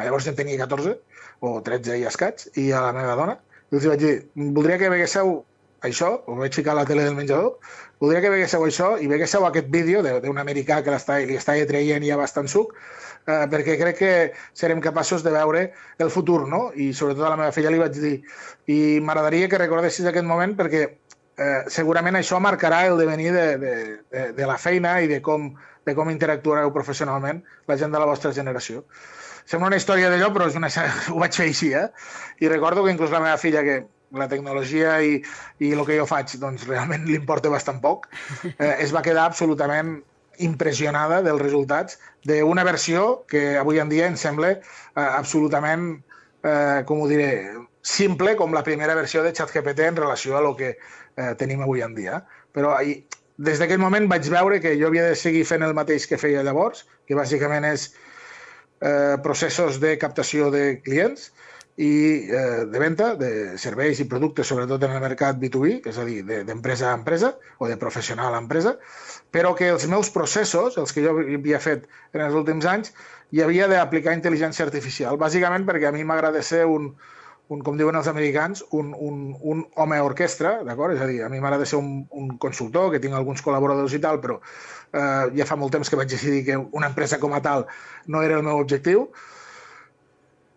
llavors en tenia 14 o 13 i escaig, i a la meva dona, i els vaig dir, voldria que veguéssiu això, ho vaig ficar a la tele del menjador, voldria que veguéssiu això i veguéssiu aquest vídeo d'un americà que li està traient ja bastant suc, perquè crec que serem capaços de veure el futur, no? I sobretot a la meva filla li vaig dir, i m'agradaria que recordessis aquest moment perquè segurament això marcarà el devenir de la feina i de com interactuareu professionalment la gent de la vostra generació. Sembla una història d'allò, però ho vaig fer així, I recordo que inclús la meva filla, que la tecnologia i el que jo faig, doncs realment li importa bastant poc, es va quedar absolutament impressionada dels resultats d'una versió que avui en dia em sembla absolutament, com ho diré, simple com la primera versió de ChatGPT en relació a el que tenim avui en dia. Però des d'aquell moment vaig veure que jo havia de seguir fent el mateix que feia llavors, que bàsicament és processos de captació de clients i de venda de serveis i productes, sobretot en el mercat B2B, és a dir, d'empresa a empresa o de professional a empresa, però que els meus processos, els que jo havia fet en els últims anys, hi havia d'aplicar intel·ligència artificial, bàsicament perquè a mi m'agrada ser com diuen els americans, un home orquestra, d'acord? És a dir, a mi m'agrada ser un consultor, que tinc alguns col·laboradors i tal, però ja fa molt temps que vaig decidir que una empresa com a tal no era el meu objectiu,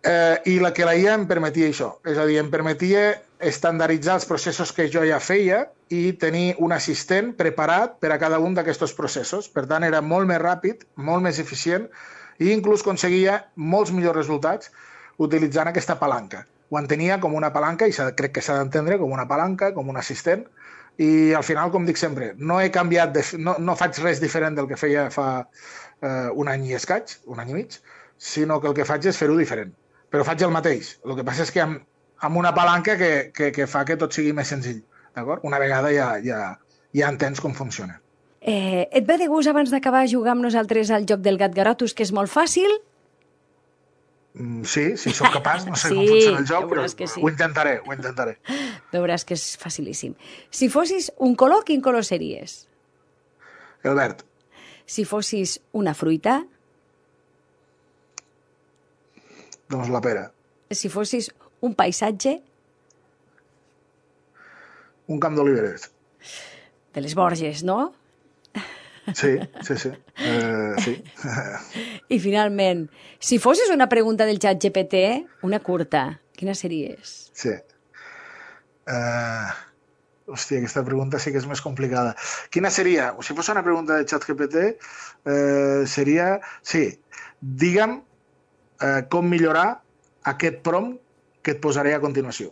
i la IA em permetia això, és a dir, em permetia estandarditzar els processos que jo ja feia i tenir un assistent preparat per a cada un d'aquests processos. Per tant, era molt més ràpid, molt més eficient i inclús aconseguia molts millors resultats utilitzant aquesta palanca. Ho entenia com una palanca i crec que s'ha d'entendre com una palanca, com un assistent, i al final, com dic sempre, no he canviat, no faig res diferent del que feia fa un any i escaig, un any i mig, sinó que el que faig és fer-ho diferent. Però faig el mateix. El que passa és que amb una palanca que fa que tot sigui més senzill. D'acord? Una vegada ja entens com funciona. Et ve de gust abans d'acabar jugar amb nosaltres al joc del gat garotus, que és molt fàcil? Sí, si sóc capaç, no sé com funciona el joc, però sí. ho intentaré. Veuràs que és facilíssim. Si fossis un color, quin color series? El verd. Si fossis una fruita? Doncs la pera. Si fossis un paisatge? Un camp d'oliveres. De les Borges, no? Sí. Sí. I finalment, si fossis una pregunta del ChatGPT, una curta, quina series? Sí. Hòstia, aquesta pregunta sí que és més complicada. Quina seria? Si fos una pregunta del ChatGPT, seria... Sí, digue'm com millorar aquest prompt que et posaré a continuació.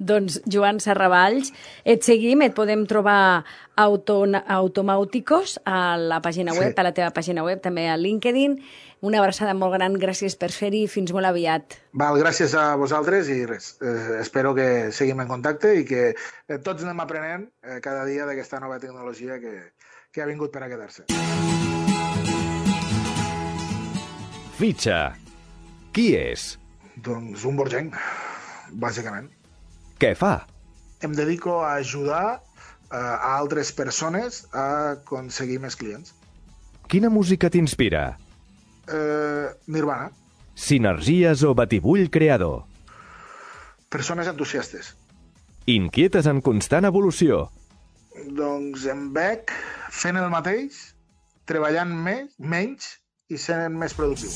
Doncs, Joan Serravalls, et seguim, et podem trobar Automàuticos a la pàgina web, a la teva pàgina web, també a LinkedIn. Una abraçada molt gran, gràcies per fer-hi, fins molt aviat. Gràcies a vosaltres i res, espero que seguim en contacte i que tots anem aprenent cada dia d'aquesta nova tecnologia que ha vingut per a quedar-se. Fitxa. Qui és? Doncs un borgenc, bàsicament. Què fa? Em dedico a ajudar a altres persones a aconseguir més clients. Quina música t'inspira? Nirvana. Sinergies o batibull creador? Persones entusiastes. Inquietes en constant evolució? Doncs em veig fent el mateix, treballant menys i sent més productiu.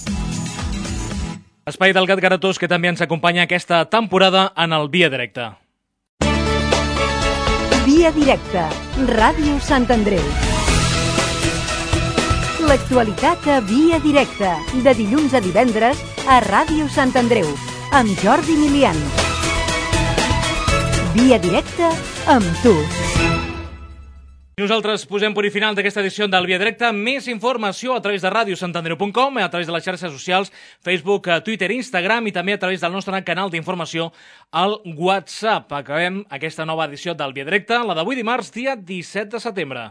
Espai del Gat Garatós, que també ens acompanya aquesta temporada en el Via Directe. Via Directe, Ràdio Sant Andreu. L'actualitat a Via Directe, de dilluns a divendres a Ràdio Sant Andreu, amb Jordi Milian. Via Directe amb tu. Nosaltres posem punt i final d'aquesta edició del Via Directe. Més informació a través de radiosantandreu.com, a través de les xarxes socials, Facebook, Twitter, Instagram i també a través del nostre canal d'informació al WhatsApp. Acabem aquesta nova edició del Via Directe, la d'avui dimarts, dia 17 de setembre.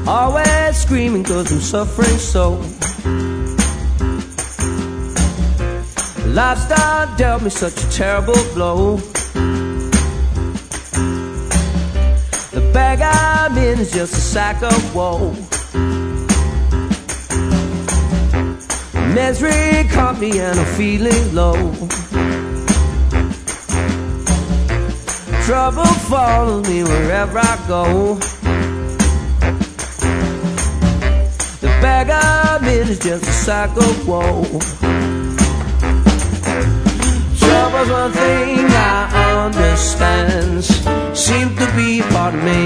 Always screaming 'cause I'm suffering so. Lifestyle dealt me such a terrible blow. The bag I'm in is just a sack of woe. Misery caught me and I'm feeling low. Trouble follows me wherever I go. The bag I'm in is just a sack of woe. Trouble Trouble's one thing I understand, seem to be part of me.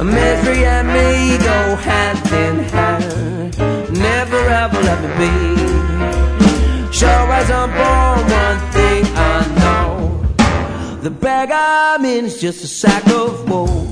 Misery and me go hand in hand, never ever let me be. Sure as I'm born, one thing I know, the bag I'm in is just a sack of wool.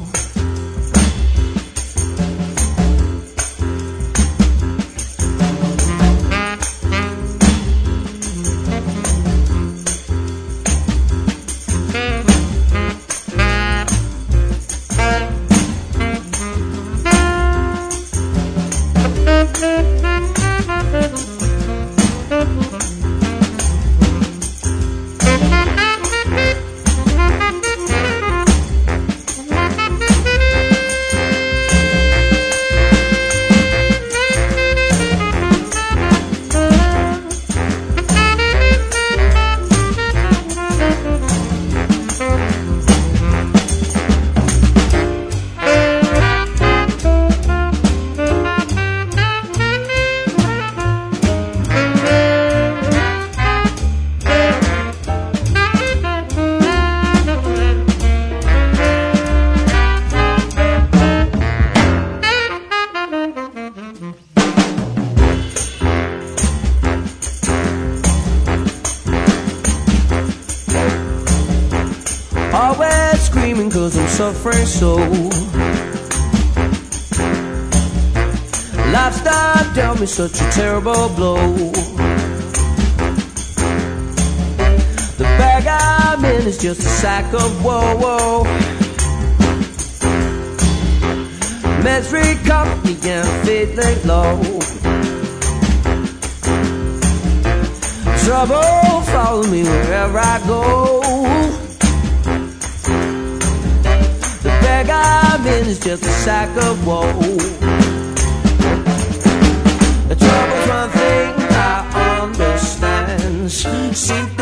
Suffering so, lifestyle dealt me such a terrible blow. The bag I'm in is just a sack of woe. Misery caught me and faith laid low. Trouble follow me wherever I go. The bag I'm in is just a sack of woe. The trouble's one thing I understand, seem